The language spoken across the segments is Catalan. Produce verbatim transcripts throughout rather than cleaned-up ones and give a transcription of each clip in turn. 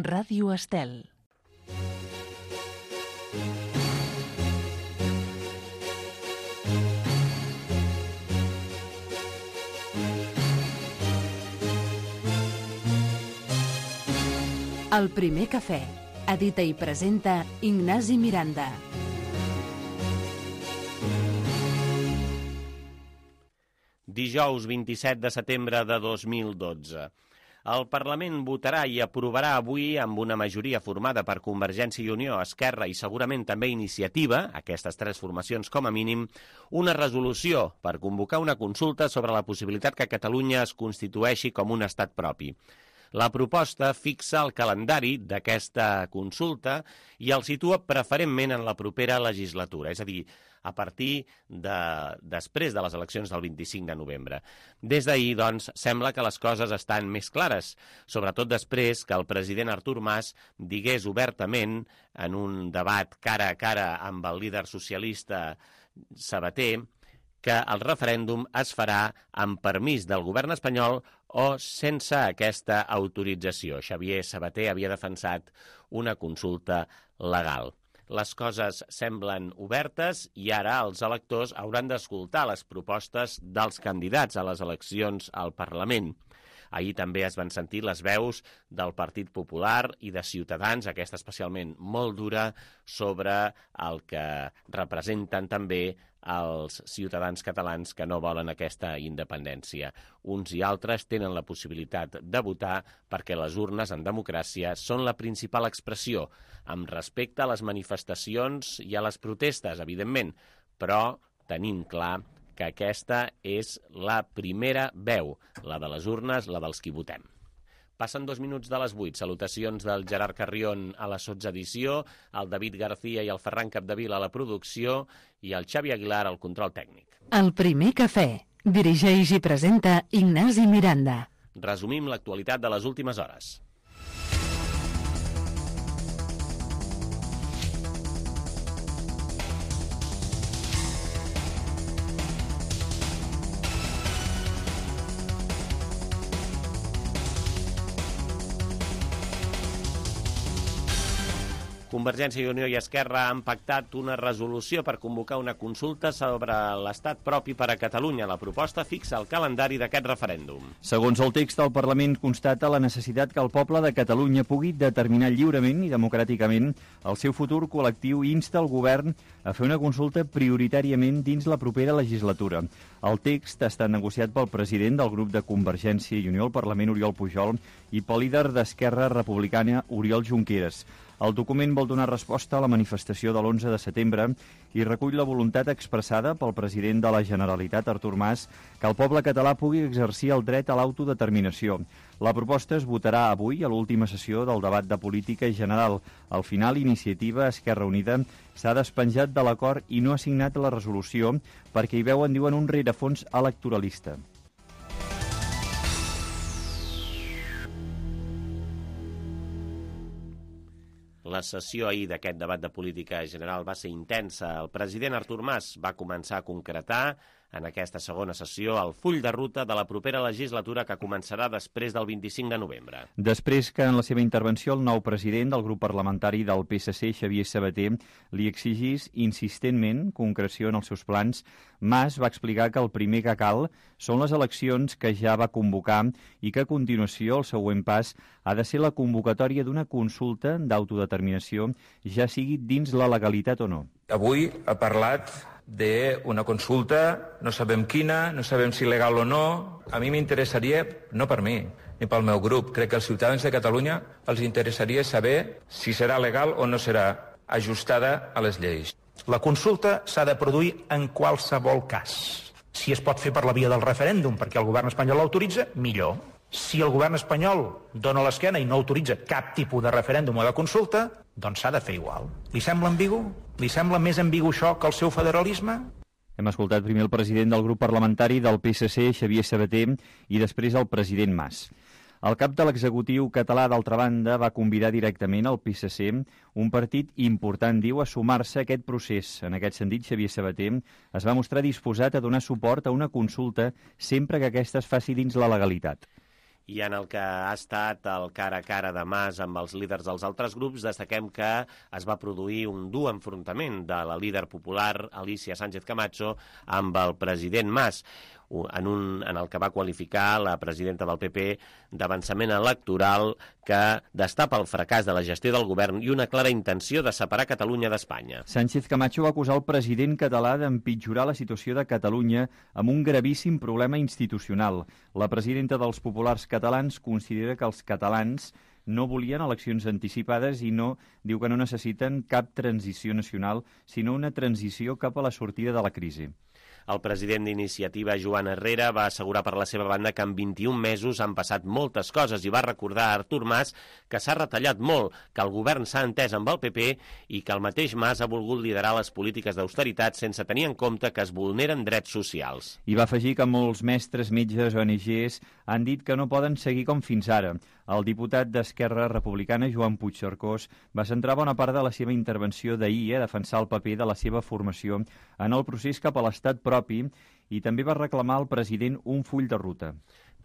Ràdio Estel. El primer cafè. Edita i presenta Ignasi Miranda. Dijous vint-i-set de setembre de dos mil dotze. El Parlament votarà i aprovarà avui, amb una majoria formada per Convergència i Unió, Esquerra i segurament també Iniciativa, aquestes tres formacions com a mínim, una resolució per convocar una consulta sobre la possibilitat que Catalunya es constitueixi com un estat propi. La proposta fixa el calendari d'aquesta consulta i el situa preferentment en la propera legislatura, és a dir, a partir de després de les eleccions del vint-i-cinc de novembre. Des d'ahir, doncs, sembla que les coses estan més clares, sobretot després que el president Artur Mas digués obertament en un debat cara a cara amb el líder socialista Sabater que el referèndum es farà amb permís del govern espanyol o sense aquesta autorització. Xavier Sabater havia defensat una consulta legal. Les coses semblen obertes i ara els electors hauran d'escoltar les propostes dels candidats a les eleccions al Parlament. Ahir també es van sentir les veus del Partit Popular i de Ciutadans, aquesta especialment molt dura, sobre el que representen també els ciutadans catalans que no volen aquesta independència. Uns i altres tenen la possibilitat de votar perquè les urnes en democràcia són la principal expressió, amb respecte a les manifestacions i a les protestes, evidentment, però tenim clar que aquesta és la primera veu, la de les urnes, la dels qui votem. Passen dos minuts de les vuit. Salutacions del Gerard Carrion a la sotsedició, el David García i el Ferran Capdevila a la producció i el Xavi Aguilar al control tècnic. El primer cafè. Dirigeix i presenta Ignasi Miranda. Resumim l'actualitat de les últimes hores. Convergència i Unió i Esquerra han pactat una resolució per convocar una consulta sobre l'estat propi per a Catalunya. La proposta fixa el calendari d'aquest referèndum. Segons el text, el Parlament constata la necessitat que el poble de Catalunya pugui determinar lliurement i democràticament el seu futur col·lectiu i insta el govern a fer una consulta prioritàriament dins la propera legislatura. El text ha estat negociat pel president del grup de Convergència i Unió al Parlament, Oriol Pujol, i pel líder d'Esquerra Republicana, Oriol Junqueras. El document vol donar resposta a la manifestació de l'onze de setembre i recull la voluntat expressada pel president de la Generalitat, Artur Mas, que el poble català pugui exercir el dret a l'autodeterminació. La proposta es votarà avui a l'última sessió del debat de política general. Al final, Iniciativa Esquerra Unida s'ha despenjat de l'acord i no ha signat la resolució perquè hi veuen, diuen, un rerefons electoralista. La sessió ahir d'aquest debat de política general va ser intensa. El president Artur Mas va començar a concretar en aquesta segona sessió el full de ruta de la propera legislatura que començarà després del vint-i-cinc de novembre. Després que en la seva intervenció el nou president del grup parlamentari del P S C, Xavier Sabater, li exigís insistentment concreció en els seus plans, Mas va explicar que el primer que cal són les eleccions que ja va convocar i que a continuació el següent pas ha de ser la convocatòria d'una consulta d'autodeterminació, ja sigui dins la legalitat o no. Avui ha parlat d'una consulta, no sabem quina, no sabem si legal o no. A mi m'interessaria, no per mi, ni pel meu grup, crec que als ciutadans de Catalunya els interessaria saber si serà legal o no serà ajustada a les lleis. La consulta s'ha de produir en qualsevol cas. Si es pot fer per la via del referèndum perquè el govern espanyol l'autoritza, millor. Si el govern espanyol dona l'esquena i no autoritza cap tipus de referèndum o de consulta, doncs s'ha de fer igual. Li sembla ambigu? Li sembla més ambigu això que el seu federalisme? Hem escoltat primer el president del grup parlamentari del P S C, Xavier Sabater, i després el president Mas. El cap de l'executiu català, d'altra banda, va convidar directament el P S C, un partit important, diu, a sumar-se a aquest procés. En aquest sentit, Xavier Sabater es va mostrar disposat a donar suport a una consulta sempre que aquesta es faci dins la legalitat. I en el que ha estat el cara a cara de Mas amb els líders dels altres grups, destaquem que es va produir un dur enfrontament de la líder popular Alicia Sánchez Camacho amb el president Mas, en, un, en el que va qualificar la presidenta del P P d'avançament electoral que destapa el fracàs de la gestió del govern i una clara intenció de separar Catalunya d'Espanya. Sánchez Camacho va acusar el president català d'empitjorar la situació de Catalunya amb un gravíssim problema institucional. La presidenta dels populars catalans considera que els catalans no volien eleccions anticipades i no diu que no necessiten cap transició nacional, sinó una transició cap a la sortida de la crisi. El president d'Iniciativa, Joan Herrera, va assegurar per la seva banda que en vint-i-un mesos han passat moltes coses i va recordar a Artur Mas que s'ha retallat molt, que el govern s'ha entès amb el P P i que el mateix Mas ha volgut liderar les polítiques d'austeritat sense tenir en compte que es vulneren drets socials. I va afegir que molts mestres, metges, O N Ges han dit que no poden seguir com fins ara. El diputat d'Esquerra Republicana, Joan Puigcercós, va centrar bona part de la seva intervenció d'ahir a defensar el paper de la seva formació en el procés cap a l'estat propi i també va reclamar al president un full de ruta.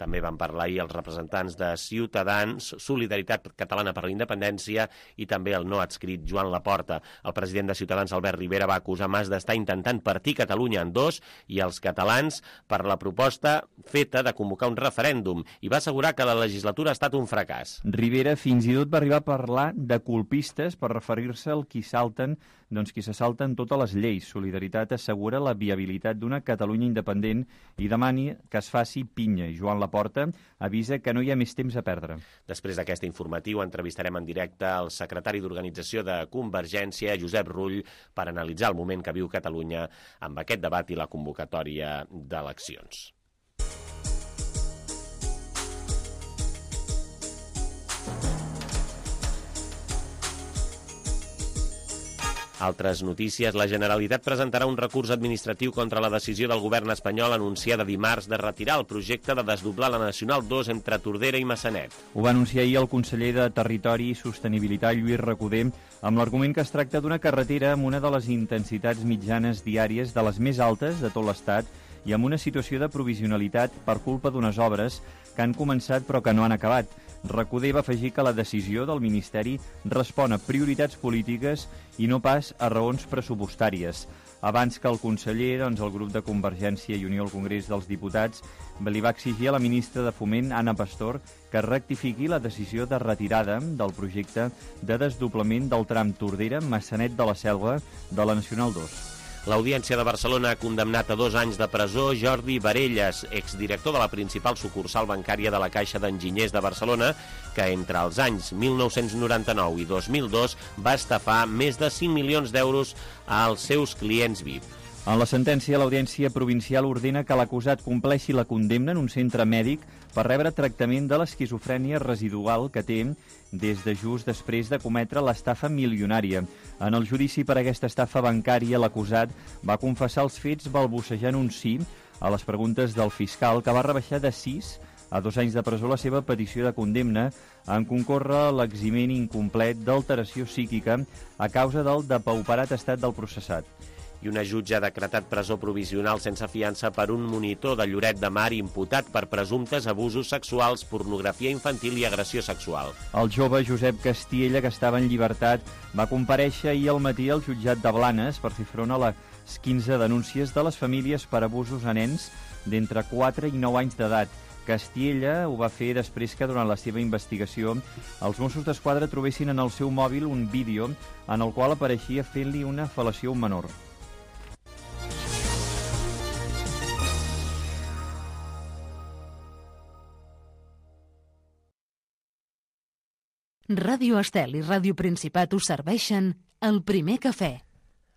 També van parlar ahir els representants de Ciutadans, Solidaritat Catalana per la Independència i també el no adscrit Joan Laporta. El president de Ciutadans, Albert Rivera, va acusar Mas d'estar intentant partir Catalunya en dos i els catalans per la proposta feta de convocar un referèndum i va assegurar que la legislatura ha estat un fracàs. Rivera fins i tot va arribar a parlar de colpistes per referir-se al qui salten, doncs qui se salten totes les lleis. Solidaritat assegura la viabilitat d'una Catalunya independent i demani que es faci pinya. I Joan Laporta avisa que no hi ha més temps a perdre. Després d'aquest informatiu entrevistarem en directe el secretari d'Organització de Convergència, Josep Rull, per analitzar el moment que viu Catalunya amb aquest debat i la convocatòria d'eleccions. Altres notícies. La Generalitat presentarà un recurs administratiu contra la decisió del govern espanyol anunciada dimarts de retirar el projecte de desdoblar la Nacional dos entre Tordera i Massanet. Ho va anunciar ahir el conseller de Territori i Sostenibilitat, Lluís Recoder, amb l'argument que es tracta d'una carretera amb una de les intensitats mitjanes diàries de les més altes de tot l'Estat i amb una situació de provisionalitat per culpa d'unes obres que han començat però que no han acabat. Recoder va afegir que la decisió del Ministeri respon a prioritats polítiques i no pas a raons pressupostàries. Abans que el conseller, doncs, el grup de Convergència i Unió al Congrés dels Diputats li va exigir a la ministra de Foment, Ana Pastor, que rectifiqui la decisió de retirada del projecte de desdoblament del tram Tordera-Massanet de la Selva de la Nacional dos. L'Audiència de Barcelona ha condemnat a dos anys de presó Jordi Varelles, exdirector de la principal sucursal bancària de la Caixa d'Enginyers de Barcelona, que entre els anys mil nou-cents noranta-nou i dos mil dos va estafar més de cinc milions d'euros als seus clients V I P. En la sentència, l'Audiència Provincial ordena que l'acusat compleixi la condemna en un centre mèdic per rebre tractament de l'esquizofrènia residual que té des de just després de cometre l'estafa milionària. En el judici per aquesta estafa bancària, l'acusat va confessar els fets balbucejant un sí a les preguntes del fiscal, que va rebaixar de sis a dos anys de presó la seva petició de condemna en concórrer l'eximent incomplet d'alteració psíquica a causa del depauperat estat del processat. I una jutge ha decretat presó provisional sense fiança per un monitor de Lloret de Mar imputat per presumptes abusos sexuals, pornografia infantil i agressió sexual. El jove Josep Castiella, que estava en llibertat, va comparèixer ahir al matí al jutjat de Blanes per fer front a les quinze denúncies de les famílies per abusos a nens d'entre quatre i nou anys d'edat. Castiella ho va fer després que durant la seva investigació els Mossos d'Esquadra trobessin en el seu mòbil un vídeo en el qual apareixia fent-li una fel·lació a un menor. Ràdio Estel i Ràdio Principat us serveixen el primer cafè.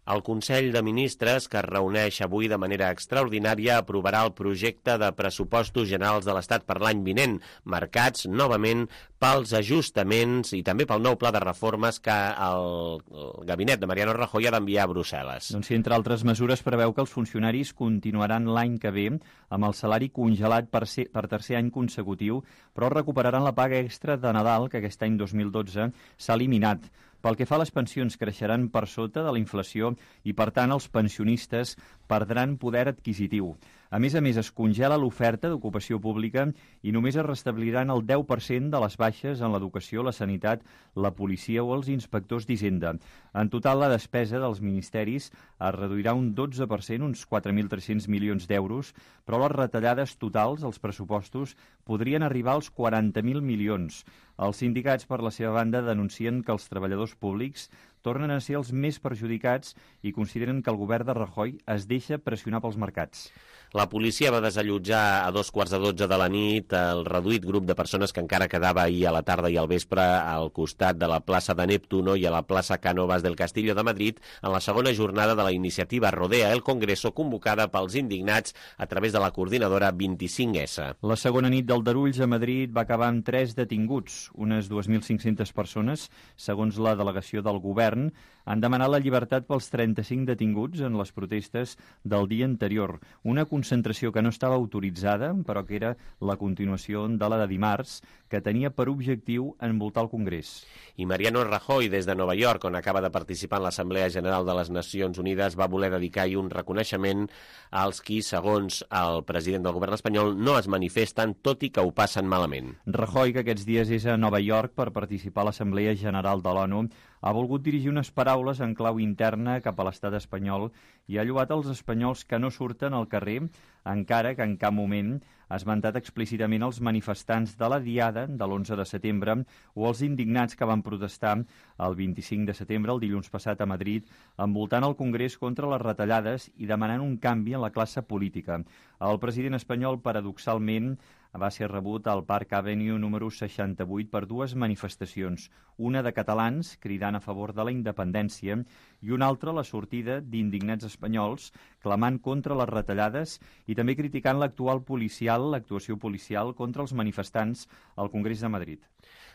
El Consell de Ministres, que es reuneix avui de manera extraordinària, aprovarà el projecte de pressupostos generals de l'Estat per l'any vinent, marcats novament pels ajustaments i també pel nou pla de reformes que el, el gabinet de Mariano Rajoy ha d'enviar a Brussel·les. Doncs, entre altres mesures, preveu que els funcionaris continuaran l'any que ve amb el salari congelat per, ser, per tercer any consecutiu, però recuperaran la paga extra de Nadal, que aquest any dos mil dotze s'ha eliminat. Pel que fa a les pensions, creixeran per sota de la inflació i, per tant, els pensionistes perdran poder adquisitiu. A més a més, es congela l'oferta d'ocupació pública i només es restabliran el deu per cent de les baixes en l'educació, la sanitat, la policia o els inspectors d'Hisenda. En total, la despesa dels ministeris es reduirà un dotze per cent, uns quatre mil tres-cents milions d'euros, però les retallades totals als pressupostos podrien arribar als quaranta mil milions. Els sindicats, per la seva banda, denuncien que els treballadors públics tornen a ser els més perjudicats i consideren que el govern de Rajoy es deixa pressionar pels mercats. La policia va desallotjar a dos quarts de dotze de la nit el reduït grup de persones que encara quedava ahir a la tarda i al vespre al costat de la plaça de Neptuno i a la plaça Cánovas del Castillo de Madrid en la segona jornada de la iniciativa Rodea el Congreso, convocada pels indignats a través de la coordinadora vint-i-cinc essa. La segona nit d'aldarulls a Madrid va acabar amb tres detinguts. Unes dues mil cinc-centes persones, segons la delegació del govern, han demanat la llibertat pels trenta-cinc detinguts en les protestes del dia anterior. Una concentració que no estava autoritzada, però que era la continuació de la de dimarts, que tenia per objectiu envoltar el Congrés. I Mariano Rajoy, des de Nova York, on acaba de participar en l'Assemblea General de les Nacions Unides, va voler dedicar-hi un reconeixement als qui, segons el president del govern espanyol, no es manifesten, tot i que ho passen malament. Rajoy, que aquests dies és a Nova York per participar a l'Assemblea General de l'ONU, ha volgut dirigir unes paraules en clau interna cap a l'estat espanyol i ha lloat els espanyols que no surten al carrer, encara que en cap moment ha esmentat explícitament els manifestants de la Diada de l'onze de setembre o els indignats que van protestar el vint-i-cinc de setembre, el dilluns passat a Madrid, envoltant el Congrés contra les retallades i demanant un canvi en la classe política. El president espanyol, paradoxalment, va ser rebut al Park Avenue número seixanta-vuit per dues manifestacions, una de catalans cridant a favor de la independència i una altra la sortida d'indignats espanyols clamant contra les retallades i també criticant l'actual policial, l'actuació policial contra els manifestants al Congrés de Madrid.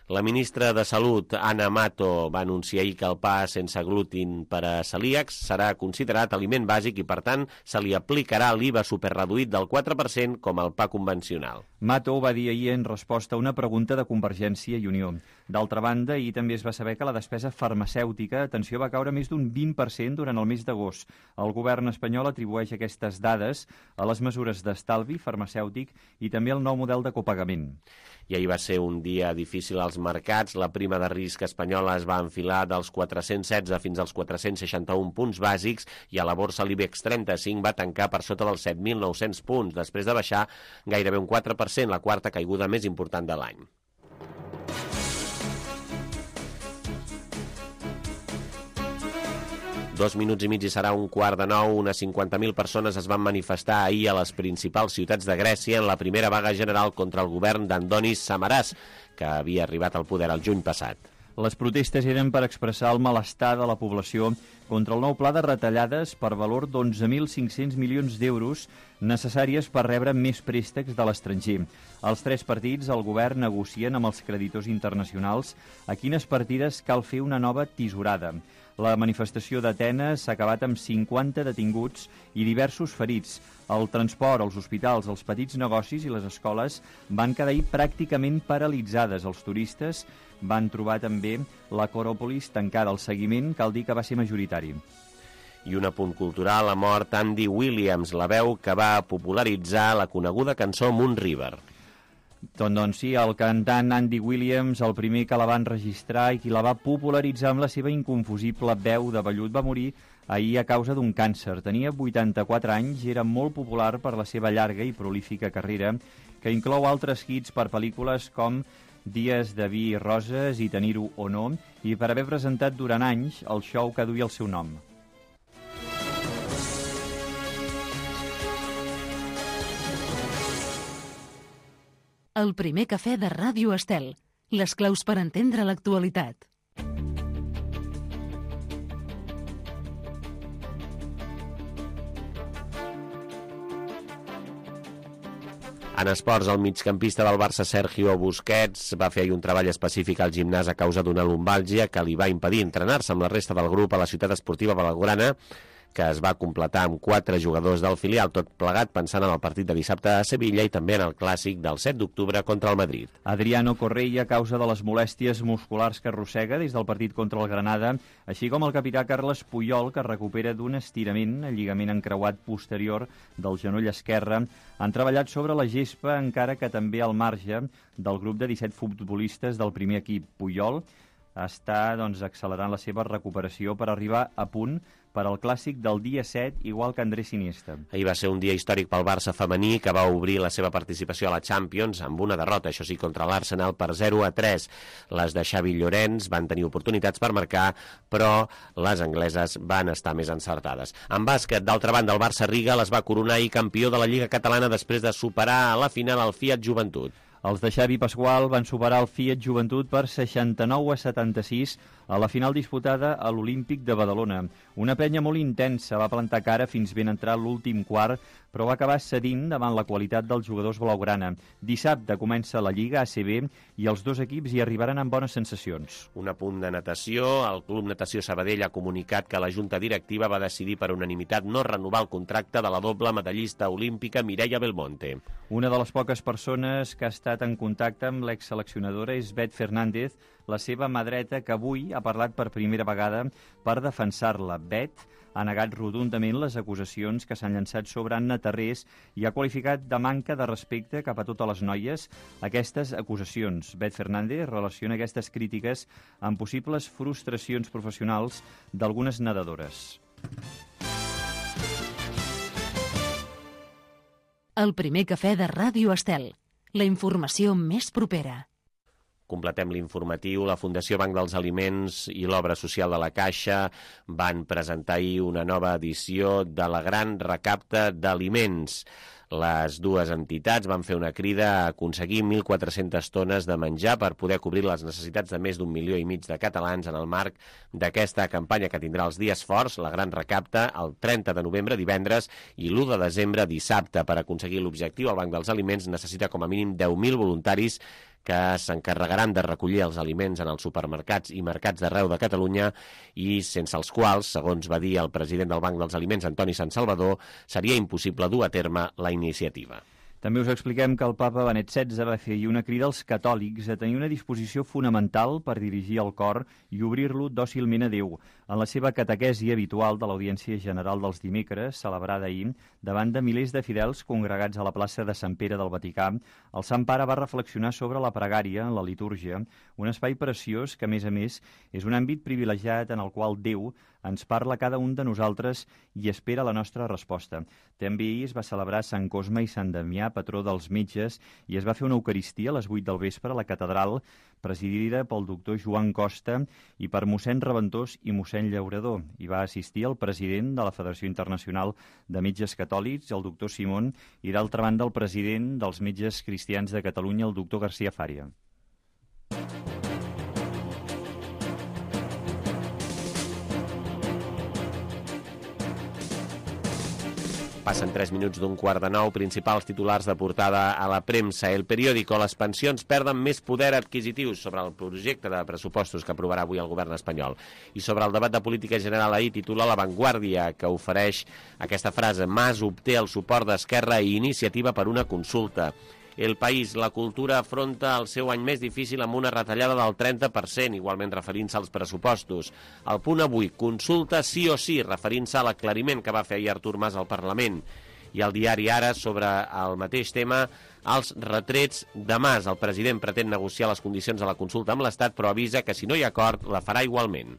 La ministra de Salut, Ana Mato, va anunciar ahir que el pa sense glútin per a celíacs serà considerat aliment bàsic i, per tant, se li aplicarà l'I V A superreduït del quatre per cent com al pa convencional. Mato ho va dir ahir en resposta a una pregunta de Convergència i Unió. D'altra banda, ahir també es va saber que la despesa farmacèutica, atenció, va caure més d'un vint per cent durant el mes d'agost. El govern espanyol atribueix aquestes dades a les mesures d'estalvi farmacèutic i també al nou model de copagament. I ahir va ser un dia difícil als mercats. La prima de risc espanyola es va enfilar dels quatre-cents setze fins als quatre-cents seixanta-un punts bàsics i a la borsa l'IBEX trenta-cinc va tancar per sota dels set mil nou-cents punts, després de baixar gairebé un quatre per cent, la quarta caiguda més important de l'any. Dos minuts i mig i serà un quart de nou. Unes cinquanta mil persones es van manifestar ahir a les principals ciutats de Grècia en la primera vaga general contra el govern d'Andonis Samaras, que havia arribat al poder el juny passat. Les protestes eren per expressar el malestar de la població contra el nou pla de retallades per valor d'onze mil cinc-cents milions d'euros necessàries per rebre més préstecs de l'estranger. Els tres partits al govern negocien amb els creditors internacionals a quines partides cal fer una nova tisorada. La manifestació d'Atenes s'ha acabat amb cinquanta detinguts i diversos ferits. El transport, els hospitals, els petits negocis i les escoles van quedar ahir pràcticament paralitzades. Els turistes van trobar també l'Acròpolis tancada. El seguiment cal dir que va ser majoritari. I un apunt cultural, ha mort Andy Williams, la veu que va popularitzar la coneguda cançó Moon River. Doncs sí, el cantant Andy Williams, el primer que la va enregistrar i qui la va popularitzar amb la seva inconfusible veu de vellut, va morir ahir a causa d'un càncer. Tenia vuitanta-quatre anys i era molt popular per la seva llarga i prolífica carrera, que inclou altres hits per pel·lícules com Dies de vi i roses i Tenir-ho o no, i per haver presentat durant anys el show que duia el seu nom. El primer cafè de Ràdio Estel. Les claus per entendre l'actualitat. En esports, el migcampista del Barça, Sergio Busquets, va fer ahir un treball específic al gimnàs a causa d'una lumbàlgia que li va impedir entrenar-se amb la resta del grup a la ciutat esportiva blaugrana, que es va completar amb quatre jugadors del filial, tot plegat pensant en el partit de dissabte a Sevilla i també en el clàssic del set d'octubre contra el Madrid. Adriano Correia, a causa de les molèsties musculars que arrossega des del partit contra el Granada, així com el capità Carles Puyol, que recupera d'un estirament, el lligament encreuat posterior del genoll esquerre, han treballat sobre la gespa, encara que també al marge del grup de disset futbolistes del primer equip. Puyol està doncs, accelerant la seva recuperació per arribar a punt per al clàssic del dia set, igual que Andrés Iniesta. Ahir va ser un dia històric pel Barça femení, que va obrir la seva participació a la Champions amb una derrota, això sí, contra l'Arsenal per zero a tres. Les de Xavi Llorenç van tenir oportunitats per marcar, però les angleses van estar més encertades. En bàsquet, d'altra banda, el Barça-Riga les va coronar i campió de la Lliga Catalana després de superar a la final el Fiat Joventut. Els de Xavi Pasqual van superar el Fiat Joventut per seixanta-nou a setanta-sis a la final disputada a l'Olímpic de Badalona. Una penya molt intensa, va plantar cara fins ben entrar l'últim quart, però va acabar cedint davant la qualitat dels jugadors blaugrana. Dissabte comença la Lliga A C B i els dos equips hi arribaran amb bones sensacions. Un apunt de natació. El Club Natació Sabadell ha comunicat que la Junta Directiva va decidir per unanimitat no renovar el contracte de la doble medallista olímpica Mireia Belmonte. Una de les poques persones que ha estat en contacte amb l'exseleccionadora és Bet Fernández, la seva mà dreta, que avui ha parlat per primera vegada per defensar-la. Bet ha negat rotundament les acusacions que s'han llançat sobre Anna Tarrés i ha qualificat de manca de respecte cap a totes les noies aquestes acusacions. Bet Fernández relaciona aquestes crítiques amb possibles frustracions professionals d'algunes nedadores. El primer cafè de Ràdio Estel. La informació més propera. Completem l'informatiu. La Fundació Banc dels Aliments i l'Obra Social de la Caixa van presentar ahir una nova edició de la Gran Recapta d'Aliments. Les dues entitats van fer una crida a aconseguir mil quatre-centes tones de menjar per poder cobrir les necessitats de més d'un milió i mig de catalans en el marc d'aquesta campanya que tindrà els dies forts, la Gran Recapta, el trenta de novembre, divendres, i l'u de desembre, dissabte. Per aconseguir l'objectiu, el Banc dels Aliments necessita com a mínim deu mil voluntaris que s'encarregaran de recollir els aliments en els supermercats i mercats d'arreu de Catalunya i sense els quals, segons va dir el president del Banc dels Aliments, Antoni Santsalvador, seria impossible dur a terme la iniciativa. També us expliquem que el papa Benet setze va fer una crida als catòlics a tenir una disposició fonamental per dirigir el cor i obrir-lo dòcilment a Déu. En la seva catequesi habitual de l'Audiència General dels dimecres, celebrada ahir, davant de milers de fidels congregats a la plaça de Sant Pere del Vaticà, el Sant Pare va reflexionar sobre la pregària en la litúrgia, un espai preciós que, a més a més, és un àmbit privilegiat en el qual Déu ens parla a cada un de nosaltres i espera la nostra resposta. També ahir es va celebrar Sant Cosme i Sant Damià, patró dels metges, i es va fer una eucaristia a les vuit del vespre a la catedral, presidida pel doctor Joan Costa i per mossèn Reventós i mossèn Llaurador. Hi va assistir el president de la Federació Internacional de Metges Catòlics, el doctor Simón, i d'altra banda el president dels Metges Cristians de Catalunya, el doctor García Fària. Passen tres minuts d'un quart de nou. Principals titulars de portada a la premsa. El periòdico. Les pensions perden més poder adquisitiu sobre el projecte de pressupostos que aprovarà avui el govern espanyol. I sobre el debat de política general ahir titula La Vanguardia, que ofereix aquesta frase: Mas obté el suport d'Esquerra i Iniciativa per una consulta. El País. La cultura afronta el seu any més difícil amb una retallada del trenta per cent, igualment referint-se als pressupostos. El Punt avui. Consulta sí o sí, referint-se a l'aclariment que va fer ahir Artur Mas al Parlament. I el diari Ara, sobre el mateix tema, els retrets de Mas. El president pretén negociar les condicions de la consulta amb l'Estat, però avisa que si no hi ha acord, la farà igualment.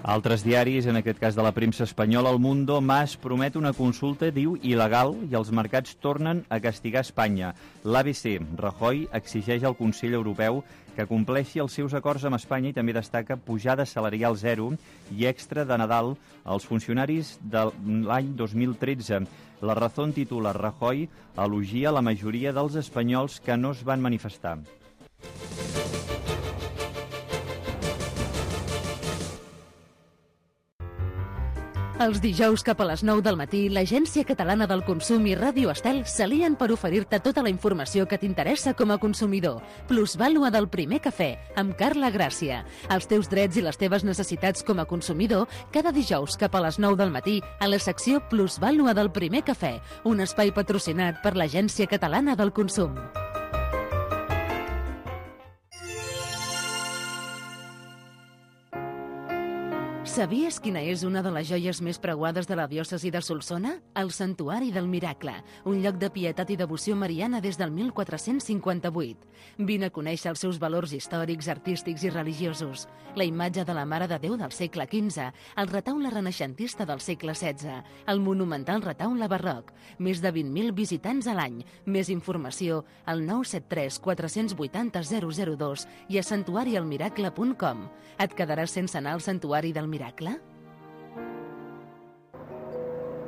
Altres diaris, en aquest cas de la premsa espanyola, El Mundo, Mas promet una consulta, diu, il·legal i els mercats tornen a castigar Espanya. L'A B C, Rajoy exigeix al Consell Europeu que compleixi els seus acords amb Espanya i també destaca pujada salarial zero i extra de Nadal als funcionaris de l'any dos mil tretze. La Razón titula Rajoy elogia la majoria dels espanyols que no es van manifestar. Els dijous cap a les nou del matí, l'Agència Catalana del Consum i Ràdio Estel s'alien per oferir-te tota la informació que t'interessa com a consumidor. Plusvàlua del primer cafè, amb Carla Gràcia. Els teus drets i les teves necessitats com a consumidor, cada dijous cap a les nou del matí, a la secció Plusvàlua del primer cafè, un espai patrocinat per l'Agència Catalana del Consum. Sabies quina és una de les joies més preuades de la diòcesi de Solsona? El Santuari del Miracle, un lloc de pietat i devoció mariana des del mil quatre-cents cinquanta-vuit. Vine a conèixer els seus valors històrics, artístics i religiosos. La imatge de la Mare de Déu del segle quinze, el retaule renaixentista del segle setze, el monumental retaule barroc, més de vint mil visitants a l'any. Més informació al nou set tres quatre vuit zero zero zero dos i a santuari el miracle punt com. Et quedaràs sense anar al Santuari del Miracle?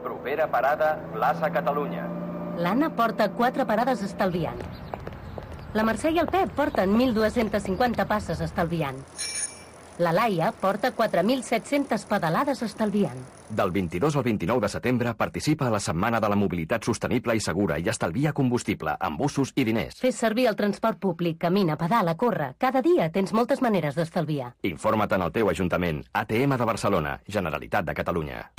Propera parada, plaça Catalunya. L'Anna porta quatre parades estalviant. La Mercè i el Pep porten mil dues-centes cinquanta passes estalviant. La Laia porta quatre mil set-centes pedalades estalviant. Del vint-i-dos al vint-i-nou de setembre participa a la Setmana de la Mobilitat Sostenible i Segura i estalvia combustible, amb bussos i diners. Fes servir el transport públic, camina, pedala, corre. Cada dia tens moltes maneres d'estalviar. Informa't en el teu ajuntament. A T M de Barcelona, Generalitat de Catalunya.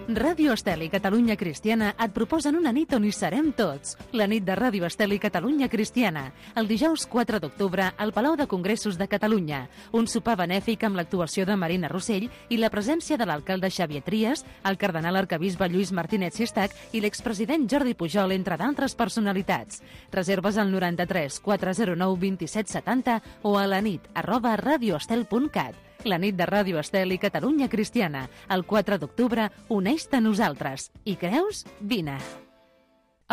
Ràdio Estel i Catalunya Cristiana et proposen una nit on hi serem tots. La nit de Ràdio Estel i Catalunya Cristiana. El dijous quatre d'octubre al Palau de Congressos de Catalunya. Un sopar benèfic amb l'actuació de Marina Rossell i la presència de l'alcalde Xavier Trias, el cardenal arquebisbe Lluís Martínez Sistac i l'expresident Jordi Pujol, entre d'altres personalitats. Reserves al noranta-tres quatre zero nou vint-i-set setanta o a la nit arroba radioestel punt cat. La nit de Ràdio Estel i Catalunya Cristiana. El quatre d'octubre, uneix-te a nosaltres. I creus? Vine.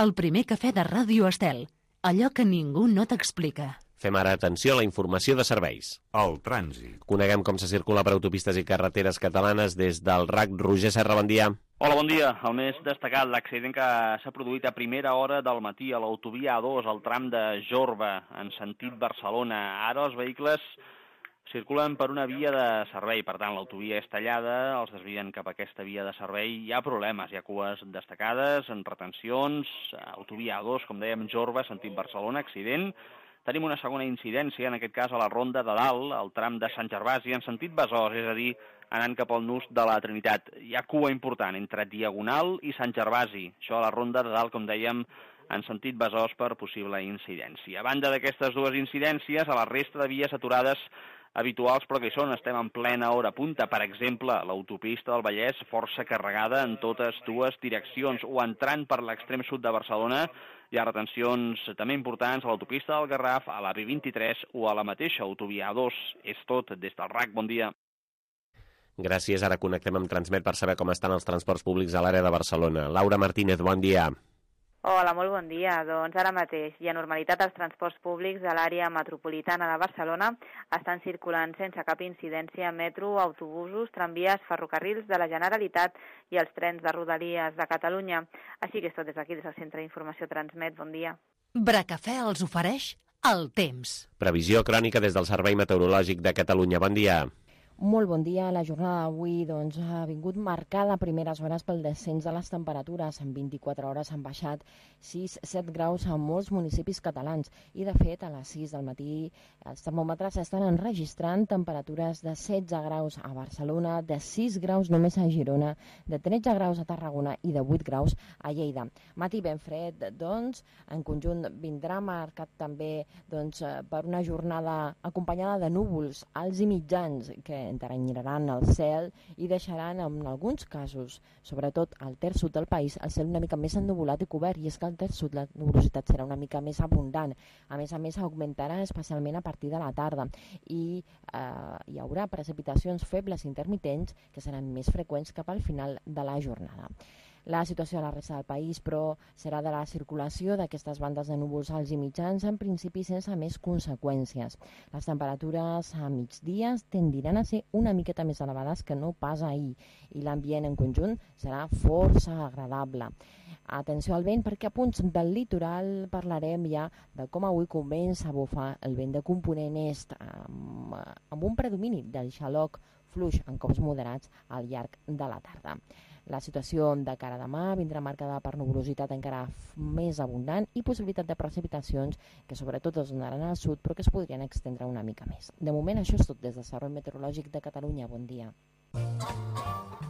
El primer cafè de Ràdio Estel. Allò que ningú no t'explica. Fem ara atenció a la informació de serveis. El trànsit. Coneguem com se circula per autopistes i carreteres catalanes des del R A C. Roger Serra, bon dia. Hola, bon dia. El més destacat, l'accident que s'ha produït a primera hora del matí a l'autovia A dos, al tram de Jorba, en sentit Barcelona. Ara els vehicles circulen per una via de servei, per tant, l'autovia és tallada, els desvien cap a aquesta via de servei. Hi ha problemes, hi ha cues destacades, en retencions, autovia A dos, com dèiem, Jorba, sentit Barcelona, accident. Tenim una segona incidència, en aquest cas a la Ronda de Dalt, al tram de Sant Gervasi, en sentit Besòs, és a dir, anant cap al nus de la Trinitat. Hi ha cua important entre Diagonal i Sant Gervasi, això a la Ronda de Dalt, com dèiem, en sentit Besòs per possible incidència. A banda d'aquestes dues incidències, a la resta de vies aturades habituals, però que hi són, estem en plena hora punta. Per exemple, l'autopista del Vallès força carregada en totes dues direccions, o entrant per l'extrem sud de Barcelona hi ha retencions també importants a l'autopista del Garraf, a la B vint-i-tres o a la mateixa autovia A dos. És tot des del R A C. Bon dia. Gràcies. Ara connectem amb Transmet per saber com estan els transports públics a l'àrea de Barcelona. Laura Martínez, bon dia. Hola, molt bon dia. Doncs ara mateix hi ha normalitat als transports públics de l'àrea metropolitana de Barcelona. Estan circulant sense cap incidència metro, autobusos, tramvies, ferrocarrils de la Generalitat i els trens de Rodalies de Catalunya. Així que és tot des d'aquí, des del Centre d'Informació Transmet. Bon dia. Bracafè els ofereix el temps. Previsió crònica des del Servei Meteorològic de Catalunya. Bon dia. Molt bon dia. La jornada d'avui doncs, ha vingut marcada a primeres hores pel descens de les temperatures. En vint-i-quatre hores han baixat sis a set graus a molts municipis catalans i, de fet, a les sis del matí els termòmetres estan enregistrant temperatures de setze graus a Barcelona, de sis graus només a Girona, de tretze graus a Tarragona i de vuit graus a Lleida. Matí ben fred, doncs, en conjunt vindrà marcat també doncs, per una jornada acompanyada de núvols alts i mitjans que enteranyiraran el cel i deixaran en alguns casos, sobretot al terç sud del país, el cel una mica més ennuvolat i cobert, i és que al terç sud la nuvolositat serà una mica més abundant. A més a més, augmentarà especialment a partir de la tarda i eh, hi haurà precipitacions febles intermitents que seran més freqüents cap al final de la jornada. La situació a la resta del país, però, serà de la circulació d'aquestes bandes de núvols alts i mitjans, en principi sense més conseqüències. Les temperatures a migdia tendiran a ser una miqueta més elevades que no pas ahir, i l'ambient en conjunt serà força agradable. Atenció al vent, perquè a punts del litoral parlarem ja de com avui comença a bufar el vent de component est, amb, amb un predomini del xaloc fluix en cops moderats al llarg de la tarda. La situació de cara a demà vindrà marcada per nuvolositat encara més abundant i possibilitat de precipitacions que sobretot es donaran al sud però que es podrien extendre una mica més. De moment això és tot des del Servei Meteorològic de Catalunya. Bon dia.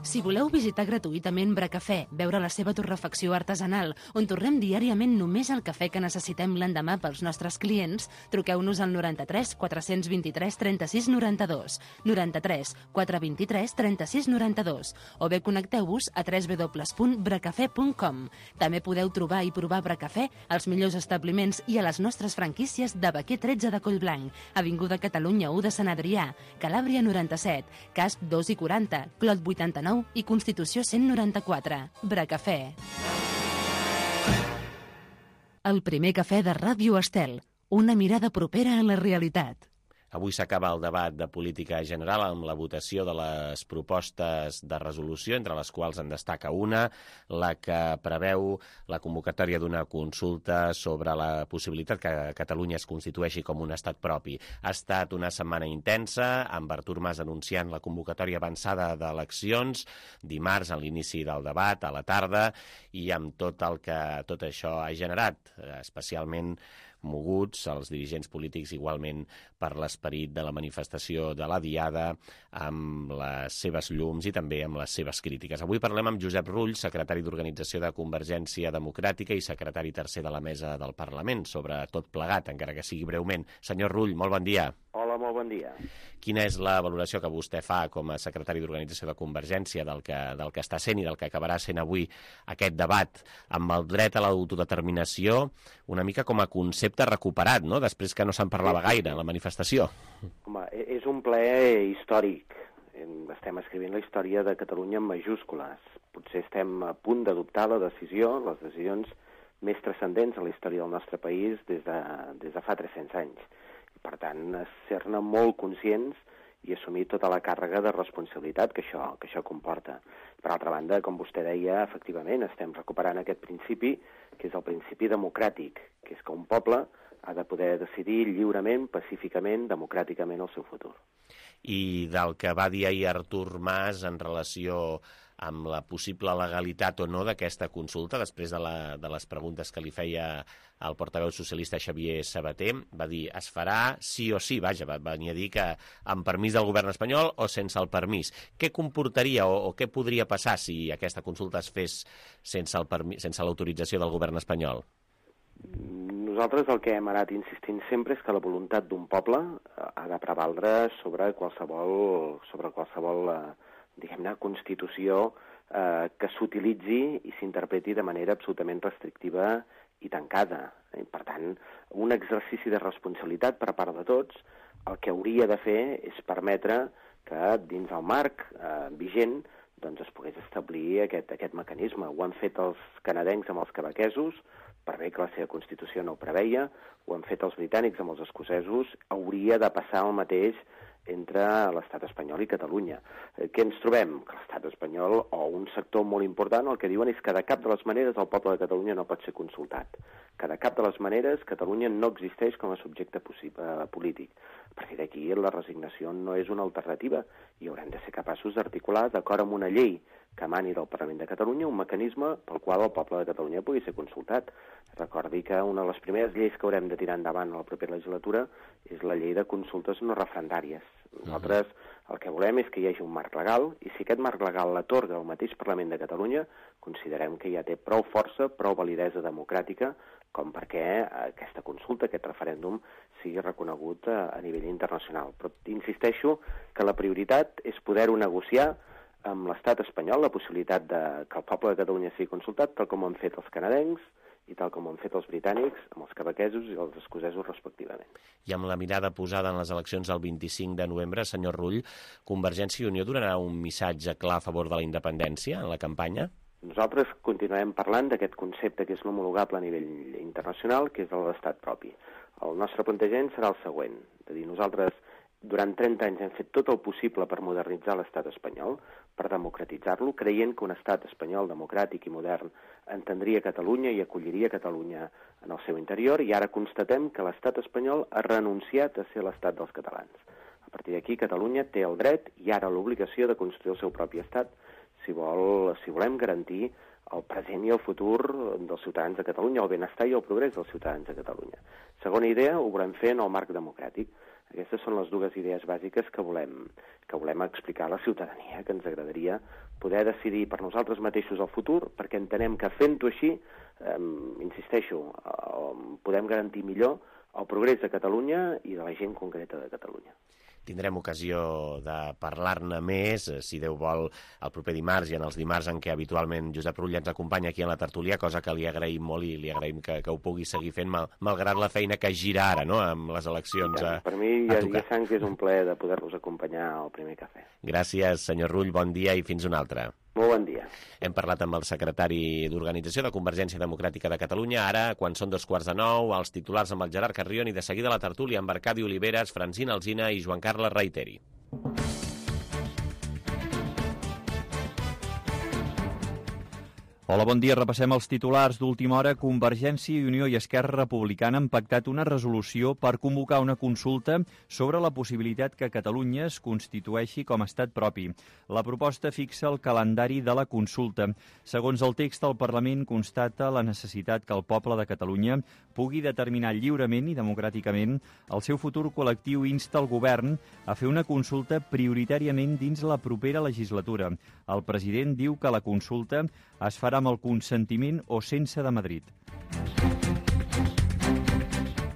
Si voleu visitar gratuïtament Bracafè, veure la seva torrefacció artesanal, on torrem diàriament només el cafè que necessitem l'endemà pels nostres clients, truqueu-nos al noranta-tres quatre-cents vint-i-tres trenta-sis noranta-dos, noranta-tres quatre vint-i-tres trenta-sis noranta-dos, o bé connecteu-vos a w w w punt bracafè punt com. També podeu trobar i provar Bracafè als millors establiments i a les nostres franquícies de Baquer tretze de Collblanc, Avinguda Catalunya u de Sant Adrià, Calàbria noranta-set, Casp dos i quaranta, Clot vuitanta-nou i Constitució cent noranta-quatre. Bracafè. El primer cafè de Ràdio Estel. Una mirada propera a la realitat. Avui s'acaba el debat de política general amb la votació de les propostes de resolució, entre les quals en destaca una, la que preveu la convocatòria d'una consulta sobre la possibilitat que Catalunya es constitueixi com un estat propi. Ha estat una setmana intensa, amb Artur Mas anunciant la convocatòria avançada d'eleccions, dimarts a l'inici del debat, a la tarda, i amb tot el que tot això ha generat, especialment moguts els dirigents polítics igualment per l'esperit de la manifestació de la Diada, amb les seves llums i també amb les seves crítiques. Avui parlem amb Josep Rull, secretari d'Organització de Convergència Democràtica i secretari tercer de la Mesa del Parlament, sobre tot plegat, encara que sigui breument. Senyor Rull, molt bon dia. Hola, molt bon dia. Quina és la valoració que vostè fa com a secretari d'Organització de Convergència del que, del que està sent i del que acabarà sent avui aquest debat amb el dret a l'autodeterminació, una mica com a concepte recuperat, no?, després que no se'n parlava gaire a la manifestació? Home, és un ple històric. Estem escrivint la història de Catalunya en majúscules. Potser estem a punt d'adoptar la decisió, les decisions més transcendents en la història del nostre país des de, des de fa tres-cents anys. Per tant, ser-ne molt conscients i assumir tota la càrrega de responsabilitat que això, que això comporta. Per altra banda, com vostè deia, efectivament, estem recuperant aquest principi, que és el principi democràtic, que és que un poble ha de poder decidir lliurement, pacíficament, democràticament el seu futur. I del que va dir ahir Artur Mas en relació amb la possible legalitat o no d'aquesta consulta, després de, la, de les preguntes que li feia el portaveu socialista Xavier Sabater, va dir es farà sí o sí, vaja, va venir a dir que amb permís del govern espanyol o sense el permís. Què comportaria o, o què podria passar si aquesta consulta es fes sense el permís, sense l'autorització del govern espanyol? Nosaltres el que hem anat insistint sempre és que la voluntat d'un poble ha de prevaldre sobre qualsevol, sobre qualsevol diguem-ne, constitució eh, que s'utilitzi i s'interpreti de manera absolutament restrictiva i tancada. Eh? Per tant, un exercici de responsabilitat per part de tots, el que hauria de fer és permetre que dins el marc eh, vigent doncs es pogués establir aquest, aquest mecanisme. Ho han fet els canadencs amb els quebequesos, per bé que la seva Constitució no ho preveia, ho han fet els britànics amb els escocesos, hauria de passar el mateix entre l'estat espanyol i Catalunya. Eh, què ens trobem? Que l'estat espanyol, o un sector molt important, el que diuen és que de cap de les maneres el poble de Catalunya no pot ser consultat. Que de cap de les maneres Catalunya no existeix com a subjecte eh, polític. A partir d'aquí la resignació no és una alternativa i haurem de ser capaços d'articular, d'acord amb una llei que emani del Parlament de Catalunya, un mecanisme pel qual el poble de Catalunya pugui ser consultat. Recordi que una de les primeres lleis que haurem de tirar endavant a la propera legislatura és la llei de consultes no referendàries. Nosaltres el que volem és que hi hagi un marc legal i si aquest marc legal l'atorga el mateix Parlament de Catalunya, considerem que ja té prou força, prou validesa democràtica com perquè aquesta consulta, aquest referèndum, sigui reconegut a, a nivell internacional. Però insisteixo que la prioritat és poder-ho negociar amb l'estat espanyol, la possibilitat de que el poble de Catalunya sigui consultat, tal com ho han fet els canadencs i tal com ho han fet els britànics, amb els quebequesos i els escocesos respectivament. I amb la mirada posada en les eleccions del vint-i-cinc de novembre, senyor Rull, Convergència i Unió donarà un missatge clar a favor de la independència en la campanya? Nosaltres continuem parlant d'aquest concepte que és homologable a nivell internacional, que és el d'estat propi. El nostre plantejament serà el següent, de dir, nosaltres durant trenta anys hem fet tot el possible per modernitzar l'estat espanyol, per democratitzar-lo, creient que un estat espanyol democràtic i modern entendria Catalunya i acolliria Catalunya en el seu interior, i ara constatem que l'estat espanyol ha renunciat a ser l'estat dels catalans. A partir d'aquí, Catalunya té el dret i ara l'obligació de construir el seu propi estat si, vol, si volem garantir el present i el futur dels ciutadans de Catalunya, el benestar i el progrés dels ciutadans de Catalunya. Segona idea, ho volem fer en el marc democràtic. Aquestes són les dues idees bàsiques que volem, que volem explicar a la ciutadania, que ens agradaria poder decidir per nosaltres mateixos el futur, perquè entenem que fent-ho així, eh, insisteixo, eh, podem garantir millor el progrés de Catalunya i de la gent concreta de Catalunya. Tindrem ocasió de parlar-ne més, si Déu vol, el proper dimarts i en els dimarts en què habitualment Josep Rull ens acompanya aquí a la tertúlia, cosa que li agraïm molt i li agraïm que, que ho pugui seguir fent, mal, malgrat la feina que gira ara, no?, amb les eleccions a, per mi ja, ja sabem que és un plaer de poder-los acompanyar al primer cafè. Gràcies, senyor Rull, bon dia i fins un altre. Molt bon dia. Hem parlat amb el secretari d'Organització de Convergència Democràtica de Catalunya. Ara, quan són dos quarts de nou, els titulars amb el Gerard Carrion i de seguida la tertúlia amb Arcadi Oliveres, Francina Alsina i Joan Carles Reiteri. Hola, bon dia. Repassem els titulars d'última hora. Convergència i Unió i Esquerra Republicana han pactat una resolució per convocar una consulta sobre la possibilitat que Catalunya es constitueixi com a estat propi. La proposta fixa el calendari de la consulta. Segons el text, el Parlament constata la necessitat que el poble de Catalunya pugui determinar lliurement i democràticament el seu futur col·lectiu i insta el govern a fer una consulta prioritàriament dins la propera legislatura. El president diu que la consulta es farà amb el consentiment o sense de Madrid.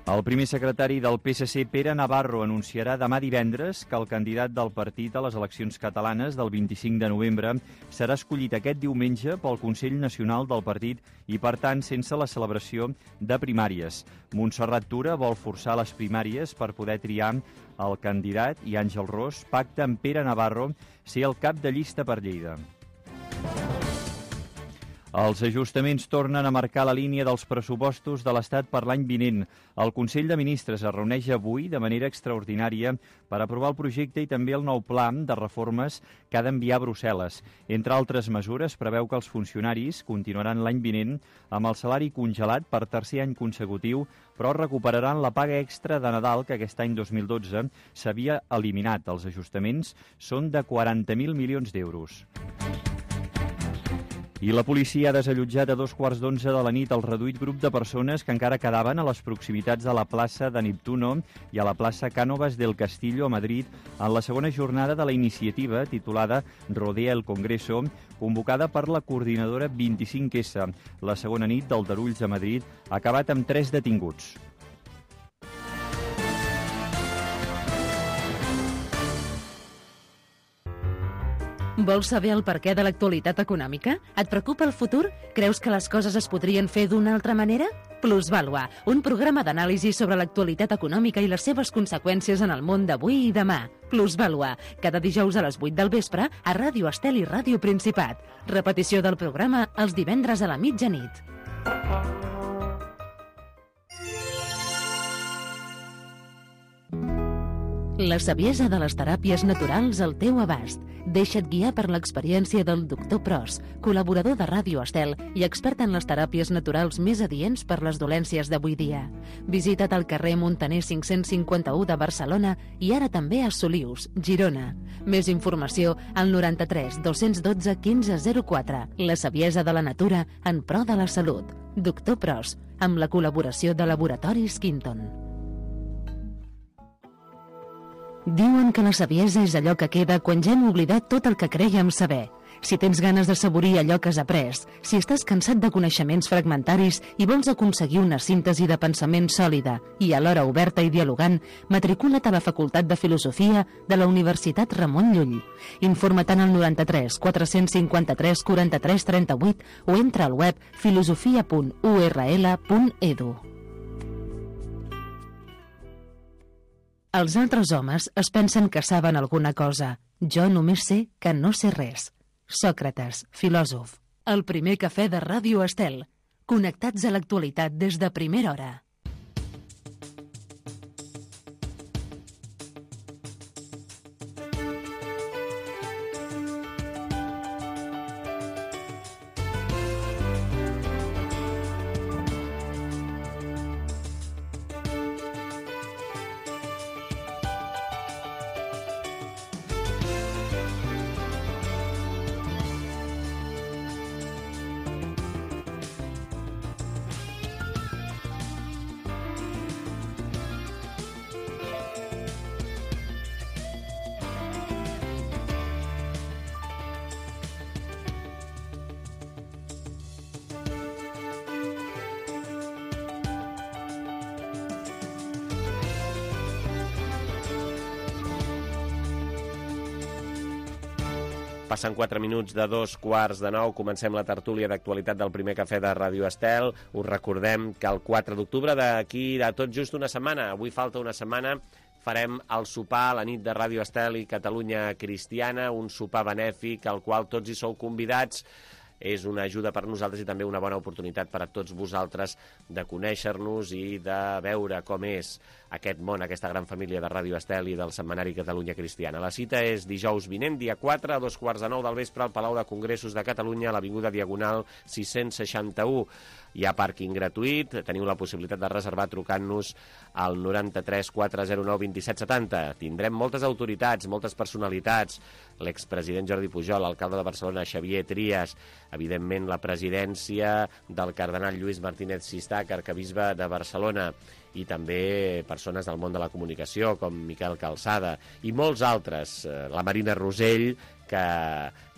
El primer secretari del P S C, Pere Navarro, anunciarà demà divendres que el candidat del partit a les eleccions catalanes del vint-i-cinc de novembre serà escollit aquest diumenge pel Consell Nacional del partit i, per tant, sense la celebració de primàries. Montserrat Tura vol forçar les primàries per poder triar el candidat i Àngel Ros pacta amb Pere Navarro ser el cap de llista per Lleida. Els ajustaments tornen a marcar la línia dels pressupostos de l'Estat per l'any vinent. El Consell de Ministres es reuneix avui de manera extraordinària per aprovar el projecte i també el nou pla de reformes que ha d'enviar a Brussel·les. Entre altres mesures, preveu que els funcionaris continuaran l'any vinent amb el salari congelat per tercer any consecutiu, però recuperaran la paga extra de Nadal que aquest any dos mil dotze s'havia eliminat. Els ajustaments són de quaranta mil milions d'euros. I la policia ha desallotjat a dos quarts d'onze de la nit el reduït grup de persones que encara quedaven a les proximitats de la plaça de Neptuno i a la plaça Cánovas del Castillo a Madrid en la segona jornada de la iniciativa titulada Rodea el Congreso, convocada per la coordinadora vint-i-cinc essa. La segona nit del Darulls a Madrid ha acabat amb tres detinguts. Vols saber el perquè de l'actualitat econòmica? Et preocupa el futur? Creus que les coses es podrien fer d'una altra manera? Plusvàlua, un programa d'anàlisi sobre l'actualitat econòmica i les seves conseqüències en el món d'avui i demà. Plusvàlua, cada dijous a les vuit del vespre a Ràdio Estel i Ràdio Principat. Repetició del programa els divendres a la mitjanit. La saviesa de les teràpies naturals al teu abast. Deixa't guiar per l'experiència del doctor Pros, col·laborador de Ràdio Estel i expert en les teràpies naturals més adients per les dolències d'avui dia. Visita't al carrer Montaner cinc-cents cinquanta-u de Barcelona i ara també a Solius, Girona. Més informació al noranta-tres dos-cents dotze quinze zero quatre. La saviesa de la natura en pro de la salut. Doctor Pros, amb la col·laboració de Laboratoris Quinton. Diuen que la saviesa és allò que queda quan ja hem oblidat tot el que crèiem saber. Si tens ganes de saborir allò que has après, si estàs cansat de coneixements fragmentaris i vols aconseguir una síntesi de pensament sòlida i alhora oberta i dialogant, matricula't a la Facultat de Filosofia de la Universitat Ramon Llull. Informa't al noranta-tres quatre-cents cinquanta-tres quaranta-tres trenta-vuit o entra al web filosofia punt u erra ele punt edu. Els altres homes es pensen que saben alguna cosa. Jo només sé que no sé res. Sòcrates, filòsof. El primer cafè de Ràdio Estel. Connectats a l'actualitat des de primera hora. Passen quatre minuts de dos quarts de nou. Comencem la tertúlia d'actualitat del primer cafè de Ràdio Estel. Us recordem que el quatre d'octubre, d'aquí a tot just una setmana, avui falta una setmana, farem el sopar a la nit de Ràdio Estel i Catalunya Cristiana, un sopar benèfic al qual tots hi sou convidats. És una ajuda per nosaltres i també una bona oportunitat per a tots vosaltres de conèixer-nos i de veure com és aquest món, aquesta gran família de Ràdio Estel i del setmanari Catalunya Cristiana. La cita és dijous vinent, dia quatre, a dos quarts de nou del vespre, al Palau de Congressos de Catalunya, a l'Avinguda Diagonal sis-cents seixanta-u. Hi ha pàrquing gratuït, teniu la possibilitat de reservar trucant-nos al noranta-tres quatre zero nou vint set setanta. Tindrem moltes autoritats, moltes personalitats, l'expresident Jordi Pujol, l'alcalde de Barcelona Xavier Trias, evidentment la presidència del cardenal Lluís Martínez Sistac, arcabisbe de Barcelona, i també persones del món de la comunicació, com Miquel Calçada, i molts altres. La Marina Rosell, que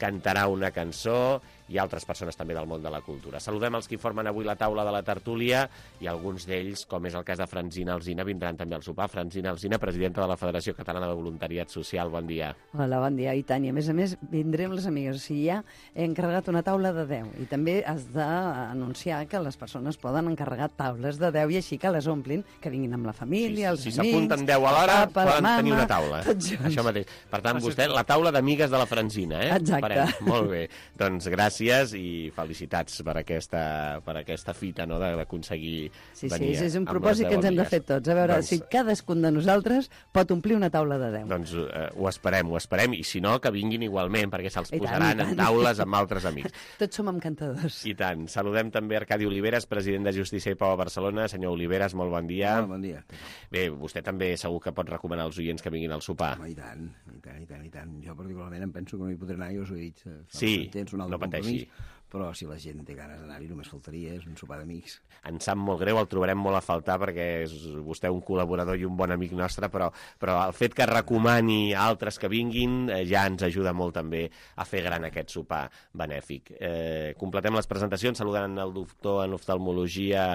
cantarà una cançó, i altres persones també del món de la cultura. Saludem els que formen avui la taula de la tertúlia, i alguns d'ells, com és el cas de Francina Alsina, vindran també al sopar. Francina Alsina, presidenta de la Federació Catalana de Voluntariat Social, bon dia. Hola, bon dia, i tant. I a més a més, vindrem les amigues. O sigui, ja he encarregat una taula de deu, i també has d'anunciar que les persones poden encarregar taules de deu, i així que les omplin, que vinguin amb la família, els si amics... Si s'apunten deu a l'hora, poden mama, tenir una taula. Això mateix. Per tant, vostè, la taula d'amigues de la Francina, eh? Exacte. Farem. Molt bé. Doncs gràcies i felicitats per aquesta, per aquesta fita, no?, d'aconseguir sí, venir sí, és un amb propòsit que ens hem de fer tots. A veure, doncs, si cadascun de nosaltres pot omplir una taula de deu. Doncs eh, ho esperem, ho esperem, i si no, que vinguin igualment, perquè se'ls posaran en taules amb altres amics. Tots som encantadors. I tant. Saludem també Arcadi Oliveres, president de Justícia i Pau a Barcelona. Senyor Oliveres, molt bon dia. Molt bon dia. Bé, vostè també segur que pot recomanar als oients que vinguin al sopar. Home, i tant, i tant, i tant, i tant. Jo particularment em penso que no hi podré anar, jo us ho he dit. Sí, no pateixi. Però si la gent té ganes d'anar-hi, només faltaria, és un sopar d'amics. Ens sap molt greu, el trobarem molt a faltar, perquè és vostè un col·laborador i un bon amic nostre, però, però el fet que recomani a altres que vinguin eh, ja ens ajuda molt també a fer gran aquest sopar benèfic. Eh, completem les presentacions saludant el doctor en oftalmologia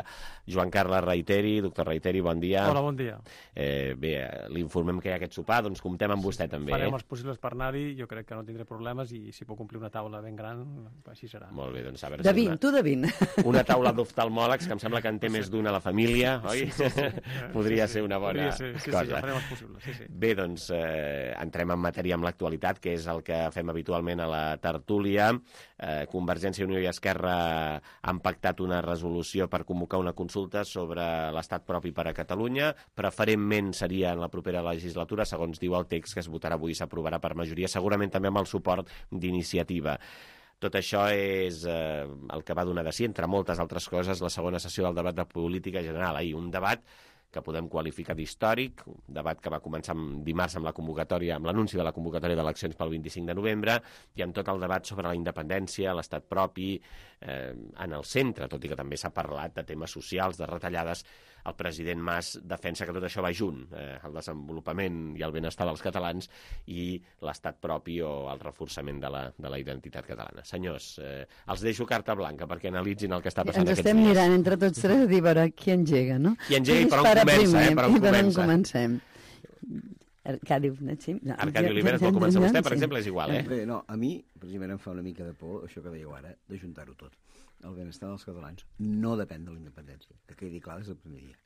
Joan Carles Reiteri. Doctor Reiteri, bon dia. Hola, bon dia. Eh, bé, l'informem que hi ha aquest sopar, doncs comptem amb vostè també. Farem eh? els possibles per anar-hi, jo crec que no tindré problemes, i si puc complir una taula ben gran, així serà. Molt bé, doncs a veure de si vint, una, tu de vint. Una taula d'oftalmòlegs, que em sembla que en té més d'una a la família, oi? Sí, sí, sí. Podria sí, sí. ser una bona ser, sí, cosa. Sí, ja farem els possibles, sí, sí. Bé, doncs eh, entrem en matèria amb l'actualitat, que és el que fem habitualment a la tertúlia. Eh, Convergència i Unió i Esquerra han pactat una resolució per convocar una consulta sobre l'estat propi per a Catalunya. Preferentment seria en la propera legislatura, segons diu el text que es votarà avui i s'aprovarà per majoria, segurament també amb el suport d'Iniciativa. Tot això és eh, el que va donar de si, entre moltes altres coses, la segona sessió del debat de política general. Ahir, un debat que podem qualificar d'històric, un debat que va començar dimarts amb la convocatòria, amb l'anunci de la convocatòria d'eleccions pel vint-i-cinc de novembre, i amb tot el debat sobre la independència, l'estat propi, eh, en el centre, tot i que també s'ha parlat de temes socials, de retallades. El president Mas defensa que tot això va junt, eh, el desenvolupament i el benestar dels catalans i l'estat propi o el reforçament de la, de la identitat catalana. Senyors, eh, els deixo carta blanca perquè analitzin el que està passant Ens aquests estem dies. mirant entre tots tres a dir, a veure, qui engega, no? Qui engega i per on comença, primer, eh? Per on i per on comença. comencem. Arcadi, sí. Arcadi Oliveres, vol començar vostè, per exemple, és igual, eh? Bé, no, a mi, precisament, em fa una mica de por, això que dèieu ara, d'ajuntar-ho tot. El benestar dels catalans no depèn de la independència, que quedi clar des del primer dia.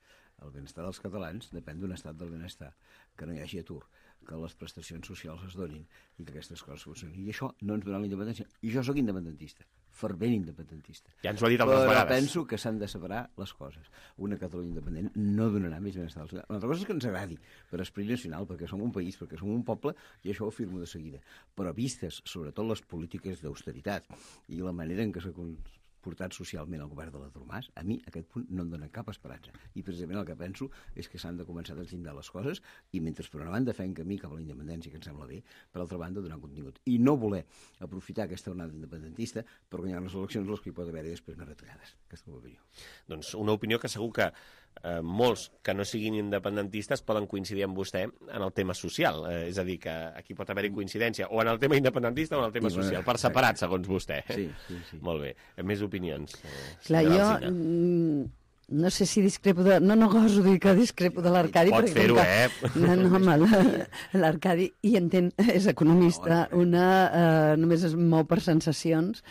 El benestar dels catalans depèn d'un estat del benestar, que no hi hagi atur, que les prestacions socials es donin i que aquestes coses funcionin. I això no ens donarà la independència. I jo sóc independentista, fervent independentista. Ja ens ho ha dit altres Però vegades. penso que s'han de separar les coses. Una Catalunya independent no donarà més benestar als catalans. Una altra cosa és que ens agradi, per esperit nacional, perquè som un país, perquè som un poble, i això ho afirmo de seguida. Però vistes, sobretot, les polítiques d'austeritat i la manera en què s'ha portat socialment el govern de l'Artur Mas, a mi aquest punt no em dona cap esperança. I precisament el que penso és que s'han de començar a deslindar les coses i mentre per una banda fem camí cap a la independència, que em sembla bé, per altra banda donar contingut. I no voler aprofitar aquesta onada independentista per guanyar les eleccions, les que hi pot haver-hi després més retallades. Aquesta és l'opinió. Doncs una opinió que segur que eh, molts que no siguin independentistes poden coincidir amb vostè en el tema social. Eh, és a dir, que aquí pot haver-hi coincidència o en el tema independentista o en el tema I, social, per separat, segons vostè. Sí, sí, sí. Molt bé. Més opinions. Eh, Clar, jo... no sé si discrepo de... No, no goso dir que discrepo de l'Arcadi. Pots fer-ho, que... eh? No, no, home, l'Arcadi hi entén, és economista, una eh, només es mou per sensacions.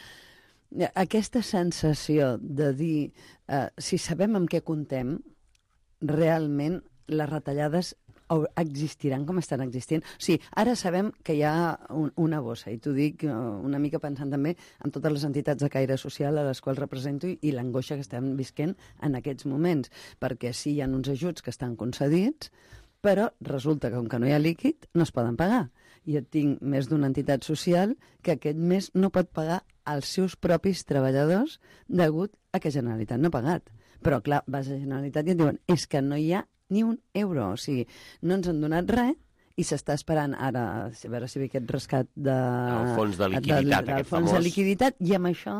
Aquesta sensació de dir, eh, si sabem amb què comptem, realment les retallades existiran com estan existint. O sigui, ara sabem que hi ha un, una bossa, i t'ho dic una mica pensant també en totes les entitats de caire social a les quals represento i, i l'angoixa que estem visquent en aquests moments, perquè sí, hi ha uns ajuts que estan concedits, però resulta que com que no hi ha líquid, no es poden pagar. Jo tinc més d'una entitat social que aquest mes no pot pagar als seus propis treballadors degut a que Generalitat no ha pagat. Però, clar, vas a Generalitat i et diuen és que no hi ha ni un euro, o sigui, no ens han donat res i s'està esperant ara a veure si ve aquest rescat de... El fons de liquiditat, del, aquest fons famós. de liquiditat, i amb això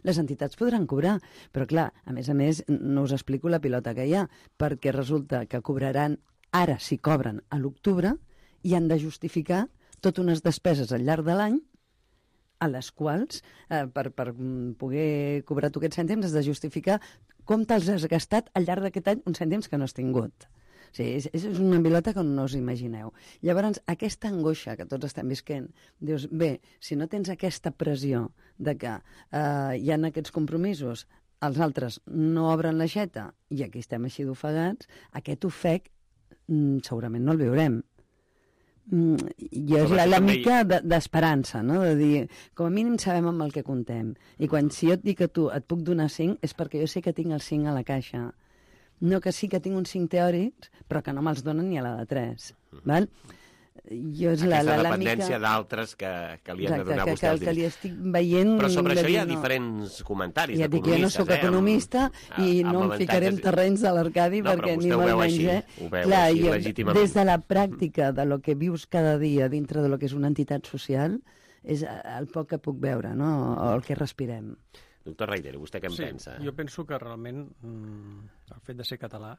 les entitats podran cobrar. Però clar, a més a més, no us explico la pilota que hi ha, perquè resulta que cobraran, ara si cobren a l'octubre, i han de justificar totes unes despeses al llarg de l'any a les quals, eh, per, per poder cobrar tu aquests cèntims, has de justificar com te'ls has gastat al llarg d'aquest any uns cèntims que no has tingut. O sigui, és, és una pilota que no us imagineu. Llavors, aquesta angoixa que tots estem visquent, dius, bé, si no tens aquesta pressió de que eh, hi ha aquests compromisos, els altres no obren l'aixeta i aquí estem així d'ofegats, aquest ofec mm, segurament no el viurem. Mm, I és la, la mica d'esperança, no? De dir, com a mínim sabem amb el que comptem. I quan si jo et dic que tu et puc donar cinc és perquè jo sé que tinc els cinc a la caixa. No que sí que tinc uns cinc teòrics, però que no me'ls donen ni a la de tres. Val? Jo és Aquesta la, la, la dependència mica... d'altres que, que li han Exacte, de donar que, vostè els que, que li diners. estic veient... Però sobre això hi ha no. diferents comentaris ja dic, jo no d'economistes. sóc economista eh? i amb, no amb em ficaré en avantatges... terrenys de l'Arcadi no, perquè ni molt molt menys, eh? Ho veu Clar, així, jo, legítimament. des de la pràctica de lo que vius cada dia dintre de lo que és una entitat social, és el poc que puc veure, no? O el que respirem. Doctor Reidero, vostè què en sí, pensa? Jo penso que realment mm, el fet de ser català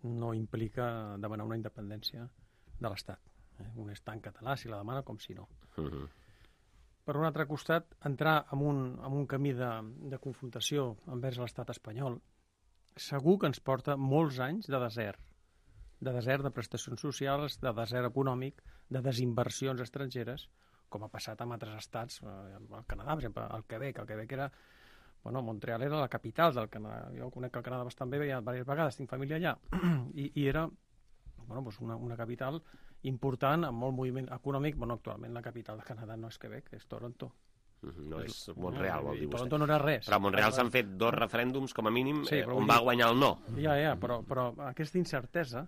no implica demanar una independència de l'Estat. Eh? Un és tan català si la demana com si no. Uh -huh. Per un altre costat, entrar en un, en un camí de, de confrontació envers l'estat espanyol segur que ens porta molts anys de desert. De desert de prestacions socials, de desert econòmic, de desinversions estrangeres, com ha passat amb altres estats, al Canadà, per exemple, al Quebec. El Quebec era... Bueno, Montreal era la capital del Canadà. Jo conec el Canadà bastant bé, ja diverses vegades, tinc família allà. I, i era bueno, doncs una, una capital important, amb molt moviment econòmic. Bueno, actualment la capital del Canadà no és Quebec, és Toronto. No és Montreal, vol dir vostè. Toronto no era res. Però a Montreal s'han fet dos referèndums, com a mínim, sí, eh, on va guanyar el no. Ja, ja, però, però aquesta incertesa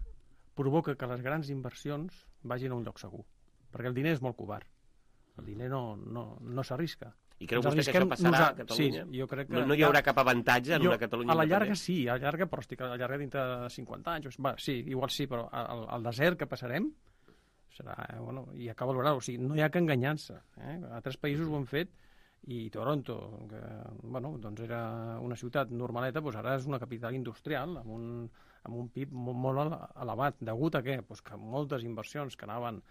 provoca que les grans inversions vagin a un lloc segur. Perquè el diner és molt covard. El diner no, no, no s'arrisca. I creu vostè que això passarà a Catalunya? Sí, jo crec que... No, no hi haurà cap avantatge en jo, una Catalunya a la llarga independent? sí, a la llarga, però estic a la llarga dintre de cinquanta anys. Va, sí, igual sí, però al, al desert que passarem serà, eh, bueno, i acaba valorar, o sigui, no hi ha que enganyar-se. Eh? Altres països ho han fet i Toronto, que bueno, doncs era una ciutat normaleta, doncs ara és una capital industrial amb un, amb un P I B molt, molt elevat. Degut a què? Pues que moltes inversions que anaven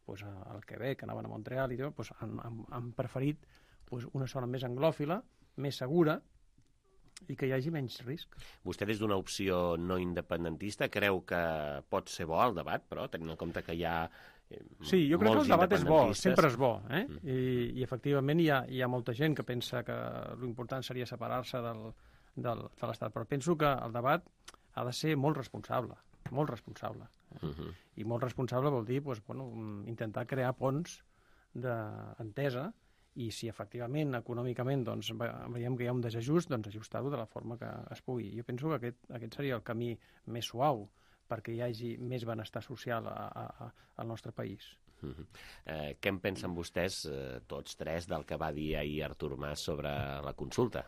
pues, al Quebec, que anaven a Montreal i tot, pues, han, han, han preferit pues, una zona més anglòfila, més segura, i que hi hagi menys risc. Vostè, des d'una opció no independentista, creu que pot ser bo el debat, però, tenint en compte que hi ha eh, sí, jo crec que el debat és bo, sempre és bo, eh? Mm. I, i efectivament hi ha, hi ha molta gent que pensa que l'important seria separar-se del, del, de l'Estat, però penso que el debat ha de ser molt responsable, molt responsable. Eh? Uh-huh. I molt responsable vol dir pues, bueno, intentar crear ponts d'entesa i si efectivament, econòmicament, doncs, veiem que hi ha un desajust, doncs ajustar-ho de la forma que es pugui. Jo penso que aquest, aquest seria el camí més suau perquè hi hagi més benestar social a, a, al nostre país. Uh-huh. eh, què en pensen vostès, eh, tots tres, del que va dir ahir Artur Mas sobre la consulta?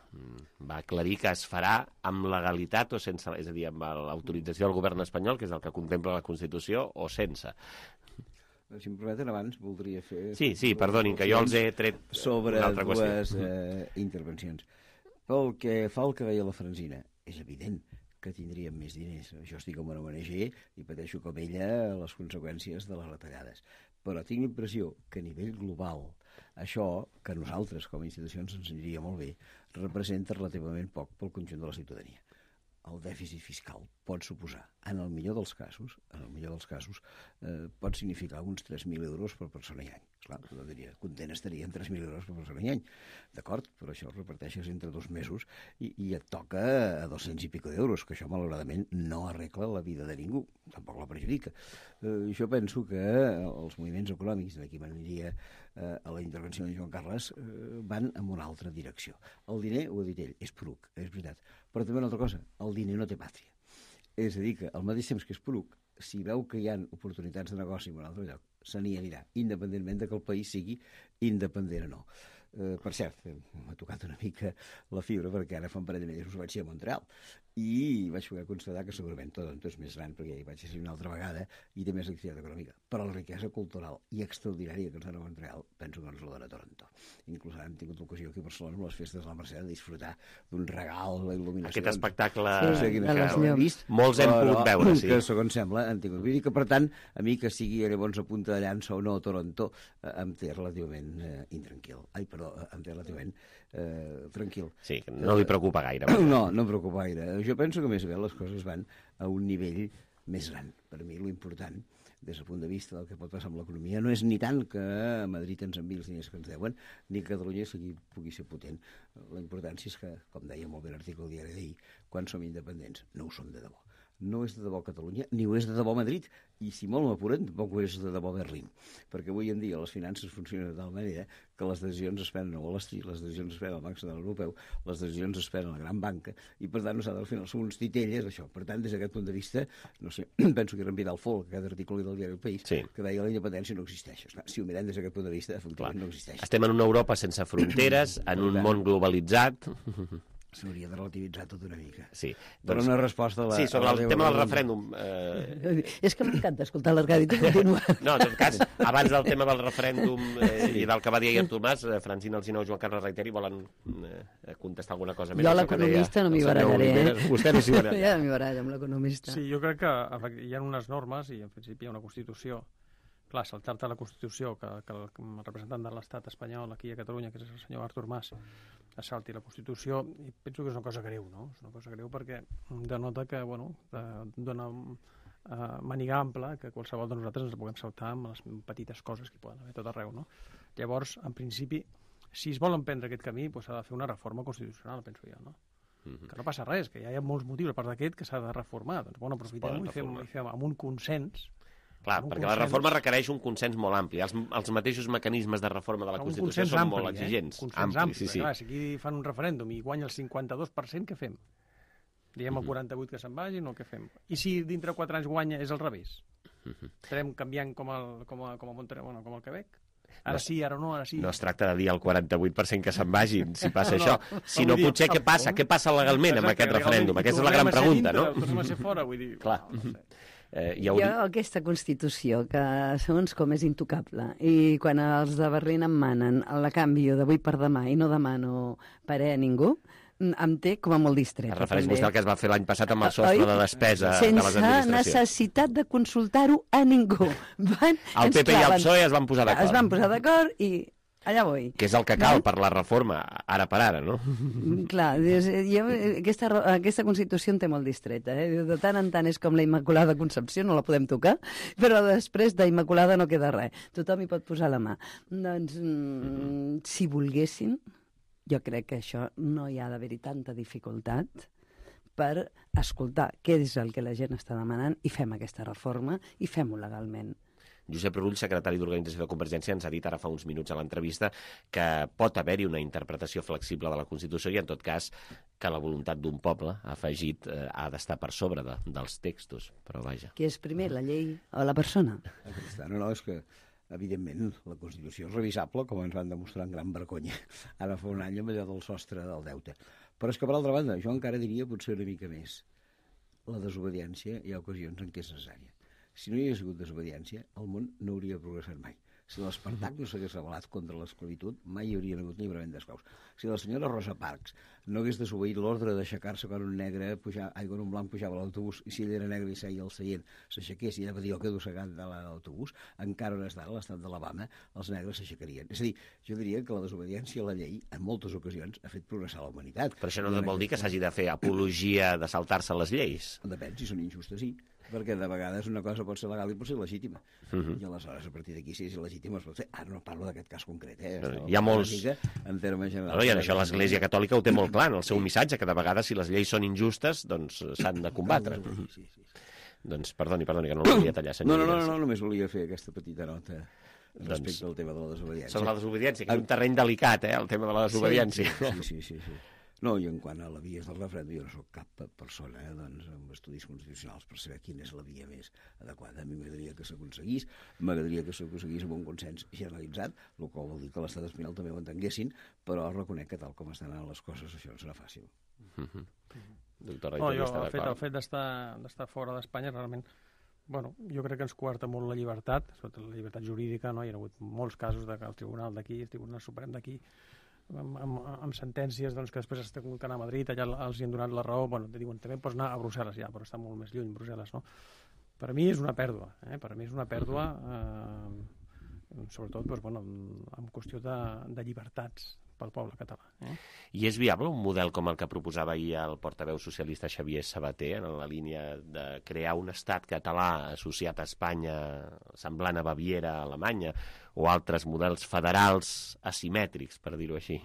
Va aclarir que es farà amb legalitat o sense, és a dir, amb l'autorització del govern espanyol, que és el que contempla la Constitució, o sense? Si em permeten, abans voldria fer... Sí, sí, perdonin, que jo els he tret sobre una altra qüestió. dues eh, intervencions. Pel que fa al que deia la Francina, és evident que tindríem més diners. Jo estic com una O N G i pateixo com ella les conseqüències de les retallades. Però tinc l'impressió que a nivell global això, que nosaltres com a institucions ens aniria molt bé, representa relativament poc pel conjunt de la ciutadania. el dèficit fiscal pot suposar, en el millor dels casos, en el millor dels casos, eh, pot significar uns tres mil euros per persona i any. Clar, jo diria, content estaria en tres mil euros per persona i any. D'acord, però això ho reparteixes entre dos mesos i, i et toca a dos-cents i pico d'euros, que això malauradament no arregla la vida de ningú, tampoc la perjudica. Eh, jo penso que els moviments econòmics, d'aquí m'aniria eh, a la intervenció de Joan Carles, eh, van en una altra direcció. El diner, ho ha dit ell, és poruc, és veritat. Però també una altra cosa, el diner no té pàtria. És a dir, que al mateix temps que és poruc, si veu que hi ha oportunitats de negoci en un altre lloc, se n'hi anirà, independentment de que el país sigui independent o no. Eh, per cert, m'ha tocat una mica la fibra perquè ara fa un parell de mesos vaig ser a Montreal i vaig poder constatar que segurament Toronto és més gran perquè hi vaig ser una altra vegada i té més activitat econòmica. Però la riquesa cultural i extraordinària que ens dona Montreal penso que ens la dona Toronto. Inclús hem tingut l'ocasió aquí a Barcelona amb les festes de la Mercè de disfrutar d'un regal, la il·luminació. Aquest espectacle sí, que, que vist, molts hem pogut no, veure, sí. Que segons sembla han tingut. Vull dir que, per tant, a mi que sigui llavors a punta de llança o no a Toronto eh, em té relativament eh, intranquil. Ai, perdó, em té relativament eh, tranquil. Sí, no li preocupa gaire. No, no em preocupa gaire. Jo penso que més aviat les coses van a un nivell més gran. Per mi l'important, des del punt de vista del que pot passar amb l'economia, no és ni tant que a Madrid ens enviï els diners que ens deuen, ni que Catalunya sigui, pugui ser potent. La importància és que, com deia molt bé l'article del diari d'ahir, quan som independents, no ho som de debò. No és de debò Catalunya, ni ho és de debò Madrid, i si molt m'apuren, tampoc ho és de debò Berlín, perquè avui en dia les finances funcionen de tal manera que les decisions es prenen a Wall Street, les decisions es prenen al Banc Central Europeu, les decisions es prenen a la gran banca, i per tant, nosaltres al final som uns titelles, això. Per tant, des d'aquest punt de vista, no sé, penso que era en Vidal Folk, aquest article del diari El País, sí, que deia que la independència no existeix. Esclar, si ho mirem des d'aquest punt de vista, efectivament no existeix. Estem en una Europa sense fronteres, en un món globalitzat. S'hauria de relativitzar tot una mica. Sí, però doncs, una resposta a la... Sí, sobre el tema del referèndum. Eh... És que m'encanta escoltar l'Arcadi, tu continua. No, en tot cas, abans del tema del referèndum eh, i del que va dir ahir Artur Mas, eh, Francina Alsina o Joan Carles Reiteri volen eh, contestar alguna cosa més. Jo l'economista no m'hi barallaré, eh? Vostè no s'hi baralla. Ja m'hi baralla amb l'economista. Sí, jo crec que hi ha unes normes i en principi hi ha una Constitució. Clar, saltar-te la Constitució, que, que el representant de l'Estat espanyol aquí a Catalunya, que és el senyor Artur Mas, es salti la Constitució, i penso que és una cosa greu, no? És una cosa greu perquè denota que, bueno, dona uh, maniga ampla que qualsevol de nosaltres ens puguem saltar amb les petites coses que hi poden haver tot arreu, no? Llavors, en principi, si es vol emprendre aquest camí, doncs s'ha de fer una reforma constitucional, penso jo, no? Mm-hmm. Que no passa res, que ja hi ha molts motius a part d'aquest que s'ha de reformar. Doncs, bueno, aprofitem-ho i fem, i fem amb un consens. Clar, perquè consens... la reforma requereix un consens molt ampli. Els, els mateixos mecanismes de reforma de la Constitució són ampli, molt exigents. Eh? Consens ampli, ampli sí, sí. Clar, si aquí fan un referèndum i guanya el cinquanta-dos per cent, què fem? Diem el quaranta-vuit que se'n vagin o què fem? I si dintre de quatre anys guanya és al revés? Uh-huh. Estarem canviant com, el, com, a, com, a Montreal, bueno, com el Quebec? Ara no, sí, ara no, ara sí. No es tracta de dir el quaranta-vuit per cent que se'n vagin, si passa no, això. No, si no, potser què passa? Què passa legalment amb aquest referèndum? Aquesta és la gran pregunta, no? Tornem a ser fora, vull dir... Clar. No, no sé. Eh, ja jo, aquesta Constitució, que segons com és intocable, i quan els de Berlín em manen, la canvio d'avui per demà i no demano parer a ningú, em té com a molt distret. Es refereix vostè al que es va fer l'any passat amb el sostre Oi? de despesa Sense de les administracions. Sense necessitat de consultar-ho a ningú. Van, el P P i el P S O E es van posar d'acord. Es van posar d'acord i... allà vull. Que és el que cal per la reforma, ara per ara, no? Clar, jo, aquesta, aquesta Constitució en té molt distreta. Eh? De tant en tant és com la Immaculada Concepció, no la podem tocar, però després d'Immaculada no queda res. Tothom hi pot posar la mà. Doncs, mm, si volguessin, jo crec que això no hi ha d'haver-hi tanta dificultat per escoltar què és el que la gent està demanant i fem aquesta reforma i fem-ho legalment. Josep Rull, secretari d'Organització de Convergència, ens ha dit ara fa uns minuts a l'entrevista que pot haver-hi una interpretació flexible de la Constitució i, en tot cas, que la voluntat d'un poble, ha afegit, eh, ha d'estar per sobre de, dels textos. Però vaja. Què és primer, la llei o la persona? No, no, és que, evidentment, la Constitució és revisable, com ens van demostrar en gran vergonya. Ara fa un any amb allò del sostre del deute. Però és que, per altra banda, jo encara diria potser una mica més. La desobediència hi ha ocasions en què és necessària. Si no hi hagués hagut desobediència, el món no hauria progressat mai. Si l'Espartac no s'hagués rebel·lat contra l'esclavitud, mai hi hauria hagut lliurament d'esclaus. Si la senyora Rosa Parks no hagués desobeït l'ordre d'aixecar-se quan un negre pujar, ai, quan un blanc pujava a l'autobús, i si ell era negre i seia al seient, s'aixequés i anava a dir el que dossegat de l'autobús, encara on està l'estat d'Alabama, els negres s'aixecarien. És a dir, jo diria que la desobediència a la llei, en moltes ocasions, ha fet progressar la humanitat. Però això no vol dir que s'hagi de fer apologia de saltar-se les lleis. Depèn, si són injustes, sí. Perquè de vegades una cosa pot ser legal i pot ser legítima. Uh -huh. I aleshores, a partir d'aquí, si és legítima, es pot fer. Ara no parlo d'aquest cas concret, eh? No, hi ha molts... En termes generals. No, I en això l'Església Catòlica ho té molt clar, en el seu missatge, que de vegades, si les lleis són injustes, doncs s'han de combatre. Sí, sí, sí. Doncs perdoni, perdoni, que no el volia tallar, senyor. No, no, no, no, només volia fer aquesta petita nota respecte doncs, al tema de la desobediència. Sobre la desobediència, que és un terreny delicat, eh, el tema de la desobediència. Sí, sí, sí, sí. No, i en quant a la via del referèndum, jo no soc cap persona eh, doncs, amb estudis constitucionals per saber quina és la via més adequada. A mi m'agradaria que s'aconseguís, m'agradaria que s'aconseguís amb un consens generalitzat, el qual vol dir que l'estat espanyol també ho entenguessin, però reconec que tal com estan anant les coses això no serà fàcil. Mm-hmm. Doctora, no, jo, el fet, el fet d'estar fora d'Espanya realment, bueno, jo crec que ens coarta molt la llibertat, sobretot la llibertat jurídica, no? Hi ha hagut molts casos de que el Tribunal d'aquí, el Tribunal Suprem d'aquí, amb, amb, amb sentències doncs, que després s'ha hagut d'anar a Madrid, allà els hi han donat la raó, bueno, te diuen, també pots anar a Brussel·les ja, però està molt més lluny, Brussel·les, no? Per a mi és una pèrdua, eh? Per a mi és una pèrdua, eh, sobretot doncs, bueno, en qüestió de, de llibertats pel poble català. Eh? I és viable un model com el que proposava ahir el portaveu socialista Xavier Sabater, en la línia de crear un estat català associat a Espanya, semblant a Baviera, a Alemanya, o altres models federals asimètrics, per dir-ho així?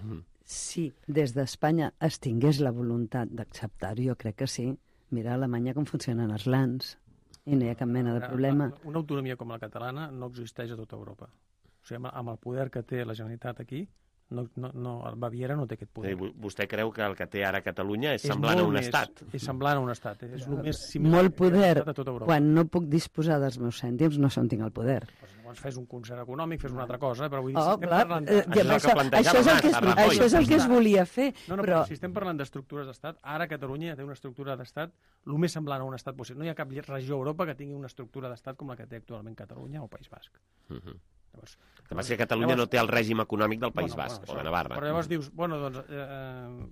Sí, des d'Espanya es tingués la voluntat d'acceptar-ho, jo crec que sí. Mira a Alemanya com funcionen els lands, i no hi ha cap mena de problema. Una autonomia com la catalana no existeix a tota Europa. O sigui, amb el poder que té la Generalitat aquí, no, no, no, el Baviera no té aquest poder. Sí, vostè creu que el que té ara Catalunya és, és semblant a un més, estat? És semblant a un estat. És el més similar molt poder. A tota Europa. Quan no puc disposar dels meus cèntims, no sé on tinc el poder. Pues llavors fes un concert econòmic, fes una altra cosa, però vull dir, oh, si estem clar, parlant... De... Això, això, això, és el que es, això és el que es volia fer. No, no, però... però si estem parlant d'estructures d'estat, ara Catalunya té una estructura d'estat el més semblant a un estat possible. No hi ha cap regió a Europa que tingui una estructura d'estat com la que té actualment Catalunya o País Basc. Uh -huh. Llavors, el que passa que Catalunya llavors, no té el règim econòmic del País bueno, Basc, bueno, o de Navarra. Però llavors dius, bueno, doncs, eh,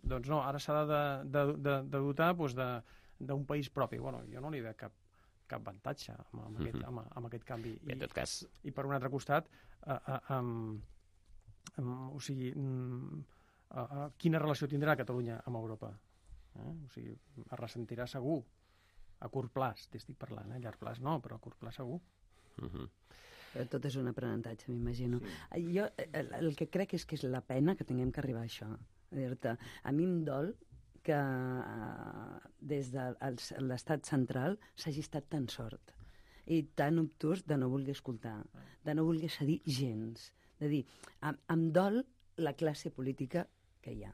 doncs no, ara s'ha de, de, de, de dotar doncs, d'un país propi. Bueno, jo no li veig cap, cap avantatge amb, amb, aquest, amb, amb aquest canvi. I, en tot cas... I per un altre costat, eh, eh, um, um, o sigui, um, uh, uh, quina relació tindrà Catalunya amb Europa? Eh? O sigui, es ressentirà segur. A curt plaç, t'estic parlant, eh? A llarg plaç no, però a curt plaç segur. Uh -huh. Però tot és un aprenentatge, m'imagino. Sí. Jo el, el que crec és que és la pena que tinguem que arribar a això. A dir-te, a mi em dol que uh, des de l'estat central s'hagi estat tan sort i tan obtús de no voler escoltar, de no voler cedir gens. De dir, em, em dol la classe política que hi ha,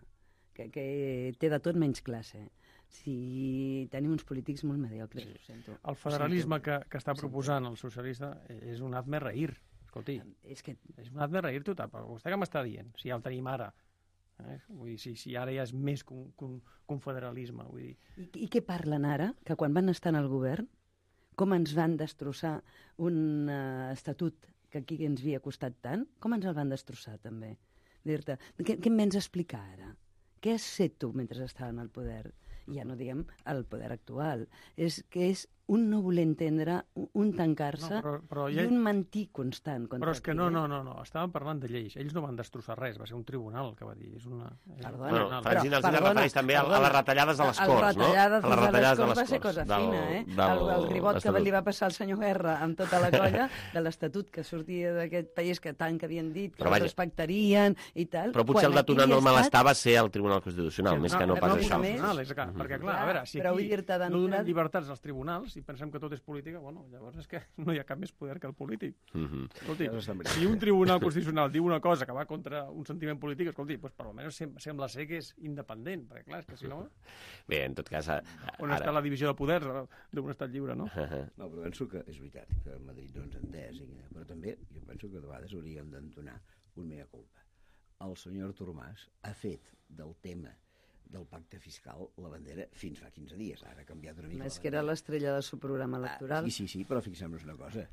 que, que té de tot menys classe. Si tenim uns polítics molt mediocres, sí. Ho sento. El federalisme que, que està proposant el socialista és un hazme reír. Escolti, és, que... és un hazme reír total. Però vostè què m'està dient? Si ja el tenim ara. Eh? Vull dir, si, si ara ja és més que un, que un, que un federalisme. Vull dir. I, I què parlen ara? Que quan van estar en el govern, com ens van destrossar un uh, estatut que aquí ens havia costat tant? Com ens el van destrossar, també? Dir-te, què, què em vens a explicar ara? Què has fet tu mentre estaven al poder? Ja no diguem el poder actual. És que és un no voler entendre, un tancar-se no, però, però i un mentir constant. Però és que no, no, no, no, estàvem parlant de lleis. Ells no van destrossar res, va ser un tribunal el que va dir. És una... Perdona, bueno, Francina els refereix també perdona, a les retallades de les Corts, no? A les retallades de les Corts va ser cosa del, fina, eh? Del, el, el ribot que li va passar al senyor Guerra amb tota la colla de l'Estatut que sortia d'aquest país que tant que havien dit, que però, el respectarien i tal. Però potser el detonant del malestar va ser el Tribunal Constitucional, més que no pas això. Perquè, clar, a veure, si aquí no donem llibertats als tribunals i pensem que tot és política, bueno, llavors és que no hi ha cap més poder que el polític. Mm-hmm. Escolti, si un tribunal constitucional diu una cosa que va contra un sentiment polític, escolti, doncs per almenys sembla ser que és independent, perquè clar, és que si no... Bé, en tot cas... A, a, on està ara... la divisió de poders d'un estat lliure, no? No, però penso que és veritat que Madrid no ens entès, però també jo penso que de vegades hauríem d'entonar un mea culpa. El senyor Artur Mas ha fet del tema del pacte fiscal la bandera fins fa quinze dies. Ara ha canviat una mica. És que era l'estrella del seu programa electoral. Ah, sí, sí, sí, però fixem-nos una cosa.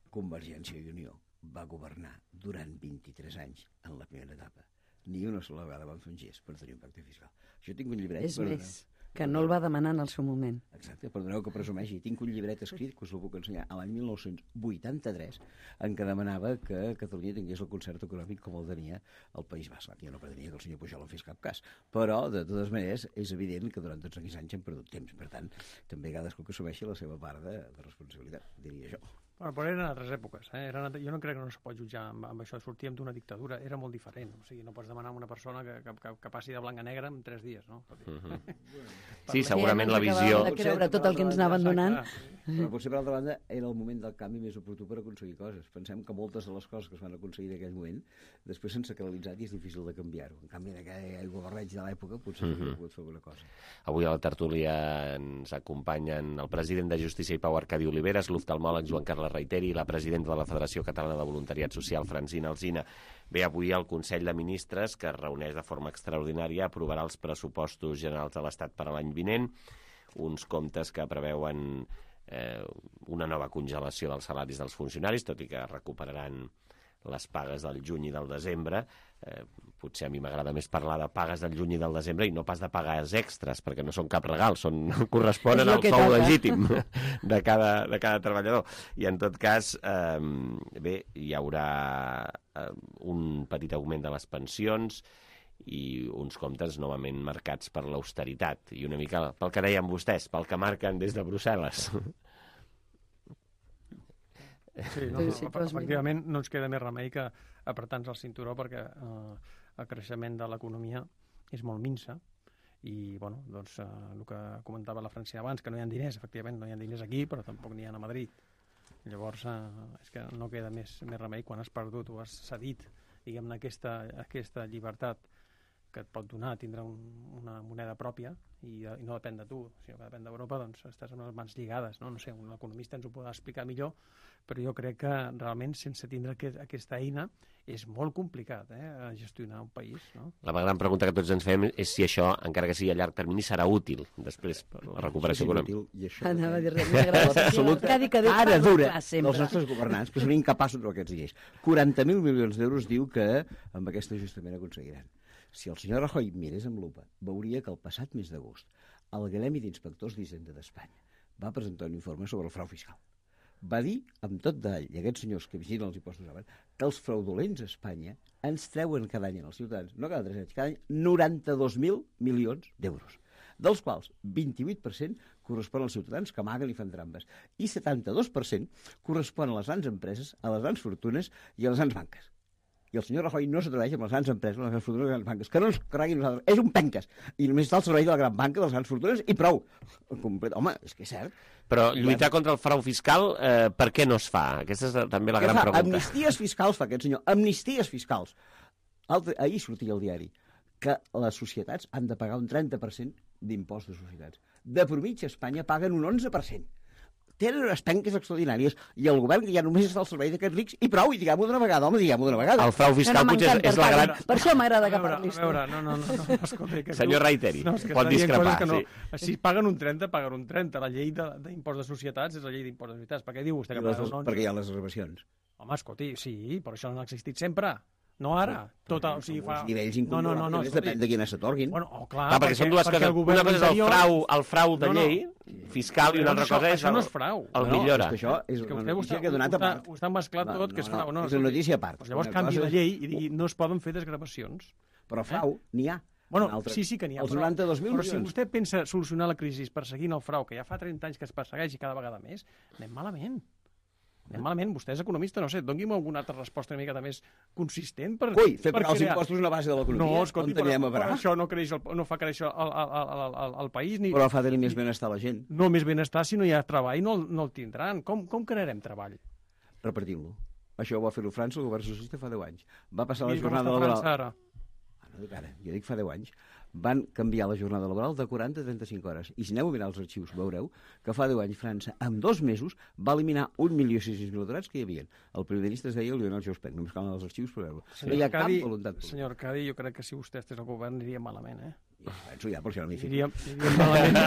Convergència i Unió va governar durant vint-i-tres anys en la primera etapa. Ni una sola vegada van fer un gest per tenir un pacte fiscal. Jo tinc un llibret... És més, que no el va demanar en el seu moment. Exacte, perdoneu que presumeixi. Tinc un llibret escrit, que us el puc ensenyar, a l'any mil nou-cents vuitanta-tres, en què demanava que Catalunya tingués el concert econòmic com el tenia el País Basc. Jo no pretenia que el senyor Pujol en fes cap cas, però, de totes maneres, és evident que durant tots aquests anys hem perdut temps. Per tant, també cadascú que assumeixi la seva part de, de responsabilitat, diria jo. Bueno, però eren altres èpoques. Eh? Eren, jo no crec que no es pot jutjar amb, amb això. Sortíem d'una dictadura, era molt diferent. O sigui, no pots demanar a una persona que, que, que passi de blanc a negre en tres dies, no? Uh-huh. Sí, segurament la visió... De creure tot el que ens anaven donant. Però potser, per altra banda, era el moment del canvi més oportú per aconseguir coses. Pensem que moltes de les coses que es van aconseguir en aquell moment després s'han sacralitzat i és difícil de canviar-ho. En canvi, en aquell governeig de l'època potser uh-huh. no pogut fer alguna cosa. Avui a la tertúlia ens acompanyen el president de Justícia i Pau, Arcadi Oliveres, l'oftalmòleg Joan Carles Reiteri i la presidenta de la Federació Catalana de Voluntariat Social, Francina Alsina. Bé, avui el Consell de Ministres, que es reuneix de forma extraordinària, aprovarà els pressupostos generals de l'Estat per a l'any vinent, uns comptes que preveuen eh, una nova congelació dels salaris dels funcionaris, tot i que recuperaran les pagues del juny i del desembre. Eh, potser a mi m'agrada més parlar de pagues del juny i del desembre i no pas de pagues extres, perquè no són cap regal, són, corresponen al sou legítim de cada, de cada treballador. I en tot cas, eh, bé, hi haurà eh, un petit augment de les pensions i uns comptes novament marcats per l'austeritat. I una mica pel que deien vostès, pel que marquen des de Brussel·les. Sí, no, sí, però efectivament no ens queda més remei que apretar-nos el cinturó perquè eh, el creixement de l'economia és molt minsa i, bueno, doncs eh, el que comentava la Francina abans, que no hi ha diners, efectivament no hi ha diners aquí, però tampoc n'hi ha a Madrid. Llavors, eh, és que no queda més, més remei quan has perdut o has cedit, diguem-ne, aquesta, aquesta llibertat que et pot donar tindre un, una moneda pròpia i, i no depèn de tu, sinó que depèn d'Europa, doncs estàs amb les mans lligades, no? No sé, un economista ens ho podrà explicar millor, però jo crec que realment sense tindre aquest, aquesta eina és molt complicat eh, gestionar un país. No? La gran pregunta que tots ens fem és si això, encara que sigui a llarg termini, serà útil després per la recuperació econòmica. Anava a dir res més gràcies. Ara dura dels nostres governants, que són incapaços de aquests lleis. quaranta mil milions d'euros diu que amb aquest ajustament aconseguiran. Si el senyor Rajoy mirés amb lupa, veuria que el passat mes d'agost el Gremi d'Inspectors d'Hisenda d'Espanya va presentar un informe sobre el frau fiscal. Va dir, amb tot detall, i aquests senyors que vigilen els impostos saben, que els fraudulents a Espanya ens treuen cada any als ciutadans, no cada tres anys, cada any, noranta-dos mil milions d'euros, dels quals vint-i-vuit per cent correspon als ciutadans que amaguen i fan trampes, i setanta-dos per cent correspon a les grans empreses, a les grans fortunes i a les grans banques. I el senyor Rajoy no s'atreveix amb les grans empreses, les grans fortunes i les grans banques, que no ens carreguin nosaltres. És un penques. I només està al servei de la gran banca, de les grans fortunes, i prou. Complet. Home, és que és cert. Però lluitar contra el frau fiscal, eh, per què no es fa? Aquesta és també la gran pregunta. Amnisties fiscals fa aquest senyor. Amnisties fiscals. Altre, ahir sortia al diari que les societats han de pagar un trenta per cent d'impost de societats. De mitja a Espanya paguen un onze per cent. Tenen unes penques extraordinàries i el govern que ja només està al servei d'aquests rics i prou, i diguem-ho d'una vegada, home, diguem-ho d'una vegada. El frau fiscal no, no, potser és, és la gran... Per això m'agrada que parlis tu. A veure, no, no, no, no, escolta, que senyor Reiteri, no, pot discrepar. No. Sí. Si paguen un trenta, paguen un trenta. La llei d'impost de, de societats és la llei d'impost de societats. Per què diu vostè que paguen un onze? Perquè hi ha les reservacions. Home, escolti, sí, però això no ha existit sempre. No ara, tota, o sigui, fa... Els nivells incomparables, no, no, no, depèn de quines s'atorguin. Bueno, oh, clar, clar, perquè, perquè són dues coses. Una cosa és el frau, el frau de llei fiscal i una altra cosa és això no és frau. El millora. És que això és una notícia que ha donat a part. Ho està mesclat tot, que és frau. És una notícia a part. Llavors canvi la llei i digui no es poden fer desgravacions. Però frau n'hi ha. Bueno, sí, sí que n'hi ha. Els noranta-dos mil milions. Però si vostè pensa solucionar la crisi perseguint el frau, que ja fa trenta anys que es persegueix i cada vegada més, anem malament. Anem malament, vostè és economista, no sé, doni'm alguna altra resposta una miqueta més consistent per... Ui, fer pagar els impostos una base de l'economia, no, escolti, on teníem a parar. Això no, creix el, no fa créixer el, el, el, el, el país ni... Però fa tenir més benestar la gent. No, més benestar, si no hi ha treball no, no el tindran. Com, com crearem treball? Repartim-lo. Això ho va fer-ho França, el govern socialista fa deu anys. Va passar la jornada laboral... França ara? Ah, no dic ara, jo dic fa deu anys. Van canviar la jornada laboral de quaranta a trenta-cinc hores. I si aneu a mirar els arxius, veureu que fa deu anys França, en dos mesos, va eliminar un milió sis-cents mil aturats que hi havia. El primer ministre es deia Lionel Jospin, només calen els arxius per veure-ho. No hi ha cap voluntat. Senyor Arcadi, jo crec que si vostè estigués al govern aniria malament, eh? penso ja, per això no m'hi fico. Diríem, diríem malament.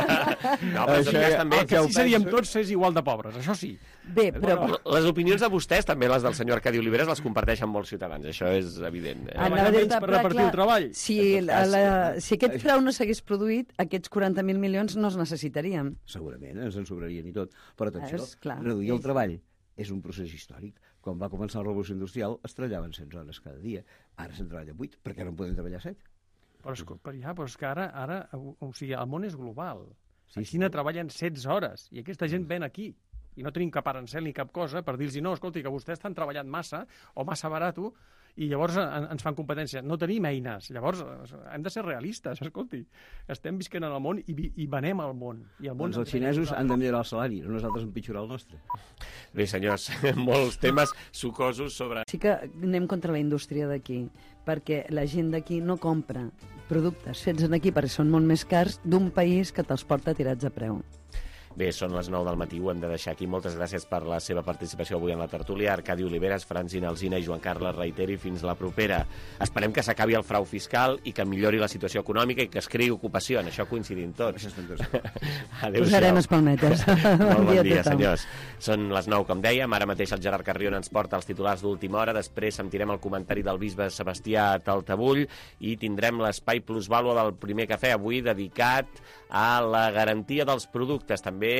No, però això ja, també... El que sí seríem tots és igual de pobres, això sí. Bé, però... Bueno, les opinions de vostès, també les del senyor Arcadi Oliveres, les comparteixen molts ciutadans, això és evident. Eh? Anava a dir-te, per repartir el treball. Si, la, la, si aquest frau no s'hagués produït, aquests quaranta mil milions no els necessitaríem. Segurament, ens en sobrarien i tot. Però atenció, És clar. reduir el treball és un procés històric. Quan va començar la revolució industrial es treballaven cent hores cada dia. Ara se'n treballa vuit, perquè no en podem treballar set. Però és, però ja, però és que ara, ara o, o sigui, el món és global. Sí, a Xina sí. treballen setze hores i aquesta gent ven aquí. I no tenim cap arancel ni cap cosa per dir-los no, escolti, que vostès estan treballant massa o massa barato i llavors en, ens fan competència. No tenim eines. Llavors hem de ser realistes, escolti. Estem visquent en el món i, i venem el món. I el món doncs els xinesos han de millorar el salari, no nosaltres empitjorar el nostre. Bé, senyors, molts temes sucosos sobre... Sí que anem contra la indústria d'aquí, perquè la gent d'aquí no compra productes fets aquí perquè són molt més cars d'un país que te'ls porta tirats a preu. Bé, són les nou del matí, ho hem de deixar aquí. Moltes gràcies per la seva participació avui en la tertúlia. Arcadi Oliveres, Francina Alsina i Joan Carles Reiteri, fins la propera. Esperem que s'acabi el frau fiscal i que millori la situació econòmica i que es creï ocupació. En això coincidim tots. Adéu-siau. Posarem espalmetes. Molt bon dia, senyors. Són les nou, com dèiem. Ara mateix el Gerard Carrion ens porta els titulars d'última hora. Després sentirem el comentari del bisbe Sebastià Taltabull i tindrem l'espai plusvàlua del primer cafè, avui dedicat a la garantia dels productes. També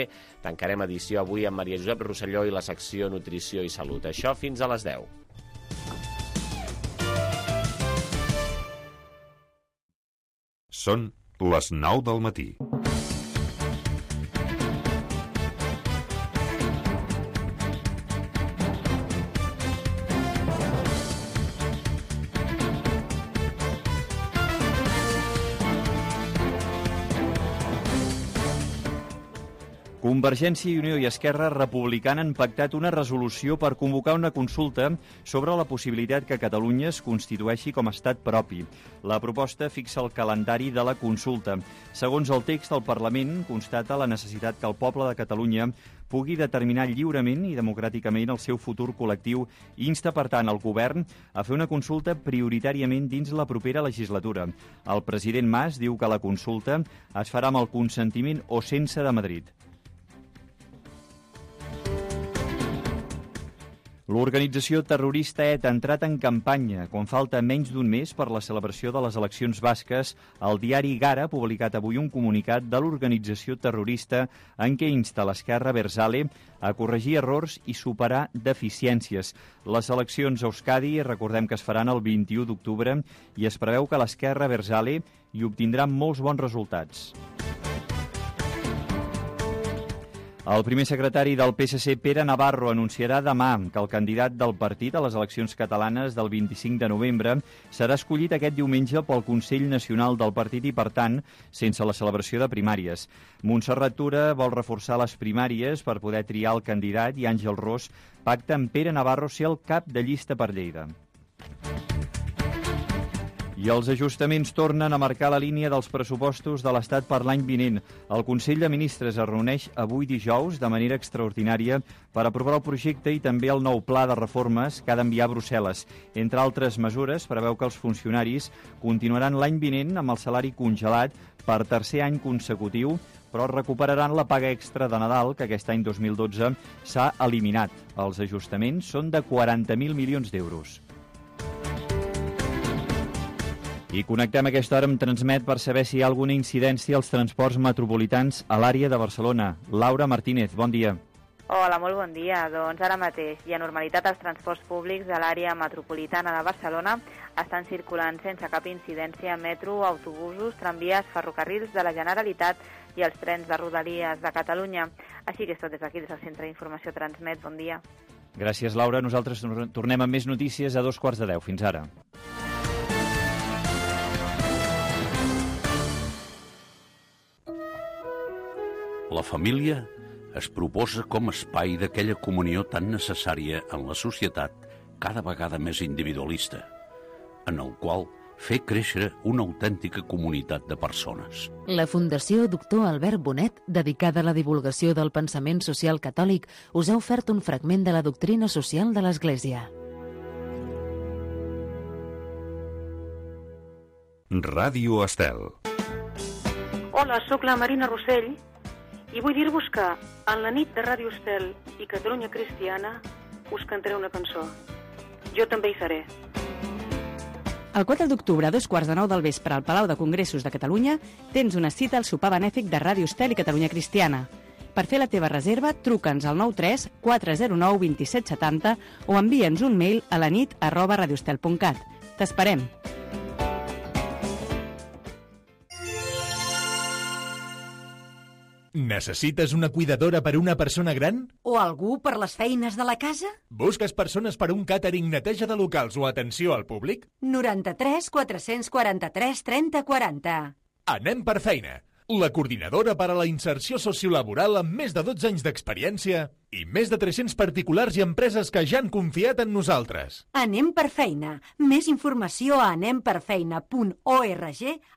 tancarem edició avui amb Maria Josep Rosselló i la secció Nutrició i Salut. Això fins a les deu. Són les nou del matí. Convergència i Unió i Esquerra Republicana han pactat una resolució per convocar una consulta sobre la possibilitat que Catalunya es constitueixi com a estat propi. La proposta fixa el calendari de la consulta. Segons el text, el Parlament constata la necessitat que el poble de Catalunya pugui determinar lliurement i democràticament el seu futur col·lectiu i insta, per tant, el govern a fer una consulta prioritàriament dins la propera legislatura. El president Mas diu que la consulta es farà amb el consentiment o sense de Madrid. L'organització terrorista E T A ha entrat en campanya. Quan falta menys d'un mes per la celebració de les eleccions basques, el diari Gara ha publicat avui un comunicat de l'organització terrorista en què insta l'esquerra Abertzale a corregir errors i superar deficiències. Les eleccions a Euskadi, recordem que es faran el vint-i-u d'octubre, i es preveu que l'esquerra Abertzale hi obtindrà molts bons resultats. El primer secretari del P S C, Pere Navarro, anunciarà demà que el candidat del partit a les eleccions catalanes del vint-i-cinc de novembre serà escollit aquest diumenge pel Consell Nacional del partit i, per tant, sense la celebració de primàries. Montserrat Tura vol reforçar les primàries per poder triar el candidat i Àngel Ros pacta amb Pere Navarro ser el cap de llista per Lleida. I els ajustaments tornen a marcar la línia dels pressupostos de l'Estat per l'any vinent. El Consell de Ministres es reuneix avui dijous de manera extraordinària per aprovar el projecte i també el nou pla de reformes que ha d'enviar a Brussel·les. Entre altres mesures, preveu que els funcionaris continuaran l'any vinent amb el salari congelat per tercer any consecutiu, però recuperaran la paga extra de Nadal, que aquest any dos mil dotze s'ha eliminat. Els ajustaments són de quaranta mil milions d'euros. I connectem a aquesta hora amb Transmet per saber si hi ha alguna incidència als transports metropolitans a l'àrea de Barcelona. Laura Martínez, bon dia. Hola, molt bon dia. Doncs ara mateix hi ha normalitat als transports públics de l'àrea metropolitana de Barcelona. Estan circulant sense cap incidència metro, autobusos, tramvies, ferrocarrils de la Generalitat i els trens de Rodalies de Catalunya. Així que és tot des d'aquí, des del Centre d'Informació Transmet. Bon dia. Gràcies, Laura. Nosaltres tornem amb més notícies a dos quarts de deu. Fins ara. La família es proposa com a espai d'aquella comunió tan necessària en la societat cada vegada més individualista, en el qual fer créixer una autèntica comunitat de persones. La Fundació Doctor Albert Bonet, dedicada a la divulgació del pensament social catòlic, us ha ofert un fragment de la doctrina social de l'Església. Ràdio Estel. Hola, sóc la Marina Rossell i vull dir-vos que en la nit de Ràdio Estel i Catalunya Cristiana us cantaré una cançó. Jo també hi seré. El quatre d'octubre, a dos quarts de nou del vespre, al Palau de Congressos de Catalunya, tens una cita al sopar benèfic de Ràdio Estel i Catalunya Cristiana. Per fer la teva reserva, truca'ns al nou tres quatre zero nou dos set set zero o envia'ns un mail a la nit arroba radioestel punt cat. T'esperem! Necessites una cuidadora per a una persona gran? O algú per les feines de la casa? Busques persones per a un càtering, neteja de locals o atenció al públic? noranta-tres quatre-cents quaranta-tres trenta quaranta. Anem per feina. La coordinadora per a la inserció sociolaboral amb més de dotze anys d'experiència i més de tres-cents particulars i empreses que ja han confiat en nosaltres. Anem per feina. Més informació a anem per feina punt org,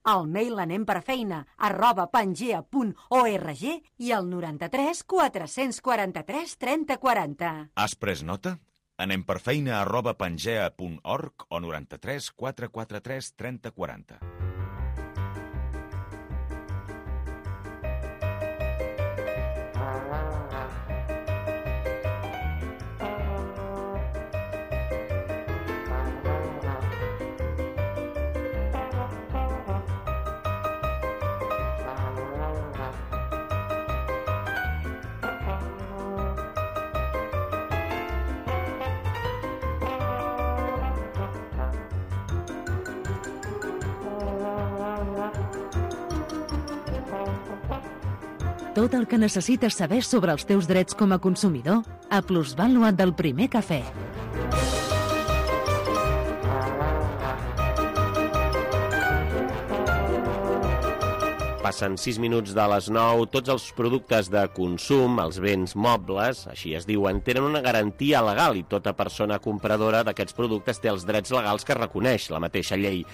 al mail anemperfeina arroba pangea punt org i al noranta-tres quatre-cents quaranta-tres trenta quaranta. Has pres nota? Anem per feina arroba pangea punt org o noranta-tres quatre-cents quaranta-tres trenta quaranta. Tot el que necessites saber sobre els teus drets com a consumidor a Plusvàlua del Primer Cafè. Passen sis minuts de les nou. Tots els productes de consum, els béns mobles, així es diuen, tenen una garantia legal i tota persona compradora d'aquests productes té els drets legals que reconeix la mateixa llei.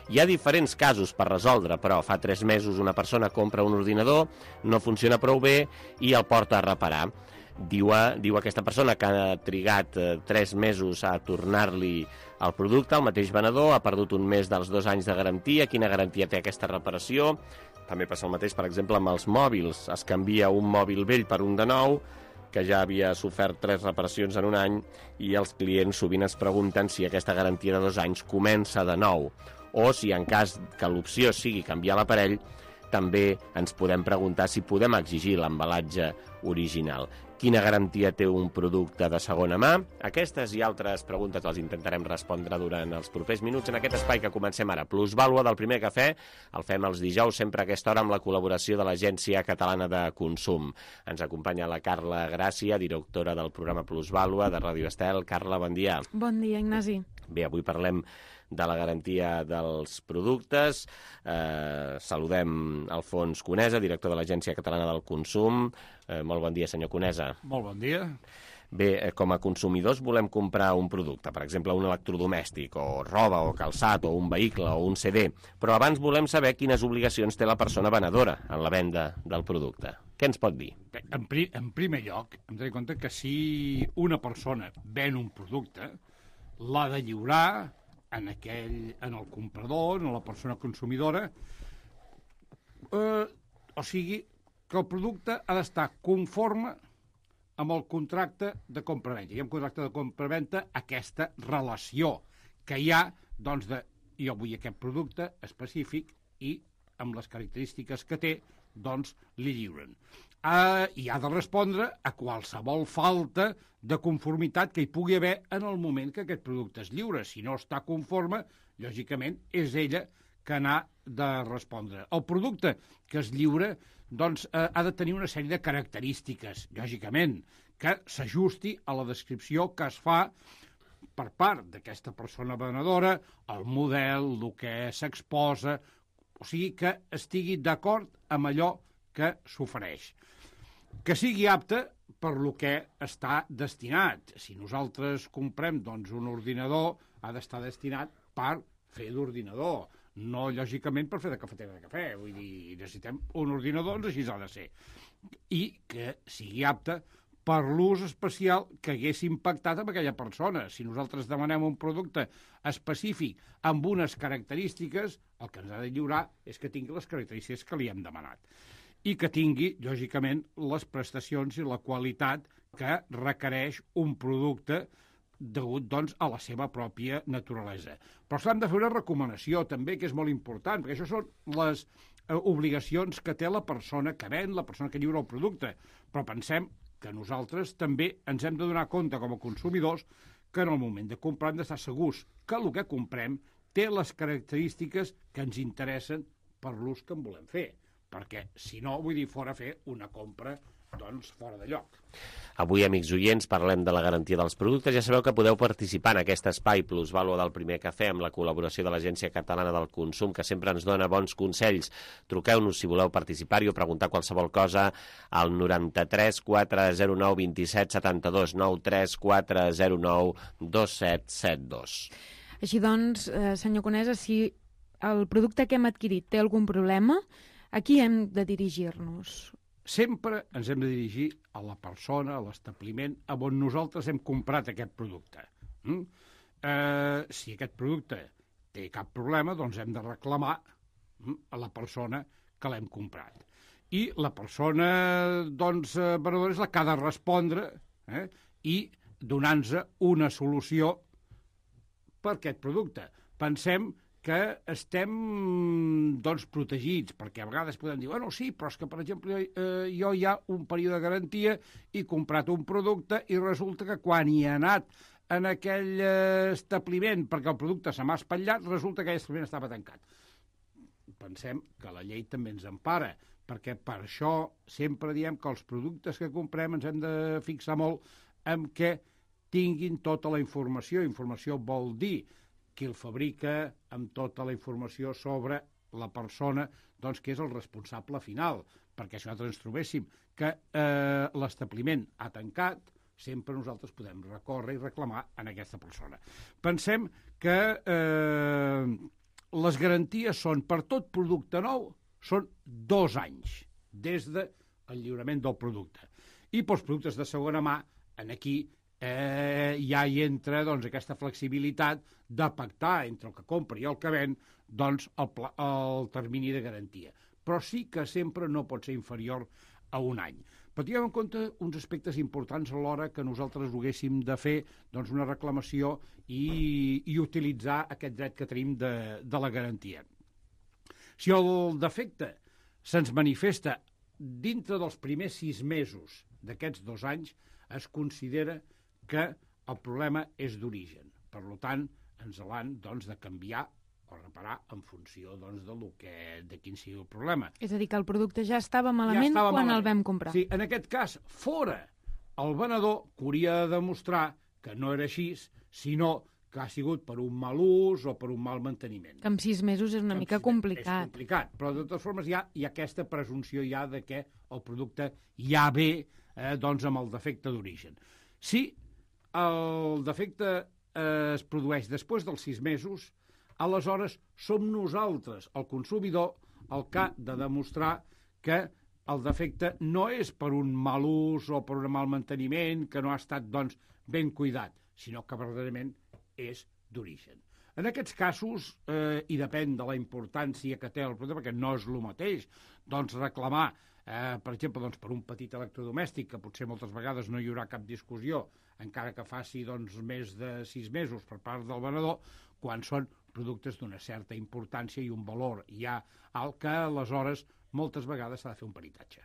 Hi ha diferents casos per resoldre, però fa tres mesos una persona compra un ordinador, no funciona prou bé i el porta a reparar. Diu, diu aquesta persona que ha trigat eh, tres mesos a tornar-li el producte, el mateix venedor ha perdut un mes dels dos anys de garantia. Quina garantia té aquesta reparació? També passa el mateix, per exemple, amb els mòbils. Es canvia un mòbil vell per un de nou, que ja havia sofert tres reparacions en un any, i els clients sovint es pregunten si aquesta garantia de dos anys comença de nou, o si en cas que l'opció sigui canviar l'aparell, també ens podem preguntar si podem exigir l'embalatge original. Quina garantia té un producte de segona mà? Aquestes i altres preguntes les intentarem respondre durant els propers minuts en aquest espai que comencem ara. Plusvàlua del Primer Cafè, el fem els dijous sempre a aquesta hora amb la col·laboració de l'Agència Catalana de Consum. Ens acompanya la Carla Gràcia, directora del programa Plusvàlua de Ràdio Estel. Carla, bon dia. Bon dia, Ignasi. Bé, avui parlem de la garantia dels productes. Eh, saludem Alfons Conesa, director de l'Agència Catalana del Consum. Eh, molt bon dia, senyor Conesa. Molt bon dia. Bé, eh, com a consumidors volem comprar un producte, per exemple, un electrodomèstic, o roba, o calçat, o un vehicle, o un C D, però abans volem saber quines obligacions té la persona venedora en la venda del producte. Què ens pot dir? Bé, en, pri en primer lloc, hem de tenir en compte que si una persona ven un producte, l'ha de lliurar en aquell, en el comprador, en la persona consumidora, eh, o sigui, que el producte ha d'estar conforme amb el contracte de compra-venda. Hi ha un contracte de compra-venda, aquesta relació que hi ha, doncs, de jo vull aquest producte específic i amb les característiques que té, doncs, li lliuren. Uh, I ha de respondre a qualsevol falta de conformitat que hi pugui haver en el moment que aquest producte es lliura. Si no està conforme, lògicament, és ella que n'ha de respondre. El producte que es lliura, doncs, uh, ha de tenir una sèrie de característiques, lògicament, que s'ajusti a la descripció que es fa per part d'aquesta persona venedora, el model, el que s'exposa, o sigui, que estigui d'acord amb allò que s'ofereix. Que sigui apte per lo que està destinat. Si nosaltres comprem, doncs, un ordinador, ha d'estar destinat per fer d'ordinador, no, lògicament, per fer de cafetera de cafè. Vull dir, necessitem un ordinador, doncs així ha de ser. I que sigui apte per l'ús especial que hagués impactat amb aquella persona. Si nosaltres demanem un producte específic amb unes característiques, el que ens ha de lliurar és que tingui les característiques que li hem demanat i que tingui, lògicament, les prestacions i la qualitat que requereix un producte degut, doncs, a la seva pròpia naturalesa. Però s'han de fer una recomanació, també, que és molt important, perquè això són les eh, obligacions que té la persona que ven, la persona que lliura el producte. Però pensem que nosaltres també ens hem de donar compte, com a consumidors, que en el moment de comprar hem d'estar segurs que el que comprem té les característiques que ens interessen per l'ús que en volem fer. Perquè, si no, vull dir, fora fer una compra doncs fora de lloc. Avui, amics oients, parlem de la garantia dels productes. Ja sabeu que podeu participar en aquest espai Plusvàlua del Primer Cafè amb la col·laboració de l'Agència Catalana del Consum, que sempre ens dona bons consells. Truqueu-nos si voleu participar-hi o preguntar qualsevol cosa al noranta-tres quatre zero nou dos set set dos, nou tres quatre zero nou dos set set dos. Així doncs, eh, senyor Conesa, si el producte que hem adquirit té algun problema, a qui hem de dirigir-nos? Sempre ens hem de dirigir a la persona, a l'establiment, a on nosaltres hem comprat aquest producte. Mm? Eh, si aquest producte té cap problema, doncs hem de reclamar mm, a la persona que l'hem comprat. I la persona, doncs, venedora és la que ha de respondre eh, i donar-nos una solució per aquest producte. Pensem que estem doncs, protegits, perquè a vegades podem dir, bueno, sí, però és que, per exemple, eh, jo hi ha un període de garantia i he comprat un producte i resulta que quan hi he anat en aquell eh, establiment perquè el producte se m'ha espatllat, resulta que aquell establiment estava tancat. Pensem que la llei també ens empara, perquè per això sempre diem que els productes que comprem ens hem de fixar molt en què tinguin tota la informació. Informació vol dir qui el fabrica, amb tota la informació sobre la persona doncs, que és el responsable final, perquè si nosaltres ens trobéssim que eh, l'establiment ha tancat, sempre nosaltres podem recórrer i reclamar en aquesta persona. Pensem que eh, les garanties són, per tot producte nou, són dos anys, des del lliurament del producte. I pels productes de segona mà, en aquí, Eh, ja hi entra doncs, aquesta flexibilitat de pactar entre el que compra i el que ven doncs, el, pla, el termini de garantia. Però sí que sempre no pot ser inferior a un any. Però tinguem en compte uns aspectes importants a l'hora que nosaltres haguéssim de fer doncs, una reclamació i, i utilitzar aquest dret que tenim de, de la garantia. Si el defecte se'ns manifesta dintre dels primers sis mesos d'aquests dos anys, es considera que el problema és d'origen. Per tant, ens l'han doncs, de canviar o reparar en funció doncs, de, lo que, de quin sigui el problema. És a dir, que el producte ja estava malament ja estava quan malament. El vam comprar. Sí, en aquest cas, fora el venedor que hauria de demostrar que no era així, sinó que ha sigut per un mal ús o per un mal manteniment. Que en sis mesos és una que mica complicat. És complicat, però de totes formes hi ha, hi ha aquesta presumpció ja de que el producte ja ve eh, doncs, amb el defecte d'origen. Si el defecte eh, es produeix després dels sis mesos, aleshores som nosaltres, el consumidor, el que ha de demostrar que el defecte no és per un mal ús o per un mal manteniment, que no ha estat doncs, ben cuidat, sinó que verdaderament és d'origen. En aquests casos, eh, i depèn de la importància que té el producte, perquè no és el mateix, doncs reclamar, eh, per exemple, doncs, per un petit electrodomèstic, que potser moltes vegades no hi haurà cap discussió, encara que faci doncs, més de sis mesos per part del venedor, quan són productes d'una certa importància i un valor ja alt, que aleshores moltes vegades s'ha de fer un peritatge.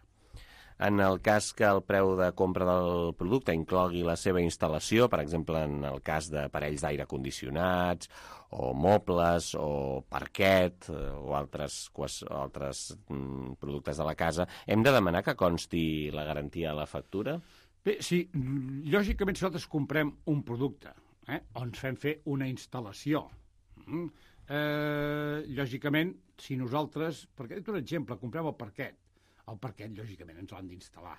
En el cas que el preu de compra del producte inclogui la seva instal·lació, per exemple, en el cas d'aparells d'aire condicionats, o mobles, o parquet, o altres, altres mm, productes de la casa, hem de demanar que consti la garantia a la factura? Bé, sí, lògicament si nosaltres comprem un producte, eh, o ens fem fer una instal·lació, mm, eh, lògicament, si nosaltres, perquè he dit un exemple, comprem el parquet, el parquet, lògicament, ens l'han d'instal·lar.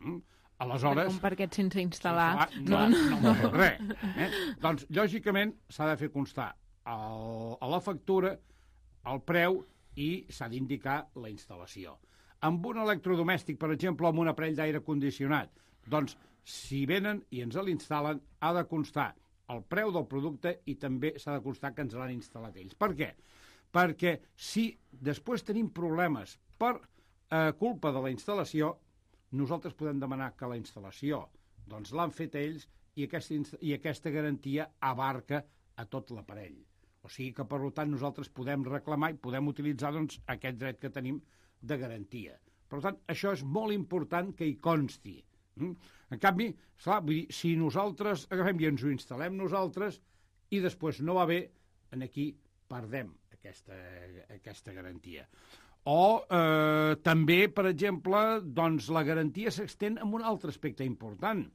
Mm? Aleshores... Un parquet sense instal·lar... No, no, no, no res. Eh? Doncs, lògicament, s'ha de fer constar el, a la factura el preu i s'ha d'indicar la instal·lació. Amb un electrodomèstic, per exemple, amb un aparell d'aire condicionat, doncs si venen i ens l'instal·len, ha de constar el preu del producte i també s'ha de constar que ens l'han instal·lat ells. Per què? Perquè si després tenim problemes per eh, culpa de la instal·lació, nosaltres podem demanar que la instal·lació doncs, l'han fet ells i aquesta, i aquesta garantia abarca a tot l'aparell. O sigui que, per tant, nosaltres podem reclamar i podem utilitzar doncs, aquest dret que tenim de garantia. Per tant, això és molt important que hi consti. En canvi, clar, vull dir, si nosaltres agafem i ens ho instal·lem nosaltres i després no va bé, aquí perdem aquesta, aquesta garantia. O eh, també, per exemple, doncs, la garantia s'extén amb un altre aspecte important,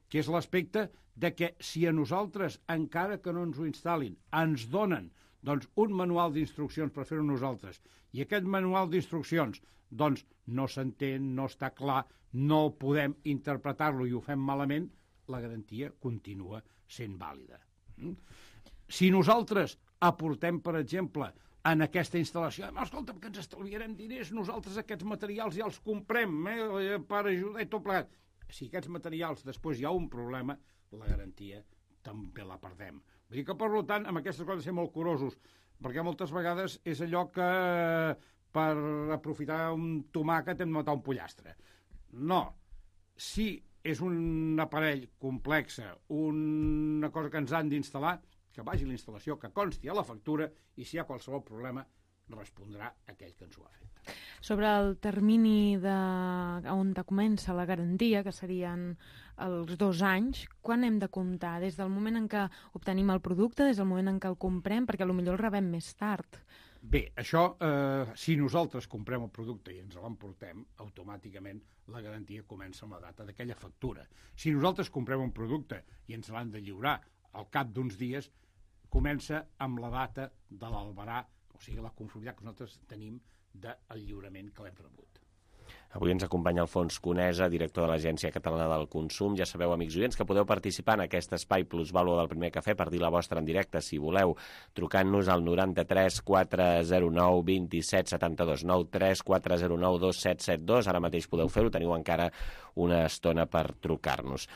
que és l'aspecte de que si a nosaltres, encara que no ens ho instal·lin, ens donen doncs, un manual d'instruccions per fer-ho nosaltres, i aquest manual d'instruccions doncs, no s'entén, no està clar, no podem interpretar-lo i ho fem malament, la garantia continua sent vàlida. Si nosaltres aportem, per exemple, en aquesta instal·lació, escolta, que ens estalviarem diners, nosaltres aquests materials ja els comprem eh, per ajudar i tot plegat. Si aquests materials després hi ha un problema, la garantia també la perdem. Vull dir que, per tant, amb aquestes coses ser molt curosos, perquè moltes vegades és allò que per aprofitar un tomàquet hem de matar un pollastre. No. Si és un aparell complex, una cosa que ens han d'instal·lar, que vagi la instal·lació, que consti a la factura, i si hi ha qualsevol problema, respondrà aquell que ens ho ha fet. Sobre el termini de... on comença la garantia, que serien els dos anys, quan hem de comptar? Des del moment en què obtenim el producte, des del moment en què el comprem, perquè potser el rebem més tard. Bé, això, eh, si nosaltres comprem el producte i ens l'emportem, automàticament la garantia comença amb la data d'aquella factura. Si nosaltres comprem un producte i ens l'han de lliurar al cap d'uns dies, comença amb la data de l'albarà, o sigui, la conformitat que nosaltres tenim del lliurament que l'hem rebut. Avui ens acompanya Alfons Conesa, director de l'Agència Catalana del Consum. Ja sabeu, amics oients, que podeu participar en aquest espai plusvàlua del Primer Cafè per dir la vostra en directe, si voleu, trucant-nos al noranta-tres quatre zero nou dos set set dos, nou tres quatre zero nou dos set set dos. Ara mateix podeu fer-ho, teniu encara una estona per trucar-nos.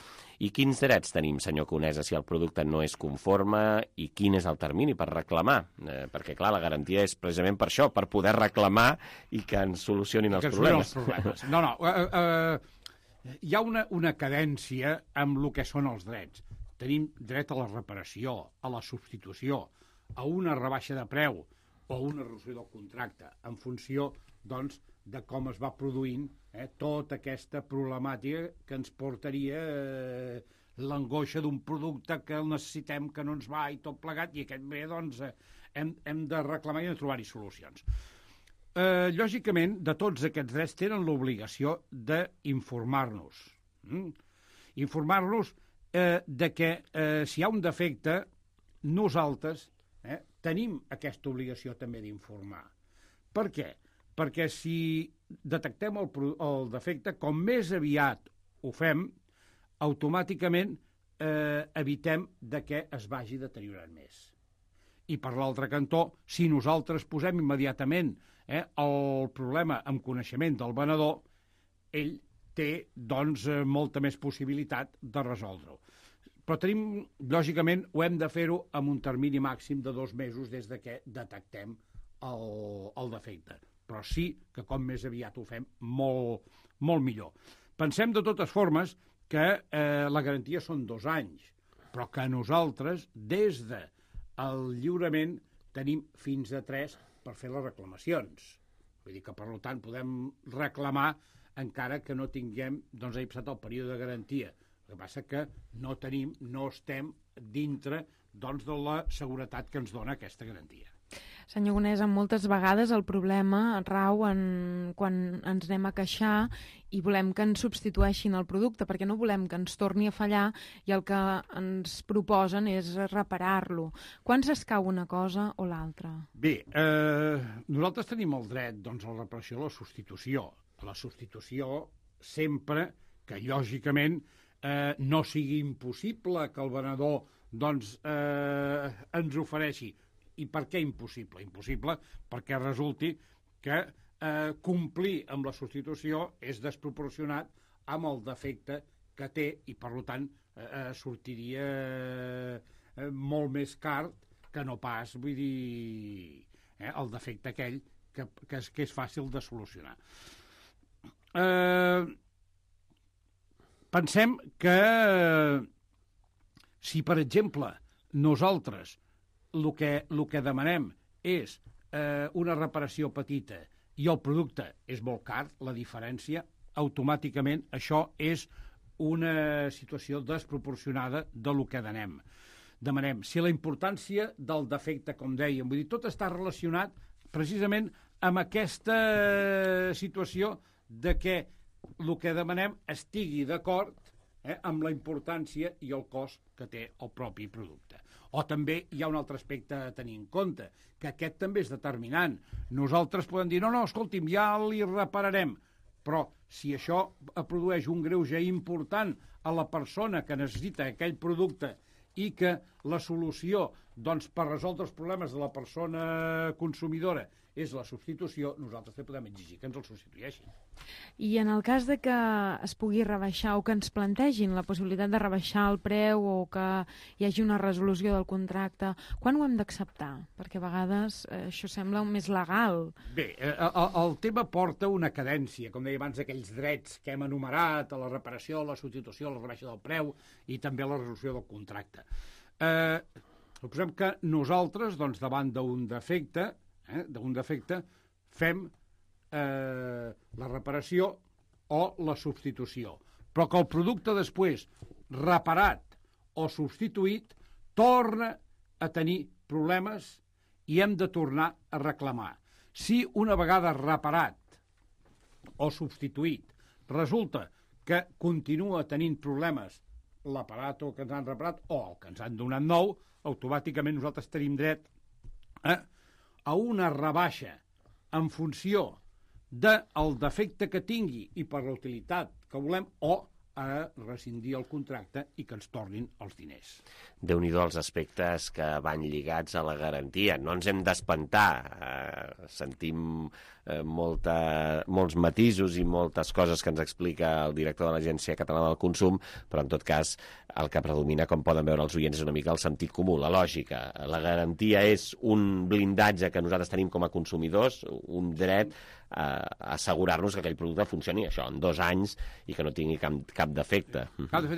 I quins drets tenim, senyor Conesa, si el producte no és conforme, i quin és el termini per reclamar? Eh, perquè, clar, la garantia és precisament per això, per poder reclamar i que ens solucionin els que problemes. Els problemes. No, no, uh, uh, hi ha una, una cadència amb el que són els drets. Tenim dret a la reparació, a la substitució, a una rebaixa de preu o a una resolució del contracte, en funció, doncs, de com es va produint eh, tota aquesta problemàtica que ens portaria eh, l'angoixa d'un producte que el necessitem, que no ens va i tot plegat, i aquest bé, doncs, eh, hem, hem de reclamar i de trobar-hi solucions. Eh, lògicament, de tots aquests drets tenen l'obligació d'informar-nos. Mm? Informar-nos eh, de que eh, si hi ha un defecte, nosaltres eh, tenim aquesta obligació també d'informar. Per què? Perquè si detectem el, el defecte, com més aviat ho fem, automàticament eh, evitem de que es vagi deteriorant més. I per l'altre cantó, si nosaltres posem immediatament eh, el problema amb coneixement del venedor, ell té, doncs, eh, molta més possibilitat de resoldre-ho. Però tenim, lògicament, ho hem de fer-ho amb un termini màxim de dos mesos des de que detectem el, el defecte. Però sí que com més aviat ho fem, molt, molt millor. Pensem de totes formes que eh, la garantia són dos anys, però que nosaltres, des del lliurament, tenim fins a tres per fer les reclamacions. Vull dir que, per tant, podem reclamar encara que no tinguem, doncs, ha passat el període de garantia. El que passa que no tenim, no estem dintre, doncs, de la seguretat que ens dona aquesta garantia. Senyor Conesa, moltes vegades el problema rau en quan ens anem a queixar i volem que ens substitueixin el producte, perquè no volem que ens torni a fallar i el que ens proposen és reparar-lo. Quan s'escau una cosa o l'altra? Bé, eh, nosaltres tenim el dret, doncs, a la reparació i la substitució. La substitució sempre que, lògicament, eh, no sigui impossible que el venedor, doncs, eh, ens ofereixi. I per què impossible? Impossible perquè resulti que eh, complir amb la substitució és desproporcionat amb el defecte que té i, per tant, eh, sortiria eh, molt més car que no pas, vull dir, eh, el defecte aquell que, que, és, que és fàcil de solucionar. Eh, pensem que si, per exemple, nosaltres el que, el que demanem és eh, una reparació petita i el producte és molt car, la diferència, automàticament això és una situació desproporcionada de lo que demanem. Demanem. Si la importància del defecte, com dèiem, vull dir, tot està relacionat precisament amb aquesta situació de que el que demanem estigui d'acord eh, amb la importància i el cost que té el propi producte. O també hi ha un altre aspecte a tenir en compte, que aquest també és determinant. Nosaltres podem dir, no, no, escolti'm, ja li repararem, però si això produeix un greuge important a la persona que necessita aquell producte i que la solució doncs, per resoldre els problemes de la persona consumidora és la substitució, nosaltres també podem exigir que ens el substitueixin. I en el cas de que es pugui rebaixar o que ens plantegin la possibilitat de rebaixar el preu o que hi hagi una resolució del contracte, quan ho hem d'acceptar? Perquè a vegades eh, això sembla més legal. Bé, eh, el, el tema porta una cadència, com deia abans, aquells drets que hem enumerat, a la reparació, la substitució, la rebaixa del preu i també la resolució del contracte. Eh, suposem que nosaltres, doncs, davant d'un defecte, eh, d'un defecte, fem eh, la reparació o la substitució. Però que el producte després, reparat o substituït, torna a tenir problemes i hem de tornar a reclamar. Si una vegada reparat o substituït resulta que continua tenint problemes l'aparat que ens han reparat o el que ens han donat nou, automàticament nosaltres tenim dret eh, a una rebaixa en funció del defecte que tingui i per la utilitat que volem o a rescindir el contracte i que ens tornin els diners. Déu-n'hi-do els aspectes que van lligats a la garantia. No ens hem d'espantar. Eh, sentim eh, molta, molts matisos i moltes coses que ens explica el director de l'Agència Catalana del Consum, però en tot cas el que predomina, com poden veure els oients, és una mica el sentit comú, la lògica. La garantia és un blindatge que nosaltres tenim com a consumidors, un dret a assegurar-nos que aquell producte funcioni això en dos anys i que no tingui cap, cap defecte.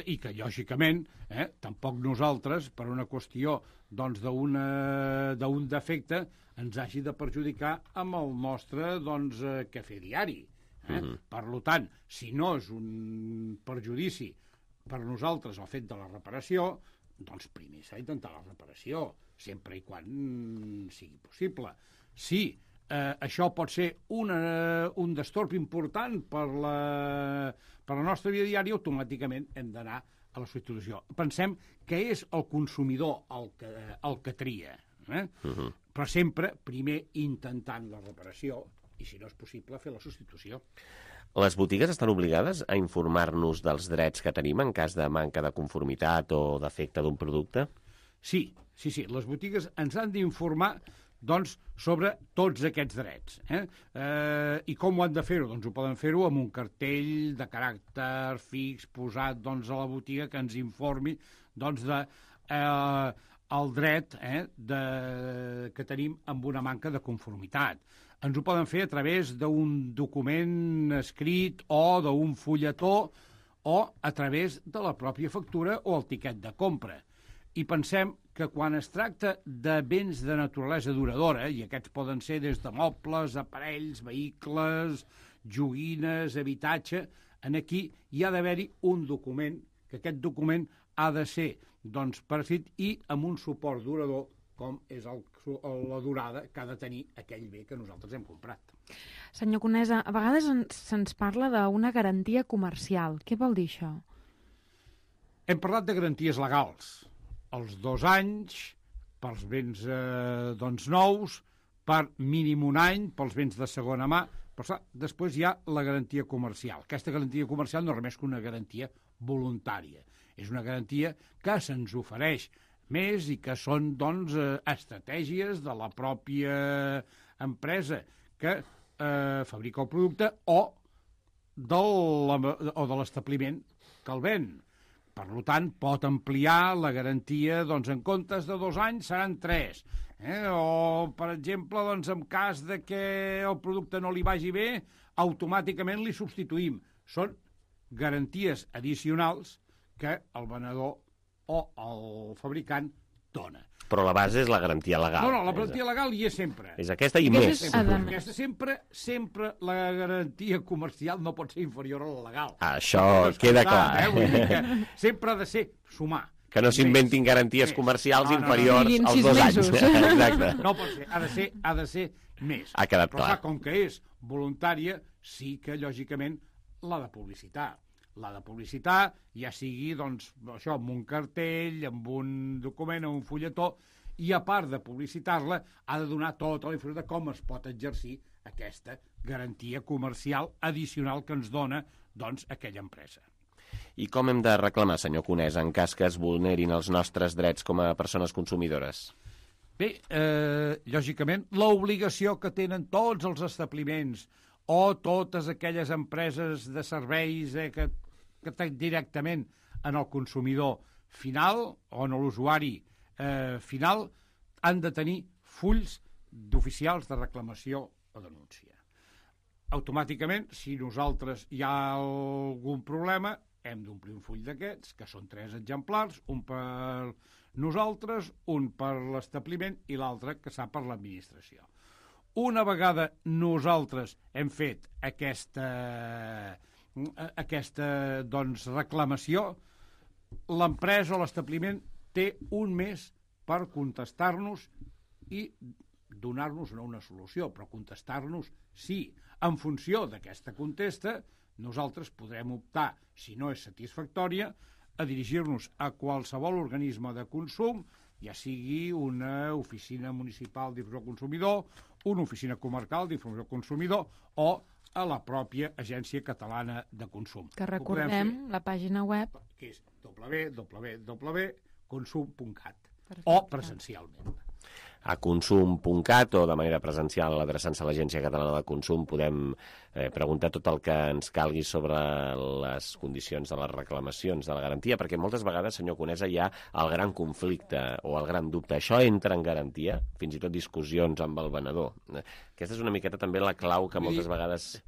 I que, lògicament, eh, tampoc nosaltres, per una qüestió doncs, d'un defecte, ens hagi de perjudicar amb el nostre doncs, cafè diari. Eh? Mm-hmm. Per tant, si no és un perjudici per nosaltres el fet de la reparació, doncs primer s'ha d'intentar la reparació, sempre i quan mm, sigui possible. Si Eh, això pot ser una, un destorb important per la, per la nostra vida diària, automàticament hem d'anar a la substitució. Pensem que és el consumidor el que, el que tria, eh? Uh-huh. Però sempre primer intentant la reparació i, si no és possible, fer la substitució. Les botigues estan obligades a informar-nos dels drets que tenim en cas de manca de conformitat o defecte d'un producte? Sí, sí, sí. Les botigues ens han d'informar doncs, sobre tots aquests drets. Eh? Eh, I com ho han de fer-ho? Doncs ho poden fer-ho amb un cartell de caràcter fix posat doncs, a la botiga que ens informi doncs, de, eh, el dret eh, de, que tenim amb una manca de conformitat. Ens ho poden fer a través d'un document escrit o d'un fulletó o a través de la pròpia factura o el tiquet de compra. I pensem que quan es tracta de béns de naturalesa duradora, i aquests poden ser des de mobles, aparells, vehicles, joguines, habitatge, en aquí hi ha d'haver-hi un document, que aquest document ha de ser doncs, per escrit i amb un suport durador, com és el, la durada que ha de tenir aquell bé que nosaltres hem comprat. Senyor Conesa, a vegades se'ns parla d'una garantia comercial. Què vol dir això? Hem parlat de garanties legals. Els dos anys pels béns eh, doncs, nous, per mínim un any pels béns de segona mà, però després hi ha la garantia comercial. Aquesta garantia comercial no és res que una garantia voluntària. És una garantia que se'ns ofereix més i que són doncs, estratègies de la pròpia empresa que eh, fabrica el producte o de l'establiment que el ven. Per tant, pot ampliar la garantia, doncs, en comptes de dos anys seran tres. Eh? O, per exemple, doncs, en cas de que el producte no li vagi bé, automàticament li substituïm. Són garanties addicionals que el venedor o el fabricant dona. Però la base és la garantia legal. No, no, la garantia legal hi és sempre. És aquesta i més. Sempre. Aquesta sempre, sempre la garantia comercial no pot ser inferior a la legal. Això queda clar. Eh? Vull dir que sempre ha de ser sumar. Que no s'inventin garanties comercials inferiors als dos anys. Exacte. No pot ser, ha de ser, ha de ser més. Ha quedat clar. Però clar, com que és voluntària, sí que, lògicament, l'ha de publicitar. L'ha de publicitar, ja sigui, doncs, això, amb un cartell, amb un document, amb un fulletó, i a part de publicitar-la, ha de donar tota la informació de com es pot exercir aquesta garantia comercial addicional que ens dona, doncs, aquella empresa. I com hem de reclamar, senyor Conesa, en cas que es vulnerin els nostres drets com a persones consumidores? Bé, eh, lògicament, l'obligació que tenen tots els establiments o totes aquelles empreses de serveis eh, que, que tenen directament en el consumidor final o en l'usuari eh, final, han de tenir fulls d'oficials de reclamació o denúncia. Automàticament, si nosaltres hi ha algun problema, hem d'omplir un full d'aquests, que són tres exemplars, un per nosaltres, un per l'establiment i l'altre que s'ha per l'administració. Una vegada nosaltres hem fet aquesta, aquesta doncs, reclamació, l'empresa o l'establiment té un mes per contestar-nos i donar-nos no una solució, però contestar-nos sí. En funció d'aquesta contesta, nosaltres podrem optar, si no és satisfactòria, a dirigir-nos a qualsevol organisme de consum, ja sigui una oficina municipal d'informació al consumidor, una oficina comarcal d'informació al consumidor o a la pròpia Agència Catalana de Consum. Que recordem la pàgina web, que és w w w punt consum punt cat o presencialment. A consum punt cat o de manera presencial adreçant-se a l'Agència Catalana de Consum podem eh, preguntar tot el que ens calgui sobre les condicions de les reclamacions de la garantia, perquè moltes vegades, senyor Conesa, hi ha el gran conflicte o el gran dubte. Això entra en garantia? Fins i tot discussions amb el venedor. Aquesta és una miqueta també la clau que moltes vegades...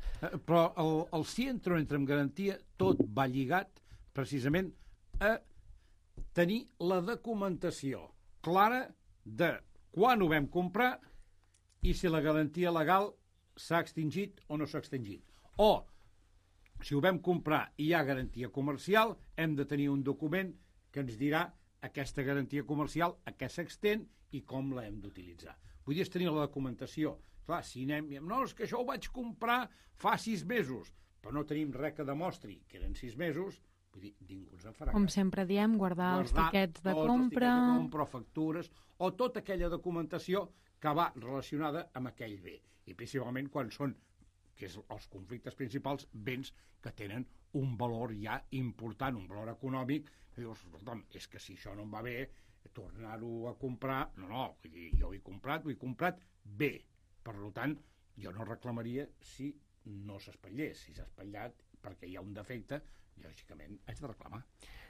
Però el, el si entra o entra en garantia tot va lligat precisament a tenir la documentació clara de quan ho vam comprar i si la garantia legal s'ha extingit o no s'ha extingit. O, si ho vam comprar i hi ha garantia comercial, hem de tenir un document que ens dirà aquesta garantia comercial a què s'extén i com la hem d'utilitzar. Vull dir, és tenir la documentació. Clar, si anem... No, és que això ho vaig comprar fa sis mesos, però no tenim res que demostri que eren sis mesos, vull dir, ningú ens en farà. Com sempre diem, guardar, guardar els tiquets de compra... els tiquets de compra, factures, o tota aquella documentació que va relacionada amb aquell bé. I principalment quan són, que és els conflictes principals, béns que tenen un valor ja important, un valor econòmic, que dius, és que si això no em va bé, tornar-ho a comprar... No, no, vull dir, jo ho he comprat, ho he comprat bé. Per tant, jo no reclamaria si no s'espatllés. Si s'ha espatllat perquè hi ha un defecte, lògicament haig de reclamar.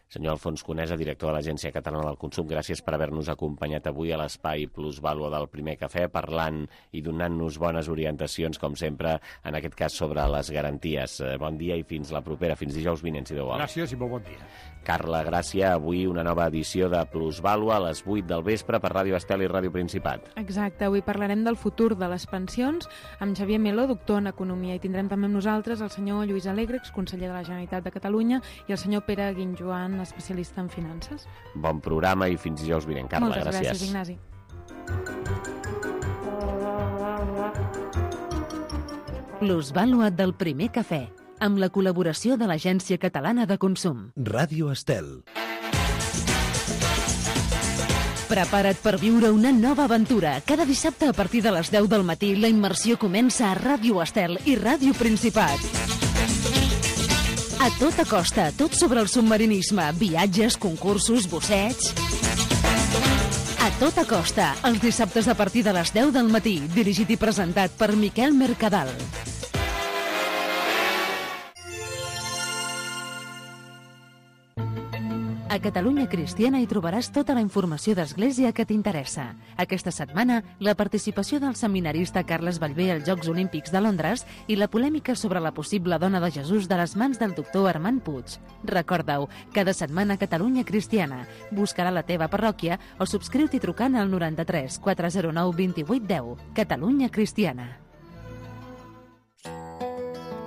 Senyor Alfons Conesa, director de l'Agència Catalana del Consum, gràcies per haver-nos acompanyat avui a l'espai Plusvàlua del Primer Cafè, parlant i donant-nos bones orientacions, com sempre, en aquest cas sobre les garanties. Bon dia i fins la propera, fins dijous vinent, si Déu vol. Gràcies i molt bon dia. Carla Gràcia, avui una nova edició de Plusvàlua a les vuit del vespre per Ràdio Estel i Ràdio Principat. Exacte, avui parlarem del futur de les pensions amb Xavier Meló, doctor en Economia, i tindrem també amb nosaltres el senyor Lluís Alegre, exconseller de la Generalitat de Catalunya, i el senyor Pere Guinjoan, especialista en finances. Bon programa i fins dijous vinent. Carla, Moltes gràcies. gràcies, Ignasi. Plusvàlua del Primer Cafè, amb la col·laboració de l'Agència Catalana de Consum. Ràdio Estel. Prepara't per viure una nova aventura. Cada dissabte a partir de les deu del matí la immersió comença a Ràdio Estel i Ràdio Principat. A tota costa, tot sobre el submarinisme, viatges, concursos, bussets... A tota costa, els dissabtes a partir de les deu del matí, dirigit i presentat per Miquel Mercadal. A Catalunya Cristiana hi trobaràs tota la informació d'Església que t'interessa. Aquesta setmana, la participació del seminarista Carles Ballbé als Jocs Olímpics de Londres i la polèmica sobre la possible dona de Jesús de les mans del doctor Armand Puig. Recorda-ho, cada setmana Catalunya Cristiana. Buscarà la teva parròquia o subscriu-t'hi trucant al noranta-tres quatre zero nou vint vuit deu. Catalunya Cristiana.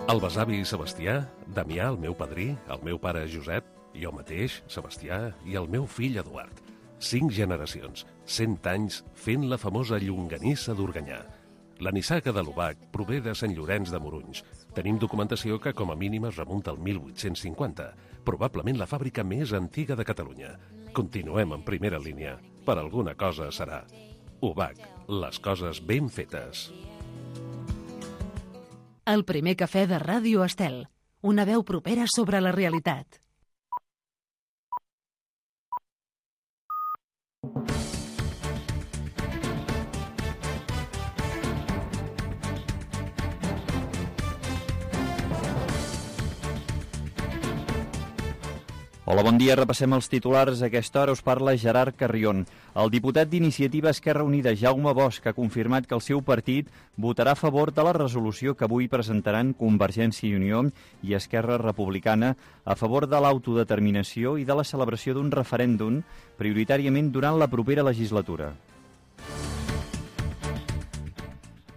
El besavi Sebastià, Damià, el meu padrí, el meu pare Josep, jo mateix, Sebastià, i el meu fill Eduard. Cinc generacions, cent anys, fent la famosa llonganissa d'Organyà. La nissaga de l'Obac prové de Sant Llorenç de Morunys. Tenim documentació que com a mínim es remunta al mil vuit-cents cinquanta, probablement la fàbrica més antiga de Catalunya. Continuem en primera línia. Per alguna cosa serà. Obac, les coses ben fetes. El primer cafè de Ràdio Estel. Una veu propera sobre la realitat. Hola, bon dia. Repassem els titulars. A aquesta hora us parla Gerard Carrion. El diputat d'Iniciativa Esquerra Unida, Jaume Bosch, ha confirmat que el seu partit votarà a favor de la resolució que avui presentaran Convergència i Unió i Esquerra Republicana a favor de l'autodeterminació i de la celebració d'un referèndum, prioritàriament durant la propera legislatura.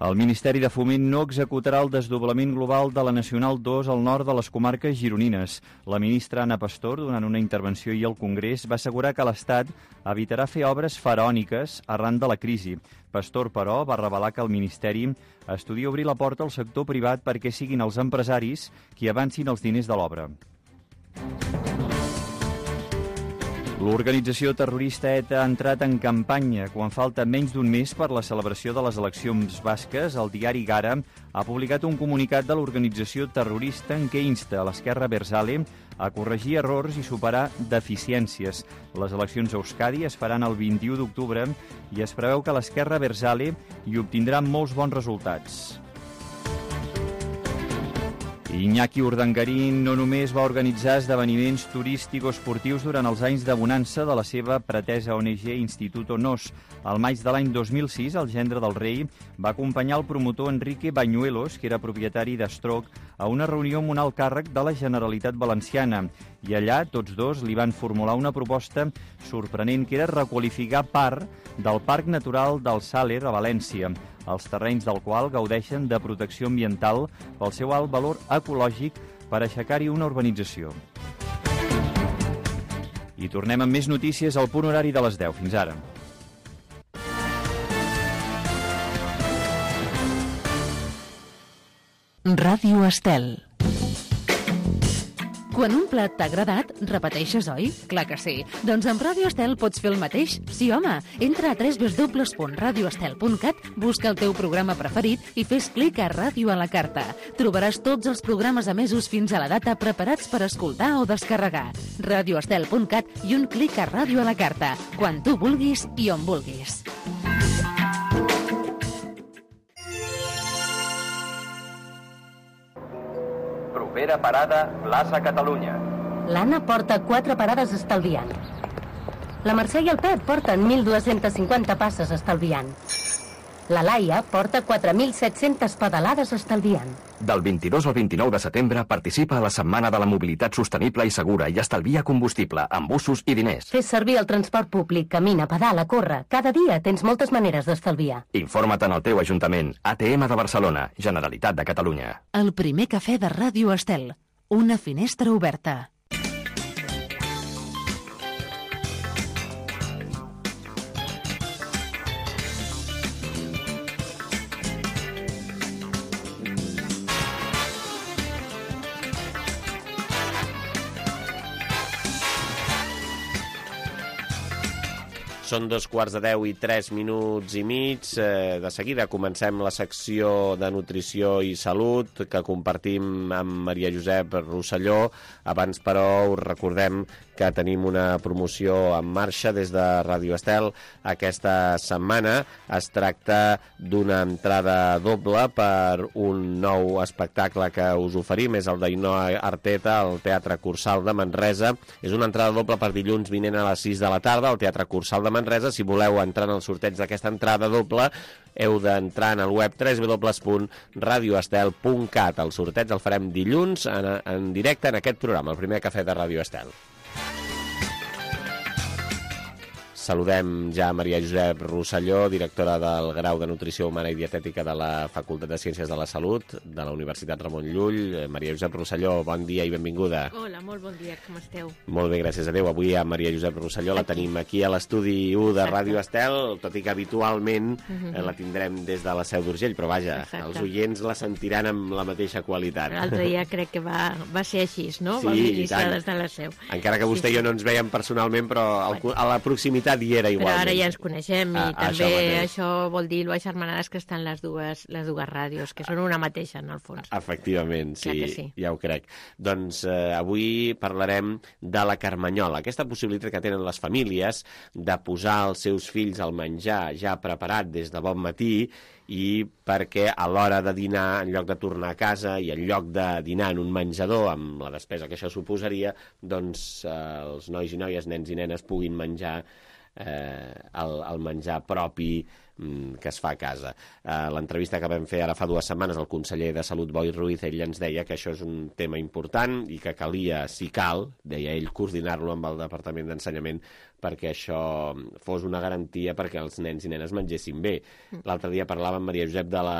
El Ministeri de Foment no executarà el desdoblament global de la Nacional dos al nord de les comarques gironines. La ministra Ana Pastor, durant una intervenció ahir al Congrés, va assegurar que l'Estat evitarà fer obres faraòniques arran de la crisi. Pastor, però, va revelar que el Ministeri estudia obrir la porta al sector privat perquè siguin els empresaris qui avancin els diners de l'obra. L'organització terrorista ETA ha entrat en campanya. Quan falta menys d'un mes per la celebració de les eleccions basques, el diari Gara ha publicat un comunicat de l'organització terrorista en què insta a l'esquerra Berzale a corregir errors i superar deficiències. Les eleccions a Euskadi es faran el vint-i-u d'octubre i es preveu que l'esquerra Berzale hi obtindrà molts bons resultats. Iñaki Urdangarín no només va organitzar esdeveniments turístico-esportius durant els anys de bonança de la seva pretesa O N G Instituto Nos. Al maig de l'any dos mil sis, el gendre del rei va acompanyar el promotor Enrique Bañuelos, que era propietari d'Estroc, a una reunió amb un alt càrrec de la Generalitat Valenciana. I allà tots dos li van formular una proposta sorprenent, que era requalificar part del Parc Natural del Sàler a València, els terrenys del qual gaudeixen de protecció ambiental pel seu alt valor ecològic per aixecar-hi una urbanització. I tornem amb més notícies al punt horari de les deu. Fins ara. Ràdio Estel. Quan un plat t'ha agradat, repeteixes, oi? Clar que sí. Doncs amb Ràdio Estel pots fer el mateix. Sí, home. Entra a w w w punt radio estel punt cat, busca el teu programa preferit i fes clic a Ràdio a la carta. Trobaràs tots els programes emesos fins a la data preparats per escoltar o descarregar. radio estel punt cat i un clic a Ràdio a la carta. Quan tu vulguis i on vulguis. Propera parada, plaça Catalunya. L'Anna porta quatre parades estalviant. La Mercè i el Pep porten mil dues-centes cinquanta passes estalviant. La Laia porta quatre mil set-centes pedalades estalviant. Del vint-i-dos al vint-i-nou de setembre participa a la Setmana de la Mobilitat Sostenible i Segura i estalvia combustible, amb bussos i diners. Fes servir el transport públic, camina, pedala, corre. Cada dia tens moltes maneres d'estalviar. Informa't en el teu ajuntament. A T M de Barcelona, Generalitat de Catalunya. El primer cafè de Ràdio Estel. Una finestra oberta. Són dos quarts de deu i tres minuts i mig. Eh, de seguida comencem la secció de nutrició i salut que compartim amb Maria Josep Rosselló. Abans, però, us recordem que tenim una promoció en marxa des de Ràdio Estel aquesta setmana. Es tracta d'una entrada doble per un nou espectacle que us oferim. És el d'Ainhoa Arteta al Teatre Cursal de Manresa. És una entrada doble per dilluns vinent a les sis de la tarda al Teatre Cursal de Manresa. Si voleu entrar en el sorteig d'aquesta entrada doble, heu d'entrar en el web w w w punt radio estel punt cat. El sorteig el farem dilluns en, en directe en aquest programa, el primer cafè de Ràdio Estel. Saludem ja a Maria Josep Rosselló, directora del Grau de Nutrició Humana i Dietètica de la Facultat de Ciències de la Salut de la Universitat Ramon Llull. Maria Josep Rosselló, bon dia i benvinguda. Hola, molt bon dia, com esteu? Molt bé, gràcies a Déu. Avui a Maria Josep Rosselló la tenim aquí a l'estudi u de Ràdio Estel, tot i que habitualment eh, la tindrem des de la Seu d'Urgell, però vaja, Exacte. Els oients la sentiran amb la mateixa qualitat. L'altre dia crec que va, va ser així, no? Sí, Vam iniciar des de la Seu. Encara que vostè sí, i jo no ens veiem personalment, però al, a la proximitat hi era igualment. Però ara ja ens coneixem i ah, també això, això vol dir lo agermanades que estan les dues, les dues ràdios, que són una mateixa, en el fons. Efectivament, sí, sí. ja ho crec. Doncs eh, avui parlarem de la carmanyola, aquesta possibilitat que tenen les famílies de posar els seus fills al menjar ja preparat des de bon matí i perquè a l'hora de dinar, en lloc de tornar a casa i en lloc de dinar en un menjador, amb la despesa que això suposaria, doncs eh, els nois i noies, nens i nenes puguin menjar Eh, el, el menjar propi mm, que es fa a casa. Eh, l'entrevista que vam fer ara fa dues setmanes al conseller de Salut, Boi Ruiz, ell ens deia que això és un tema important i que calia, si cal, deia ell, coordinar-lo amb el Departament d'Ensenyament perquè això fos una garantia perquè els nens i nenes mengessin bé. L'altre dia parlava amb Maria Josep de la,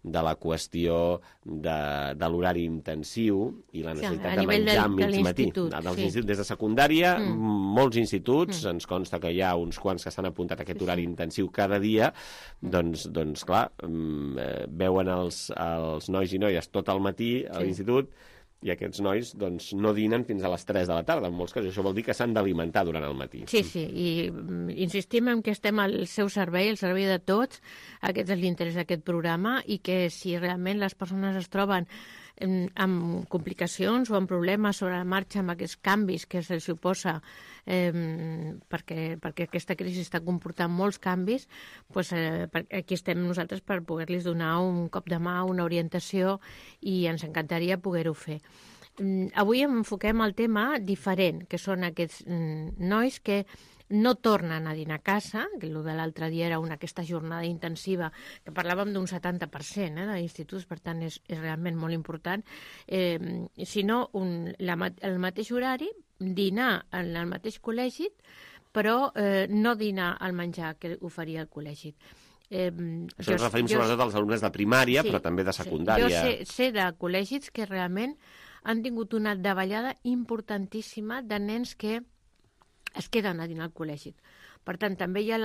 de la qüestió de, de l'horari intensiu i la necessitat sí, de menjar al mig matí. Sí. Des de secundària, mm. molts instituts, mm. ens consta que hi ha uns quants que s'han apuntat a aquest sí, horari sí. intensiu cada dia, doncs, doncs clar, veuen els, els nois i noies tot el matí a sí. l'institut i aquests nois doncs, no dinen fins a les tres de la tarda. En molts casos això vol dir que s'han d'alimentar durant el matí. Sí, sí, i insistim en que estem al seu servei, al servei de tots. Aquest és l'interès d'aquest programa i que si realment les persones es troben amb complicacions o amb problemes sobre la marxa amb aquests canvis que se'ls suposa eh, perquè, perquè aquesta crisi està comportant molts canvis, doncs, eh, aquí estem nosaltres per poder-los donar un cop de mà, una orientació i ens encantaria poder-ho fer. Avui enfoquem el tema diferent, que són aquests nois que no tornen a dinar a casa, que el de l'altre dia era una, aquesta jornada intensiva, que parlàvem d'un setanta per cent eh, d'instituts, per tant és, és realment molt important, eh, sinó un, la, el mateix horari, dinar en el mateix col·legi, però eh, no dinar al menjar que oferia el col·legi. Eh, Això ens referim jo, sobretot als alumnes de primària, sí, però també de secundària. Sí. Jo sé, sé de col·legis que realment han tingut una davallada importantíssima de nens que es queden a dinar al col·legi. Per tant, també hi ha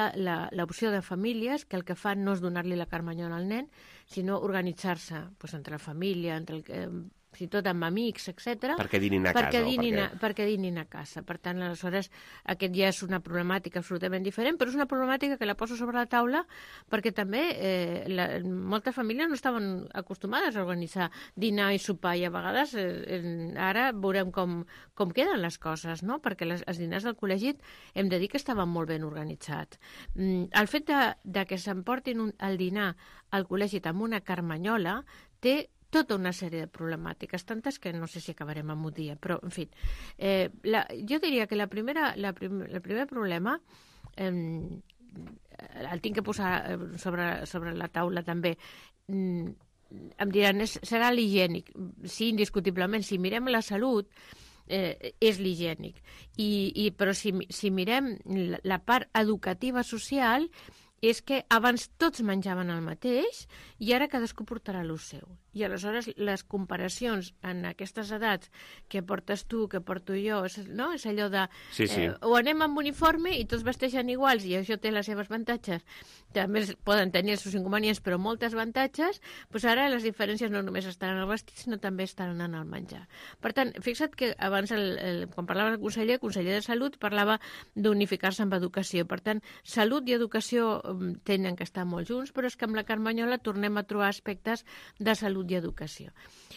l'opció de famílies que el que fan no és donar-li la carmanyola al nen, sinó organitzar-se doncs, entre la família, entre el, eh, fins i tot amb amics, etcètera. Perquè dinin a perquè casa. Dinin perquè... A, perquè dinin a casa. Per tant, aleshores, aquest ja és una problemàtica absolutament diferent, però és una problemàtica que la poso sobre la taula perquè també eh, la, moltes famílies no estaven acostumades a organitzar dinar i sopar i a vegades eh, ara veurem com, com queden les coses, no? Perquè les, els dinars del col·legi hem de dir que estaven molt ben organitzats. Mm, el fet de, de que s'emportin un, el dinar al col·legi amb una carmanyola té tota una sèrie de problemàtiques, tantes que no sé si acabarem amb un dia, però, en fi, eh, la, jo diria que la primera, la prim, el primer problema eh, el tinc que posar sobre, sobre la taula també. Mm, em diran, és, serà l'higiènic. Sí, indiscutiblement, si mirem la salut, eh, és l'higiènic. I, i, però si, si mirem la, la part educativa social, és que abans tots menjaven el mateix i ara cadascú portarà el seu. I aleshores les comparacions en aquestes edats que portes tu, que porto jo, és, no? És allò de... Sí, sí. Eh, o anem amb uniforme i tots vesteixen iguals i això té les seves avantatges. També poden tenir els seus inconvenients, però moltes avantatges. Doncs ara les diferències no només estan en el vestit, sinó també estan en el menjar. Per tant, fixa't que abans, el, el, quan parlava el conseller, el conseller de Salut, parlava d'unificar-se amb educació. Per tant, salut i educació tenen que estar molt junts, però és que amb la Carmanyola tornem a trobar aspectes de salut i educació.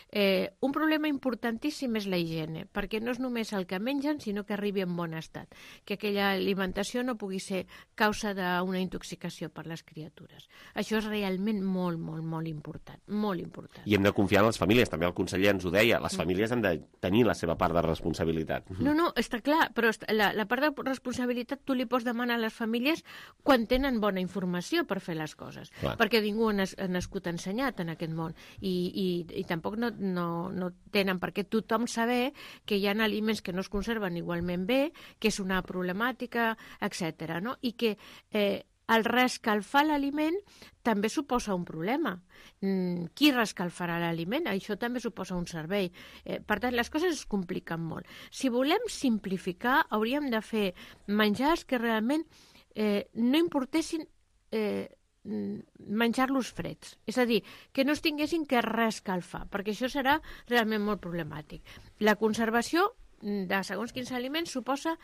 Eh, un problema importantíssim és la higiene, perquè no és només el que mengen, sinó que arribi en bon estat, que aquella alimentació no pugui ser causa d'una intoxicació per les criatures. Això és realment molt, molt, molt important, molt important. I hem de confiar en les famílies, també el conseller ens ho deia, les famílies han de tenir la seva part de responsabilitat. No, no, està clar, però la, la part de responsabilitat tu li pots demanar a les famílies quan tenen bona informació per fer les coses, clar. Perquè ningú ha nascut ensenyat en aquest món i, i, i tampoc no, no, no tenen per què tothom saber que hi ha aliments que no es conserven igualment bé, que és una problemàtica, etcètera, no? I que eh, el reescalfar l'aliment també suposa un problema. Mm, qui reescalfarà l'aliment? Això també suposa un servei. Eh, per tant, les coses es compliquen molt. Si volem simplificar, hauríem de fer menjars que realment eh, no importessin eh, menjar-los freds. És a dir, que no es tinguessin que reescalfar, perquè això serà realment molt problemàtic. La conservació de segons quins aliments suposa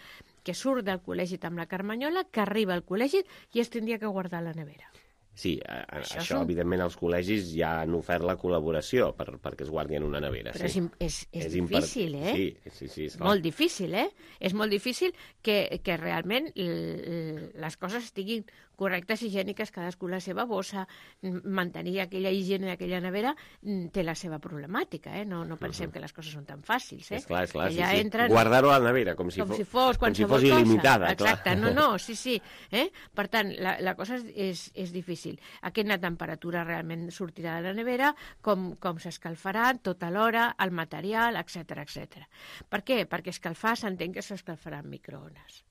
que surt del col·legi amb la Carmanyola, que arriba al col·legi i es tindria que guardar a la nevera. Sí, a, a, això, això són... evidentment, els col·legis ja han ofert la col·laboració per, perquè es guardi en una nevera. Però sí. és, és, és, és difícil, impar... eh? Sí, sí, sí. És molt difícil, eh? És molt difícil que, que realment les coses estiguin correctes, higièniques, cadascú la seva bossa, mantenir aquella higiene d'aquella nevera té la seva problemàtica, eh? No, no pensem uh-huh. que les coses són tan fàcils, eh? És clar, és clar, sí, sí. Entren... Guardar-ho a la nevera, com si, com fos, si fos com si fos il·limitada. Exacte, clar. no, no, sí, sí. Eh? Per tant, la, la cosa és, és difícil. A quina temperatura realment sortirà de la nevera, com, com s'escalfarà tota l'hora, el material, etcètera, etcètera. Per què? Perquè escalfar s'entén que s'escalfarà en microones.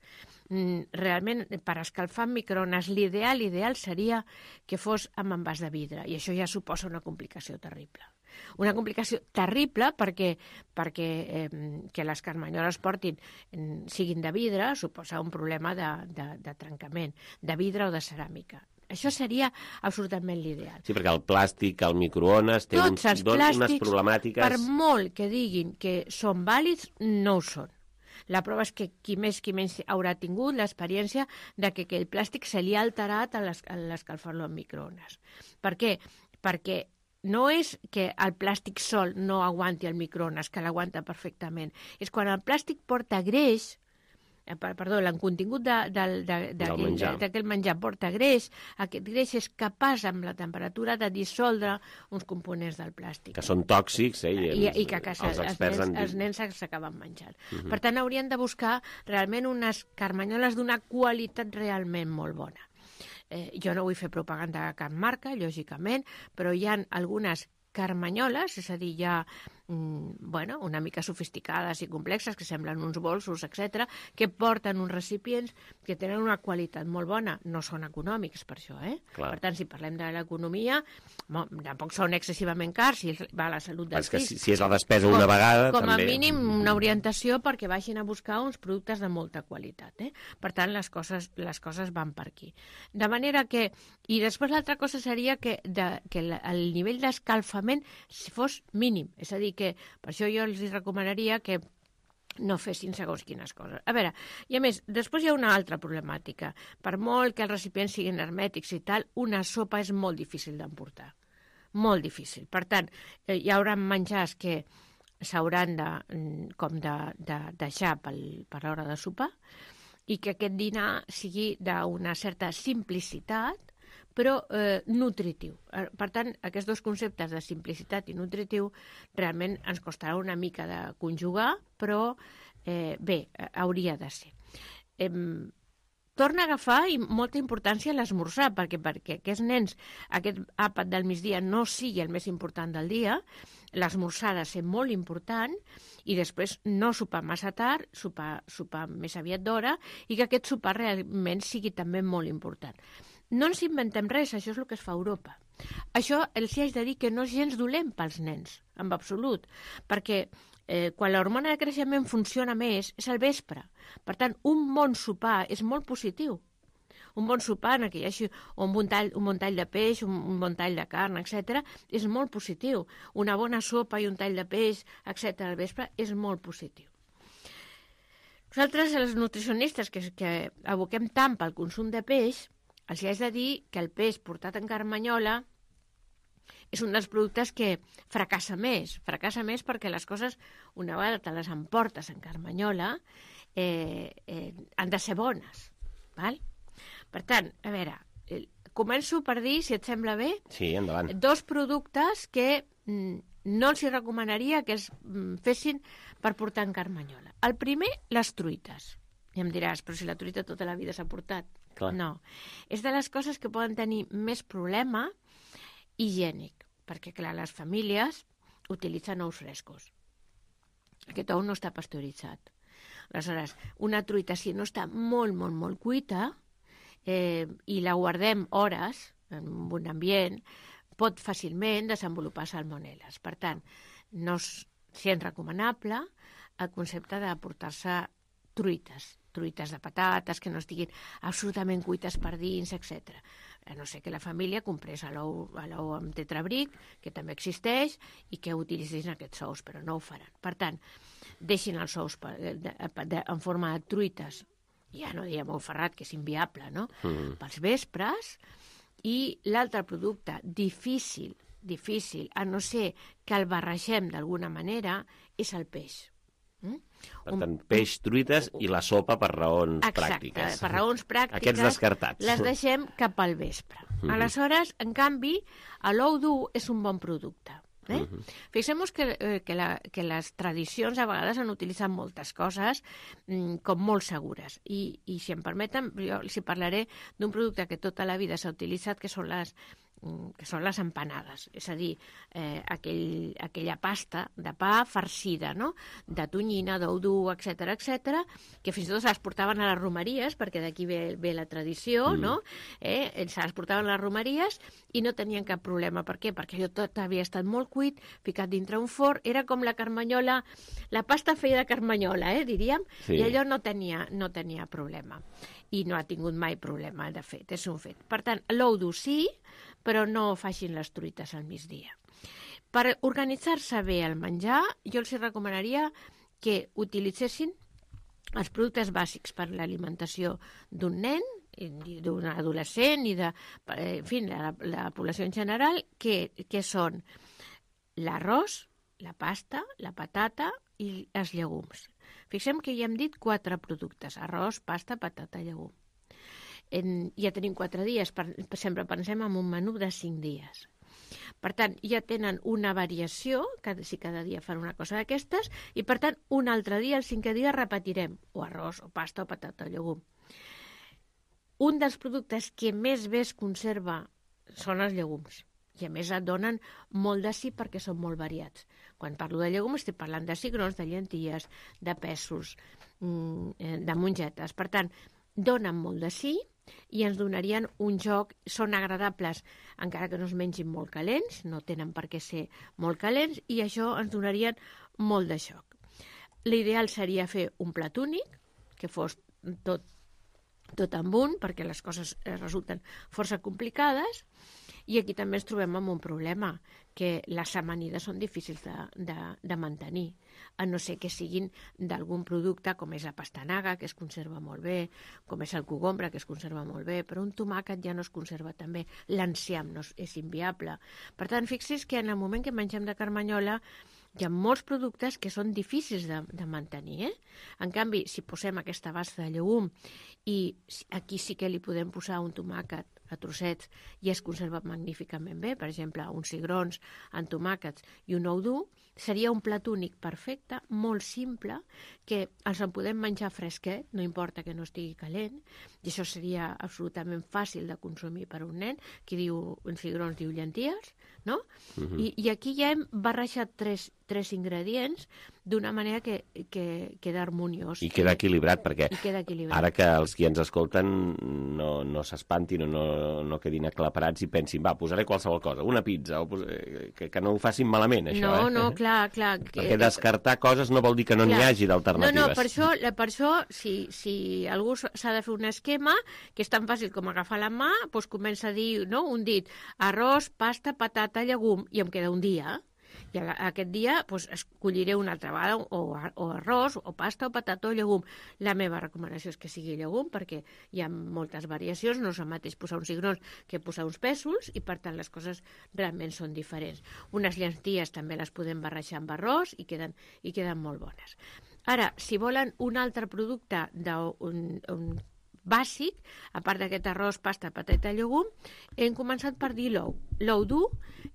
Realment, per escalfar en microones, l'ideal, l'ideal seria que fos amb envàs de vidre, i això ja suposa una complicació terrible. Una complicació terrible perquè, perquè eh, que les carmanyoles portin, siguin de vidre, suposa un problema de, de, de trencament, de vidre o de ceràmica. Això seria absolutament l'ideal. Sí, perquè el plàstic, el microones, té uns, unes problemàtiques... per molt que diguin que són vàlids, no ho són. La prova és que qui més qui menys haurà tingut l'experiència de que aquell plàstic se li ha alterat a l'escalfar-lo en microones. Per què? Perquè no és que el plàstic sol no aguanti el microones, que l'aguanta perfectament. És quan el plàstic porta greix, perdó, l'encontingut d'aquell menjar. menjar porta greix, aquest greix és capaç amb la temperatura de dissoldre uns components del plàstic. Que són tòxics, eh? I, I, i que, que els, els, nens, han... els nens s'acaben menjant. Uh -huh. Per tant, haurien de buscar realment unes carmanyoles d'una qualitat realment molt bona. Eh, jo no vull fer propaganda de cap marca, lògicament, però hi ha algunes carmanyoles, és a dir, hi ha bueno, una mica sofisticades i complexes, que semblen uns bolsos, etcètera, que porten uns recipients que tenen una qualitat molt bona. No són econòmics, per això, eh? Clar. Per tant, si parlem de l'economia, tampoc són excessivament cars, si va a la salut dels fills. Si, si és la despesa una com, vegada, com també... Com a mínim, una orientació perquè vagin a buscar uns productes de molta qualitat, eh? Per tant, les coses, les coses van per aquí. De manera que... I després l'altra cosa seria que, de, que el nivell d'escalfament fos mínim, és a dir, que per això jo els recomanaria que no fessin segons quines coses. A veure, i a més, després hi ha una altra problemàtica. Per molt que els recipients siguin hermètics i tal, una sopa és molt difícil d'emportar. Molt difícil. Per tant, hi haurà menjars que s'hauran de, com de, de deixar pel, per l'hora de sopar i que aquest dinar sigui d'una certa simplicitat, però eh, nutritiu. Per tant, aquests dos conceptes de simplicitat i nutritiu realment ens costarà una mica de conjugar, però eh, bé, hauria de ser. Eh, torna a agafar molta importància l'esmorzar, perquè perquè aquests nens, aquest àpat del migdia no sigui el més important del dia, l'esmorzar ha de ser molt important i després no sopar massa tard, sopar, sopar més aviat d'hora i que aquest sopar realment sigui també molt important. no ens inventem res, això és el que es fa a Europa. Això els hi haig de dir que no és gens dolent pels nens, en absolut, perquè eh, quan l'hormona de creixement funciona més és al vespre. Per tant, un bon sopar és molt positiu. Un bon sopar, en què hi hagi un bon tall, un bon tall de peix, un, un bon tall de carn, etcètera, és molt positiu. Una bona sopa i un tall de peix, etcètera, al vespre, és molt positiu. Nosaltres, els nutricionistes que, que aboquem tant pel consum de peix, els haig de dir que el peix portat en carmanyola és un dels productes que fracassa més. Fracassa més perquè les coses, una vegada te les emportes en carmanyola, eh, eh, han de ser bones, val? Per tant, a veure, començo per dir, si et sembla bé, sí, endavant, dos productes que mm, no els hi recomanaria que es mm, fessin per portar en carmanyola. El primer, les truites. I em diràs, però si la truita tota la vida s'ha portat. Clar. No. És de les coses que poden tenir més problema higiènic, perquè, clar, les famílies utilitzen ous frescos. Aquest ou no està pasteuritzat. Aleshores, una truita, si no està molt, molt, molt cuita, eh, i la guardem hores en un ambient, pot fàcilment desenvolupar salmonel·les. Per tant, no és gens recomanable el concepte de portar-se truites, truites de patates que no estiguin absolutament cuites per dins, etcètera. A no ser que la família comprés l'ou amb tetrabric, que també existeix, i que utilitzin aquests ous, però no ho faran. Per tant, deixin els ous en forma de truites, ja no diem ou ferrat, que és inviable, no? Mm. Pels vespres. I l'altre producte difícil, difícil, a no ser que el barregem d'alguna manera, és el peix. Mm? Per tant, peix, truites i la sopa per raons Exacte, pràctiques. Exacte, per raons pràctiques. Aquests descartats. Les deixem cap al vespre. Mm-hmm. Aleshores, en canvi, l'ou dur és un bon producte. Eh? Uh-huh. Fixem-nos que, eh, que, la, que les tradicions a vegades han utilitzat moltes coses mm, com molt segures. I, I si em permeten, jo els parlaré d'un producte que tota la vida s'ha utilitzat, que són les que són les empanades, és a dir, eh, aquell, aquella pasta de pa farcida, no? De tonyina, d'ou dur, etcètera, etcètera, que fins i tot se les portaven a les romeries, perquè d'aquí ve, ve la tradició, mm. no? Eh? Se les portaven a les romeries i no tenien cap problema. Per què? Perquè allò tot havia estat molt cuit, ficat dintre un forn, era com la carmanyola, la pasta feia de carmanyola, eh, diríem, sí. I allò no tenia, no tenia problema. I no ha tingut mai problema, de fet, és un fet. Per tant, l'ou dur sí, però no facin les truites al migdia. Per organitzar-se bé el menjar, jo els recomanaria que utilitzessin els productes bàsics per l'alimentació d'un nen, d'un adolescent i de, en fi, la, la població en general, que, que són l'arròs, la pasta, la patata i els llegums. Fixem que ja hem dit quatre productes: arròs, pasta, patata, llegum. En, ja tenim quatre dies, per, sempre pensem en un menú de cinc dies. Per tant, ja tenen una variació, cada, si cada dia fan una cosa d'aquestes, i per tant, un altre dia, el cinquè dia, repetirem o arròs, o pasta, o patata, o llegum. Un dels productes que més bé es conserva són els llegums. I a més et donen molt de sí perquè són molt variats. Quan parlo de llegums estic parlant de cigrons, de llenties, de pèsols, de mongetes. Per tant, donen molt de sí i ens donarien un joc, són agradables encara que no es mengin molt calents, no tenen per què ser molt calents, i això ens donarien molt de joc. L'ideal seria fer un plat únic, que fos tot, tot amb un, perquè les coses resulten força complicades. I aquí també ens trobem amb un problema, que les amanides són difícils de, de, de mantenir, a no ser que siguin d'algun producte com és la pastanaga, que es conserva molt bé, com és el cogombre, que es conserva molt bé, però un tomàquet ja no es conserva tan bé, l'enciam no és, és inviable. Per tant, fixi's que en el moment que mengem de carmanyola hi ha molts productes que són difícils de, de mantenir. Eh? En canvi, si posem aquesta base de llegum i aquí sí que li podem posar un tomàquet a trossets i es conserva magníficament bé, per exemple, uns cigrons amb tomàquets i un ou dur, seria un plat únic perfecte, molt simple, que els en podem menjar fresquet, no importa que no estigui calent, i això seria absolutament fàcil de consumir per un nen. Qui diu cigrons diu llenties, no? Uh-huh. I, I aquí ja hem barrejat tres, tres ingredients d'una manera que, que queda harmoniós. I queda equilibrat, perquè queda equilibrat. Ara que els qui ens escolten no, no s'espantin o no, no quedin aclaparats i pensin, va, posaré qualsevol cosa, una pizza, o pos... que, que no ho facin malament, això, no, eh? No, no, clar, clar. Perquè descartar coses no vol dir que no n'hi hagi d'alternatives. No, no, per això, per això si, si algú s'ha de fer un esquema, que és tan fàcil com agafar la mà, doncs comença a dir, no?, un dit, arròs, pasta, patata, llegum, i em queda un dia. I aquest dia doncs, escolliré una altra vegada o, o arròs, o pasta, o patata, o llegum. La meva recomanació és que sigui llegum, perquè hi ha moltes variacions, no és el mateix posar uns cigrons que posar uns pèsols, i per tant les coses realment són diferents. Unes llenties també les podem barrejar amb arròs i queden, i queden molt bones. Ara, si volen un altre producte d'un un bàsic, a part d'aquest arròs, pasta, patata, llegum, hem començat per dir l'ou. L'ou dur,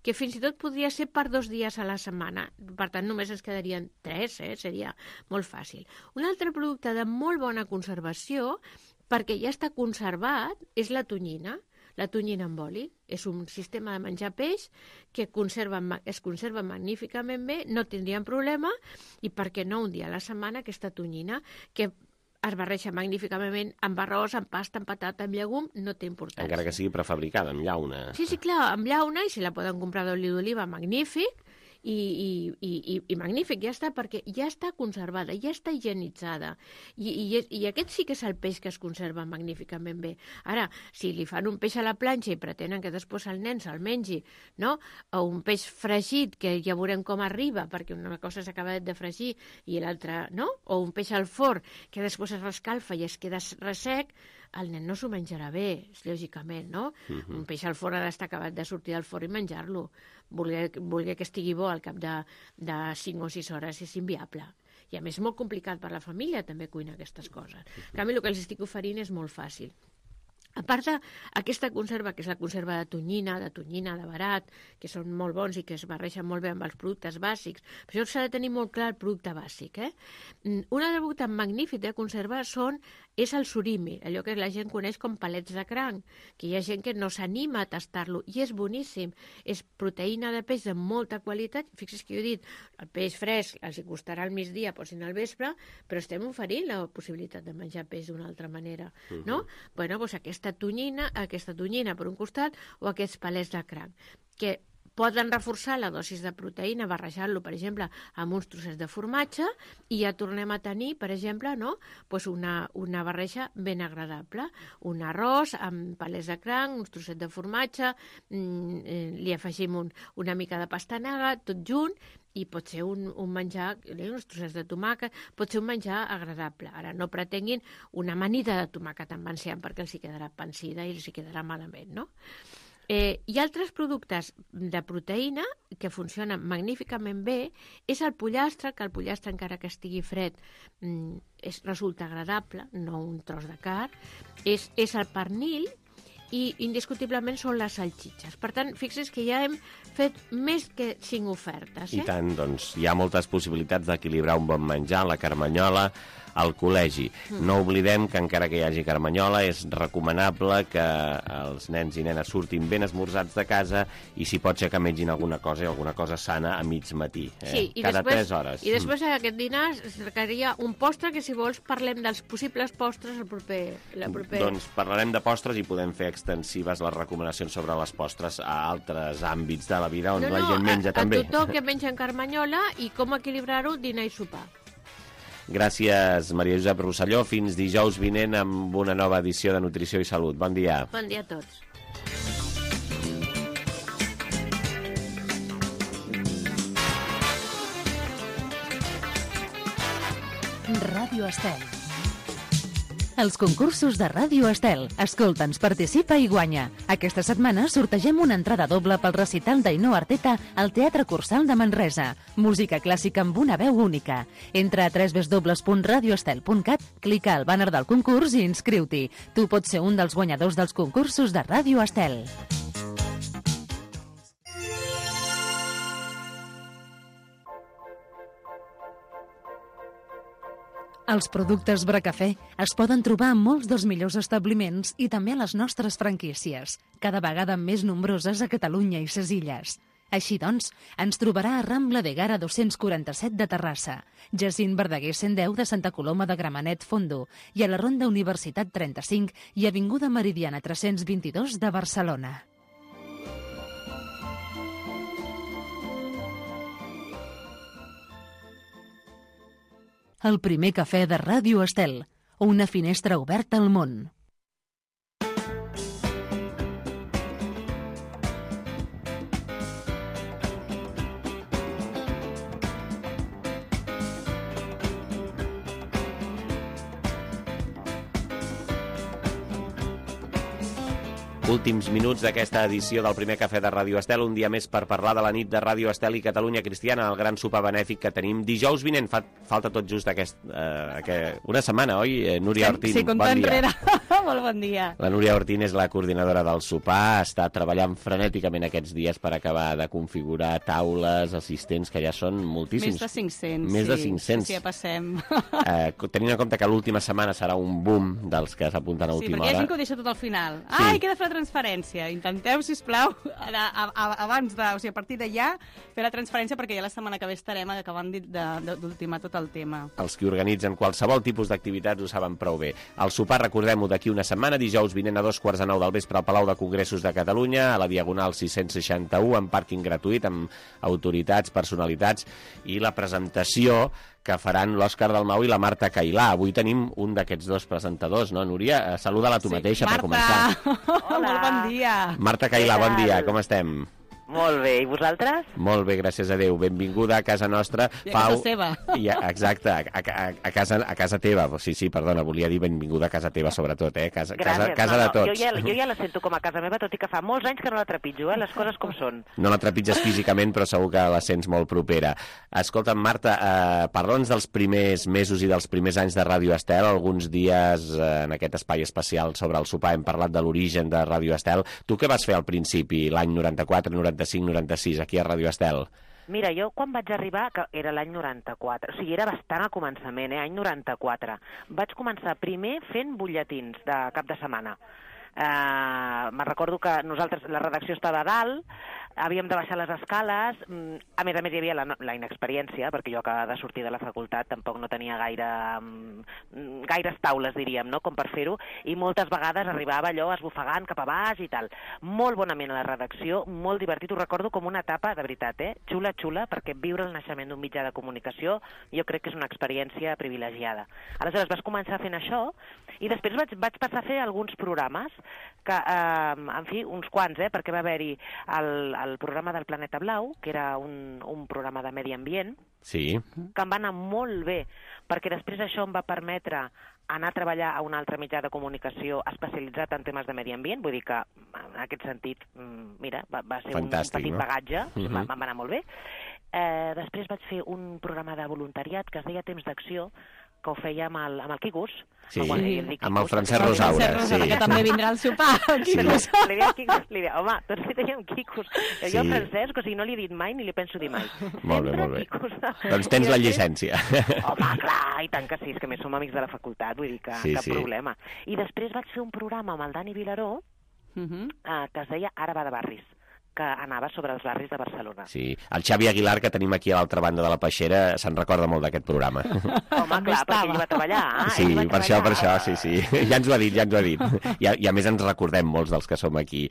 que fins i tot podria ser per dos dies a la setmana. Per tant, només ens quedarien tres, eh? Seria molt fàcil. Un altre producte de molt bona conservació, perquè ja està conservat, és la tonyina. La tonyina amb oli. És un sistema de menjar peix que conserva, es conserva magníficament bé, no tindríem problema, i per què no un dia a la setmana aquesta tonyina, que es barreja magníficament amb arròs, amb pasta, amb patata, amb llegum, no té importància. Encara que sigui prefabricada, amb llauna. Sí, sí, clar, amb llauna, i si la poden comprar d'oli d'oliva, magnífic, i, i, i, i magnífic, ja està, perquè ja està conservada, ja està higienitzada. I, i, I aquest sí que és el peix que es conserva magníficament bé. Ara, si li fan un peix a la planxa i pretenen que després el nen se'l mengi, no?, o un peix fregit, que ja veurem com arriba, perquè una cosa s'acaba de fregir i l'altra, no?, o un peix al forn, que després es rescalfa i es queda ressec, el nen no s'ho menjarà bé, lògicament, no? Uh-huh. Un peix al forn ha d'estar acabat de sortir del forn i menjar-lo. Voler, voler que estigui bo al cap de, de cinc o sis hores és inviable. I a més és molt complicat per la família també cuinar aquestes coses. En canvi, el que els estic oferint és molt fàcil. A part d'aquesta conserva, que és la conserva de tonyina, de tonyina, de barat, que són molt bons i que es barreixen molt bé amb els productes bàsics, per això s'ha de tenir molt clar el producte bàsic. Eh? Un altre producte magnífic de conserva són, és el surimi, allò que la gent coneix com palets de cranc, que hi ha gent que no s'anima a tastar-lo, i és boníssim. És proteïna de peix de molta qualitat. Fixa't que jo he dit, el peix fresc els hi costarà al migdia, posin al vespre, però estem oferint la possibilitat de menjar peix d'una altra manera. No? Uh-huh. Bueno, doncs aquesta tonyina, aquesta tonyina per un costat, o aquests palets de cranc, que poden reforçar la dosis de proteïna barrejant-lo, per exemple, amb uns trossets de formatge, i ja tornem a tenir, per exemple, no? pues una, una barreja ben agradable. Un arròs amb palets de cranc, uns trossets de formatge, mmm, eh, li afegim un, una mica de pastanaga, tot junt, i pot ser un, un menjar, uns trossets de tomàquet, pot ser un menjar agradable. Ara no pretenguin una amanida de tomàquet amb enciam, perquè els hi quedarà pansida i els hi quedarà malament, no? Eh, hi ha altres productes de proteïna que funcionen magníficament bé. És el pollastre, que el pollastre, encara que estigui fred, mm, és, resulta agradable, no un tros de carn. És, és el pernil, i indiscutiblement són les salxitxes. Per tant, fixes que ja hem fet més que cinc ofertes. Eh? I tant, doncs hi ha moltes possibilitats d'equilibrar un bon menjar, la carmanyola, al col·legi. Mm. No oblidem que encara que hi hagi carmanyola és recomanable que els nens i nenes surtin ben esmorzats de casa, i si pot ser que mengin alguna cosa i alguna cosa sana a mig matí, eh? Sí, i cada després, tres hores. I després mm. aquest dinar es requeria un postre, que si vols parlem dels possibles postres el proper, la proper... Doncs parlarem de postres i podem fer extensives les recomanacions sobre les postres a altres àmbits de la vida on no, la no, gent menja a, també. A tothom que menja en carmanyola i com equilibrar-ho dinar i sopar. Gràcies, Maria Josep Rosselló. Fins dijous vinent amb una nova edició de Nutrició i Salut. Bon dia. Bon dia a tots. Ràdio Estel. Els concursos de Ràdio Estel. Escolta'ns, participa i guanya. Aquesta setmana sortegem una entrada doble pel recital d'Ainhoa Arteta al Teatre Cursal de Manresa. Música clàssica amb una veu única. Entra a w w w punt radio estel punt cat, clica al bàner del concurs i inscriu-t'hi. Tu pots ser un dels guanyadors dels concursos de Ràdio Estel. Els productes Bracafé es poden trobar en molts dels millors establiments i també a les nostres franquícies, cada vegada més nombroses a Catalunya i ses Illes. Així doncs, ens trobarà a Rambla de Gara dos-cents quaranta-set de Terrassa, Jacint Verdaguer cent deu de Santa Coloma de Gramenet Fondo i a la Ronda Universitat trenta-cinc i Avinguda Meridiana tres-cents vint-i-dos de Barcelona. El primer cafè de Ràdio Estel, una finestra oberta al món. Últims minuts d'aquesta edició del primer cafè de Ràdio Estel, un dia més per parlar de la nit de Ràdio Estel i Catalunya Cristiana, el gran sopar benèfic que tenim dijous vinent. Fa, falta tot just aquest, eh, aquest, una setmana, oi, eh, Núria Ortín? Sí, compte bon enrere. Molt bon dia. La Núria Ortín és la coordinadora del sopar, està treballant frenèticament aquests dies per acabar de configurar taules, assistents, que ja són moltíssims. Més de cinc-cents. Més sí, de cinc-cents. Sí, ja passem. Eh, tenint en compte que l'última setmana serà un boom dels que s'apunten a Sí, última perquè hi ha hora. gent que ho deixa tot al final. Sí. Ai, queda fer la transferència. Intenteu, sisplau, a, a, a, abans de, o sigui, a partir de ja, fer la transferència, perquè ja la setmana que ve estarem acabant d'ultimar tot el tema. Els que organitzen qualsevol tipus d'activitats ho saben prou bé. El sopar, recordem-ho, d'aquí una setmana, dijous vinent a dos quarts de nou del vespre al Palau de Congressos de Catalunya, a la Diagonal sis-cents seixanta-u, amb pàrquing gratuït, amb autoritats, personalitats, i la presentació que faran l'Òscar Dalmau i la Marta Cailà. Avui tenim un d'aquests dos presentadors, no, Núria? Saluda-la tu sí, mateixa Marta. Per començar. Hola. Molt bon dia. Marta Cailà, bon dia, com estem? Molt bé, i vosaltres? Molt bé, gràcies a Déu. Benvinguda a casa nostra. I a Pau... casa seva. I a, exacte, a, a, a, casa, a casa teva. Sí, sí, perdona, volia dir benvinguda a casa teva, sobretot, eh? Casa, casa, casa no, de no, tots. Jo ja, jo ja la sento com a casa meva, tot i que fa molts anys que no la trepitjo, eh? Les coses com són. No la trepitges físicament, però segur que la sents molt propera. Escolta'm, Marta, eh, parla'ns dels primers mesos i dels primers anys de Ràdio Estel. Alguns dies eh, en aquest espai especial sobre el sopar hem parlat de l'origen de Ràdio Estel. Tu què vas fer al principi, l'any noranta-quatre, noranta-cinc, noranta-sis, aquí a Ràdio Estel? Mira, jo quan vaig arribar, que era l'any noranta-quatre, o sigui, era bastant al començament, eh, any noranta-quatre, vaig començar primer fent butlletins de cap de setmana. Uh, me'n recordo que nosaltres, la redacció estava a dalt, havíem de baixar les escales, a més a més hi havia la, la inexperiència, perquè jo acabava de sortir de la facultat, tampoc no tenia gaire, gaires taules, diríem, no?, com per fer-ho, i moltes vegades arribava allò esbufegant cap a baix i tal. Molt bonament a la redacció, molt divertit, ho recordo com una etapa, de veritat, eh? Xula, xula, perquè viure el naixement d'un mitjà de comunicació jo crec que és una experiència privilegiada. Aleshores vas començar fent això, i després vaig, vaig passar a fer alguns programes, que, eh, en fi, uns quants, eh, perquè va haver-hi el, el programa del Planeta Blau, que era un, un programa de medi ambient, sí, que em va anar molt bé, perquè després això em va permetre anar a treballar a un altre mitjà de comunicació especialitzat en temes de medi ambient, vull dir que, en aquest sentit, mira, va, va ser fantàstic, un petit no? bagatge, uh-huh. va, va anar molt bé. Eh, després vaig fer un programa de voluntariat que es deia Temps d'Acció, que ho feia amb el, amb el Quikus. Sí, bueno, Quikus, amb el Francesc Rosaura. El Francesc Rosaura, sí. que també vindrà al sopar. Sí, li deia Quikus, li deia, home, tots li dèiem Quikus. Jo Sí. al Francesc, o sigui, no li he dit mai ni li penso dir mai. Molt bé, Sempre molt bé. Quikus. Doncs tens la llicència. Home, clar, i tant que sí, és que més som amics de la facultat, vull dir que Sí, cap sí. problema. I després vaig fer un programa amb el Dani Vilaró, Uh-huh. eh, que es deia Ara va de barris, que anava sobre els barris de Barcelona. Sí, el Xavi Aguilar, que tenim aquí a l'altra banda de la peixera, se'n recorda molt d'aquest programa. Home, clar, perquè ell va treballar. Ah, Sí, ell va per això, per treballar. això, sí, sí. Ja ens ho ha dit, ja ens ho ha dit. I a, i a més ens recordem molts dels que som aquí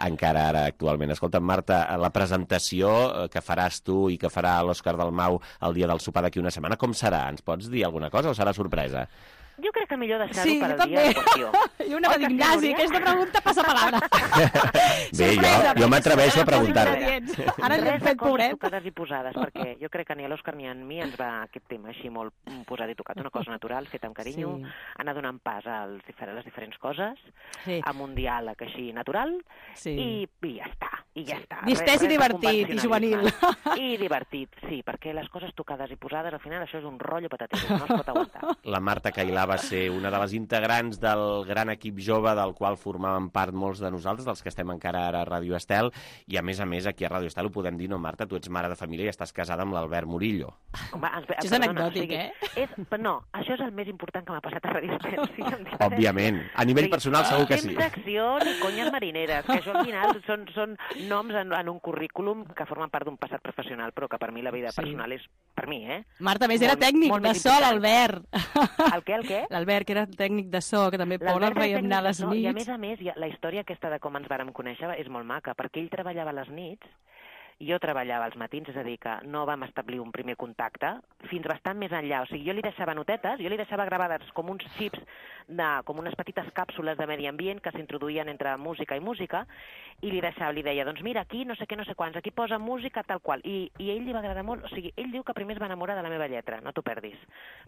encara ara actualment. Escolta, Marta, la presentació que faràs tu i que farà l'Òscar Dalmau el dia del sopar d'aquí una setmana, com serà? Ens pots dir alguna cosa o serà sorpresa? Jo crec que millor deixar-ho Sí, per al també. dia de qüestió. I una va dir, Ignasi, aquesta pregunta passa palabra. Bé, jo, jo m'atreveixo a preguntar-te. Ara ens hem Res de fet coses pobret. tocades i posades, perquè jo crec que ni a l'Òscar ni a mi ens va aquest tema així molt posat i tocat. Una cosa natural, feta amb carinyo, Sí. anar donant pas als difer les diferents coses, Sí. amb un diàleg així natural, Sí. i, i ja està, i ja està. Distès i Res- res de divertit, i juvenil. convencionalisme. I divertit, sí, perquè les coses tocades i posades, al final això és un rotllo patatero, no es pot aguantar. La Marta Cailà va ser una de les integrants del gran equip jove del qual formàvem part molts de nosaltres, dels que estem encara ara a Ràdio Estel, i a més a més aquí a Ràdio Estel ho podem dir, no, Marta? Tu ets mare de família i estàs casada amb l'Albert Murillo. Home, això és anecdòtic, eh? És, no, això és el més important que m'ha passat a Ràdio Estel. Sí, Òbviament. A nivell personal segur que sí. Temps d'acció ni conyes marineres, que això al final són, són noms en, en un currículum que formen part d'un passat professional, però que per mi la vida sí. personal és per mi, eh? Marta, a més, era tècnic de so, l'Albert. El què, el què? L'Albert, que era tècnic de so, que també Pol el veiem anar a les nits. I a més a més, la història aquesta de com ens vàrem conèixer és molt maca, perquè ell treballava a les nits i jo treballava als matins, és a dir, que no vam establir un primer contacte fins bastant més enllà. O sigui, jo li deixava notetes, jo li deixava gravades com uns xips, de, com unes petites càpsules de medi ambient que s'introduïen entre música i música, i li deixava, li deia, doncs mira, aquí no sé què, no sé quants, aquí posa música tal qual. I, i a ell li va agradar molt, o sigui, ell diu que primer es va enamorar de la meva lletra, no t'ho perdis.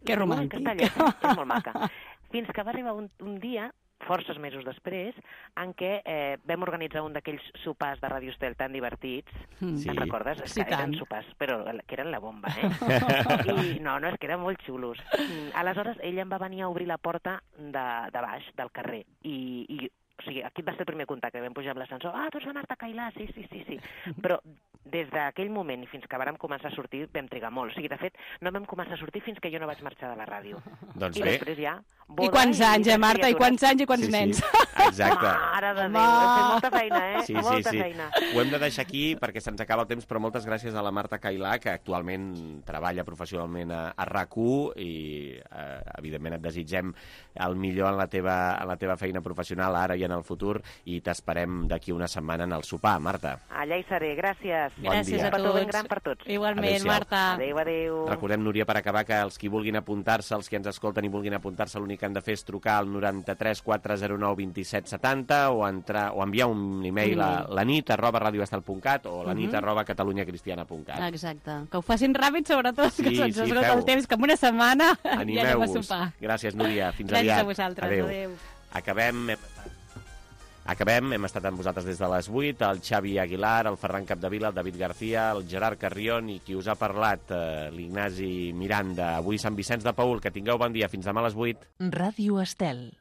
Que romàntic. Aquesta lletra és molt maca. Fins que va arribar un, un dia, forces mesos després, en què eh, vam organitzar un d'aquells sopars de Ràdio Estel tan divertits. Sí. Te'n recordes? Sí, que eren tant. sopars, però que eren la bomba, eh? I no, no, és que eren molt xulos. Aleshores, ella em va venir a obrir la porta de, de baix, del carrer, i, i o sigui, aquí va ser el primer contacte, vam pujar amb l'ascensor, ah, tu ets la Marta Cailà, sí, sí, sí, sí. Però des d'aquell moment i fins que vàrem començar a sortir vam trigar molt. O sigui, de fet, no vam començar a sortir fins que jo no vaig marxar de la ràdio. Doncs I bé. després ja... I quants anys, eh, Marta? I quants anys i quants sí, nens? Sí, exacte. Mare de Déu, hem fet molta feina, eh? Sí, molta sí, sí. feina. Ho hem de deixar aquí perquè se'ns acaba el temps, però moltes gràcies a la Marta Cailà, que actualment treballa professionalment a, a RAC u i, eh, evidentment, et desitgem el millor en la, teva, en la teva feina professional ara i en el futur, i t'esperem d'aquí una setmana en el sopar, Marta. Allà hi seré, gràcies. Bon gràcies dia. a tots. Un petó ben gran per tots. Igualment, Marta. Adéu, adéu. Recordem, Núria, per acabar, que els qui vulguin apuntar-se, els que ens escolten i vulguin apuntar-se, l'únic que han de fer és trucar al noranta-tres quatre zero nou vint set setanta o, entrar, o enviar un email a la nit arroba radioestel punt cat o la nit arroba catalunyacristiana punt cat. Exacte. Que ho facin ràpid, sobretot, Sí, que se'ns sí, esgota feu-ho. el temps, que en una setmana ja anem a Animeu-vos. sopar. Gràcies, Núria. Fins Gràcies aviat. a vosaltres. Adéu. Adéu. Acabem... Hem... Acabem, hem estat amb vosaltres des de les vuit, el Xavi Aguilar, el Ferran Capdevila, el David García, el Gerard Carrion i qui us ha parlat, eh, l'Ignasi Miranda. Avui Sant Vicenç de Paül. Que tingueu bon dia. Fins demà a les vuit. Ràdio Estel.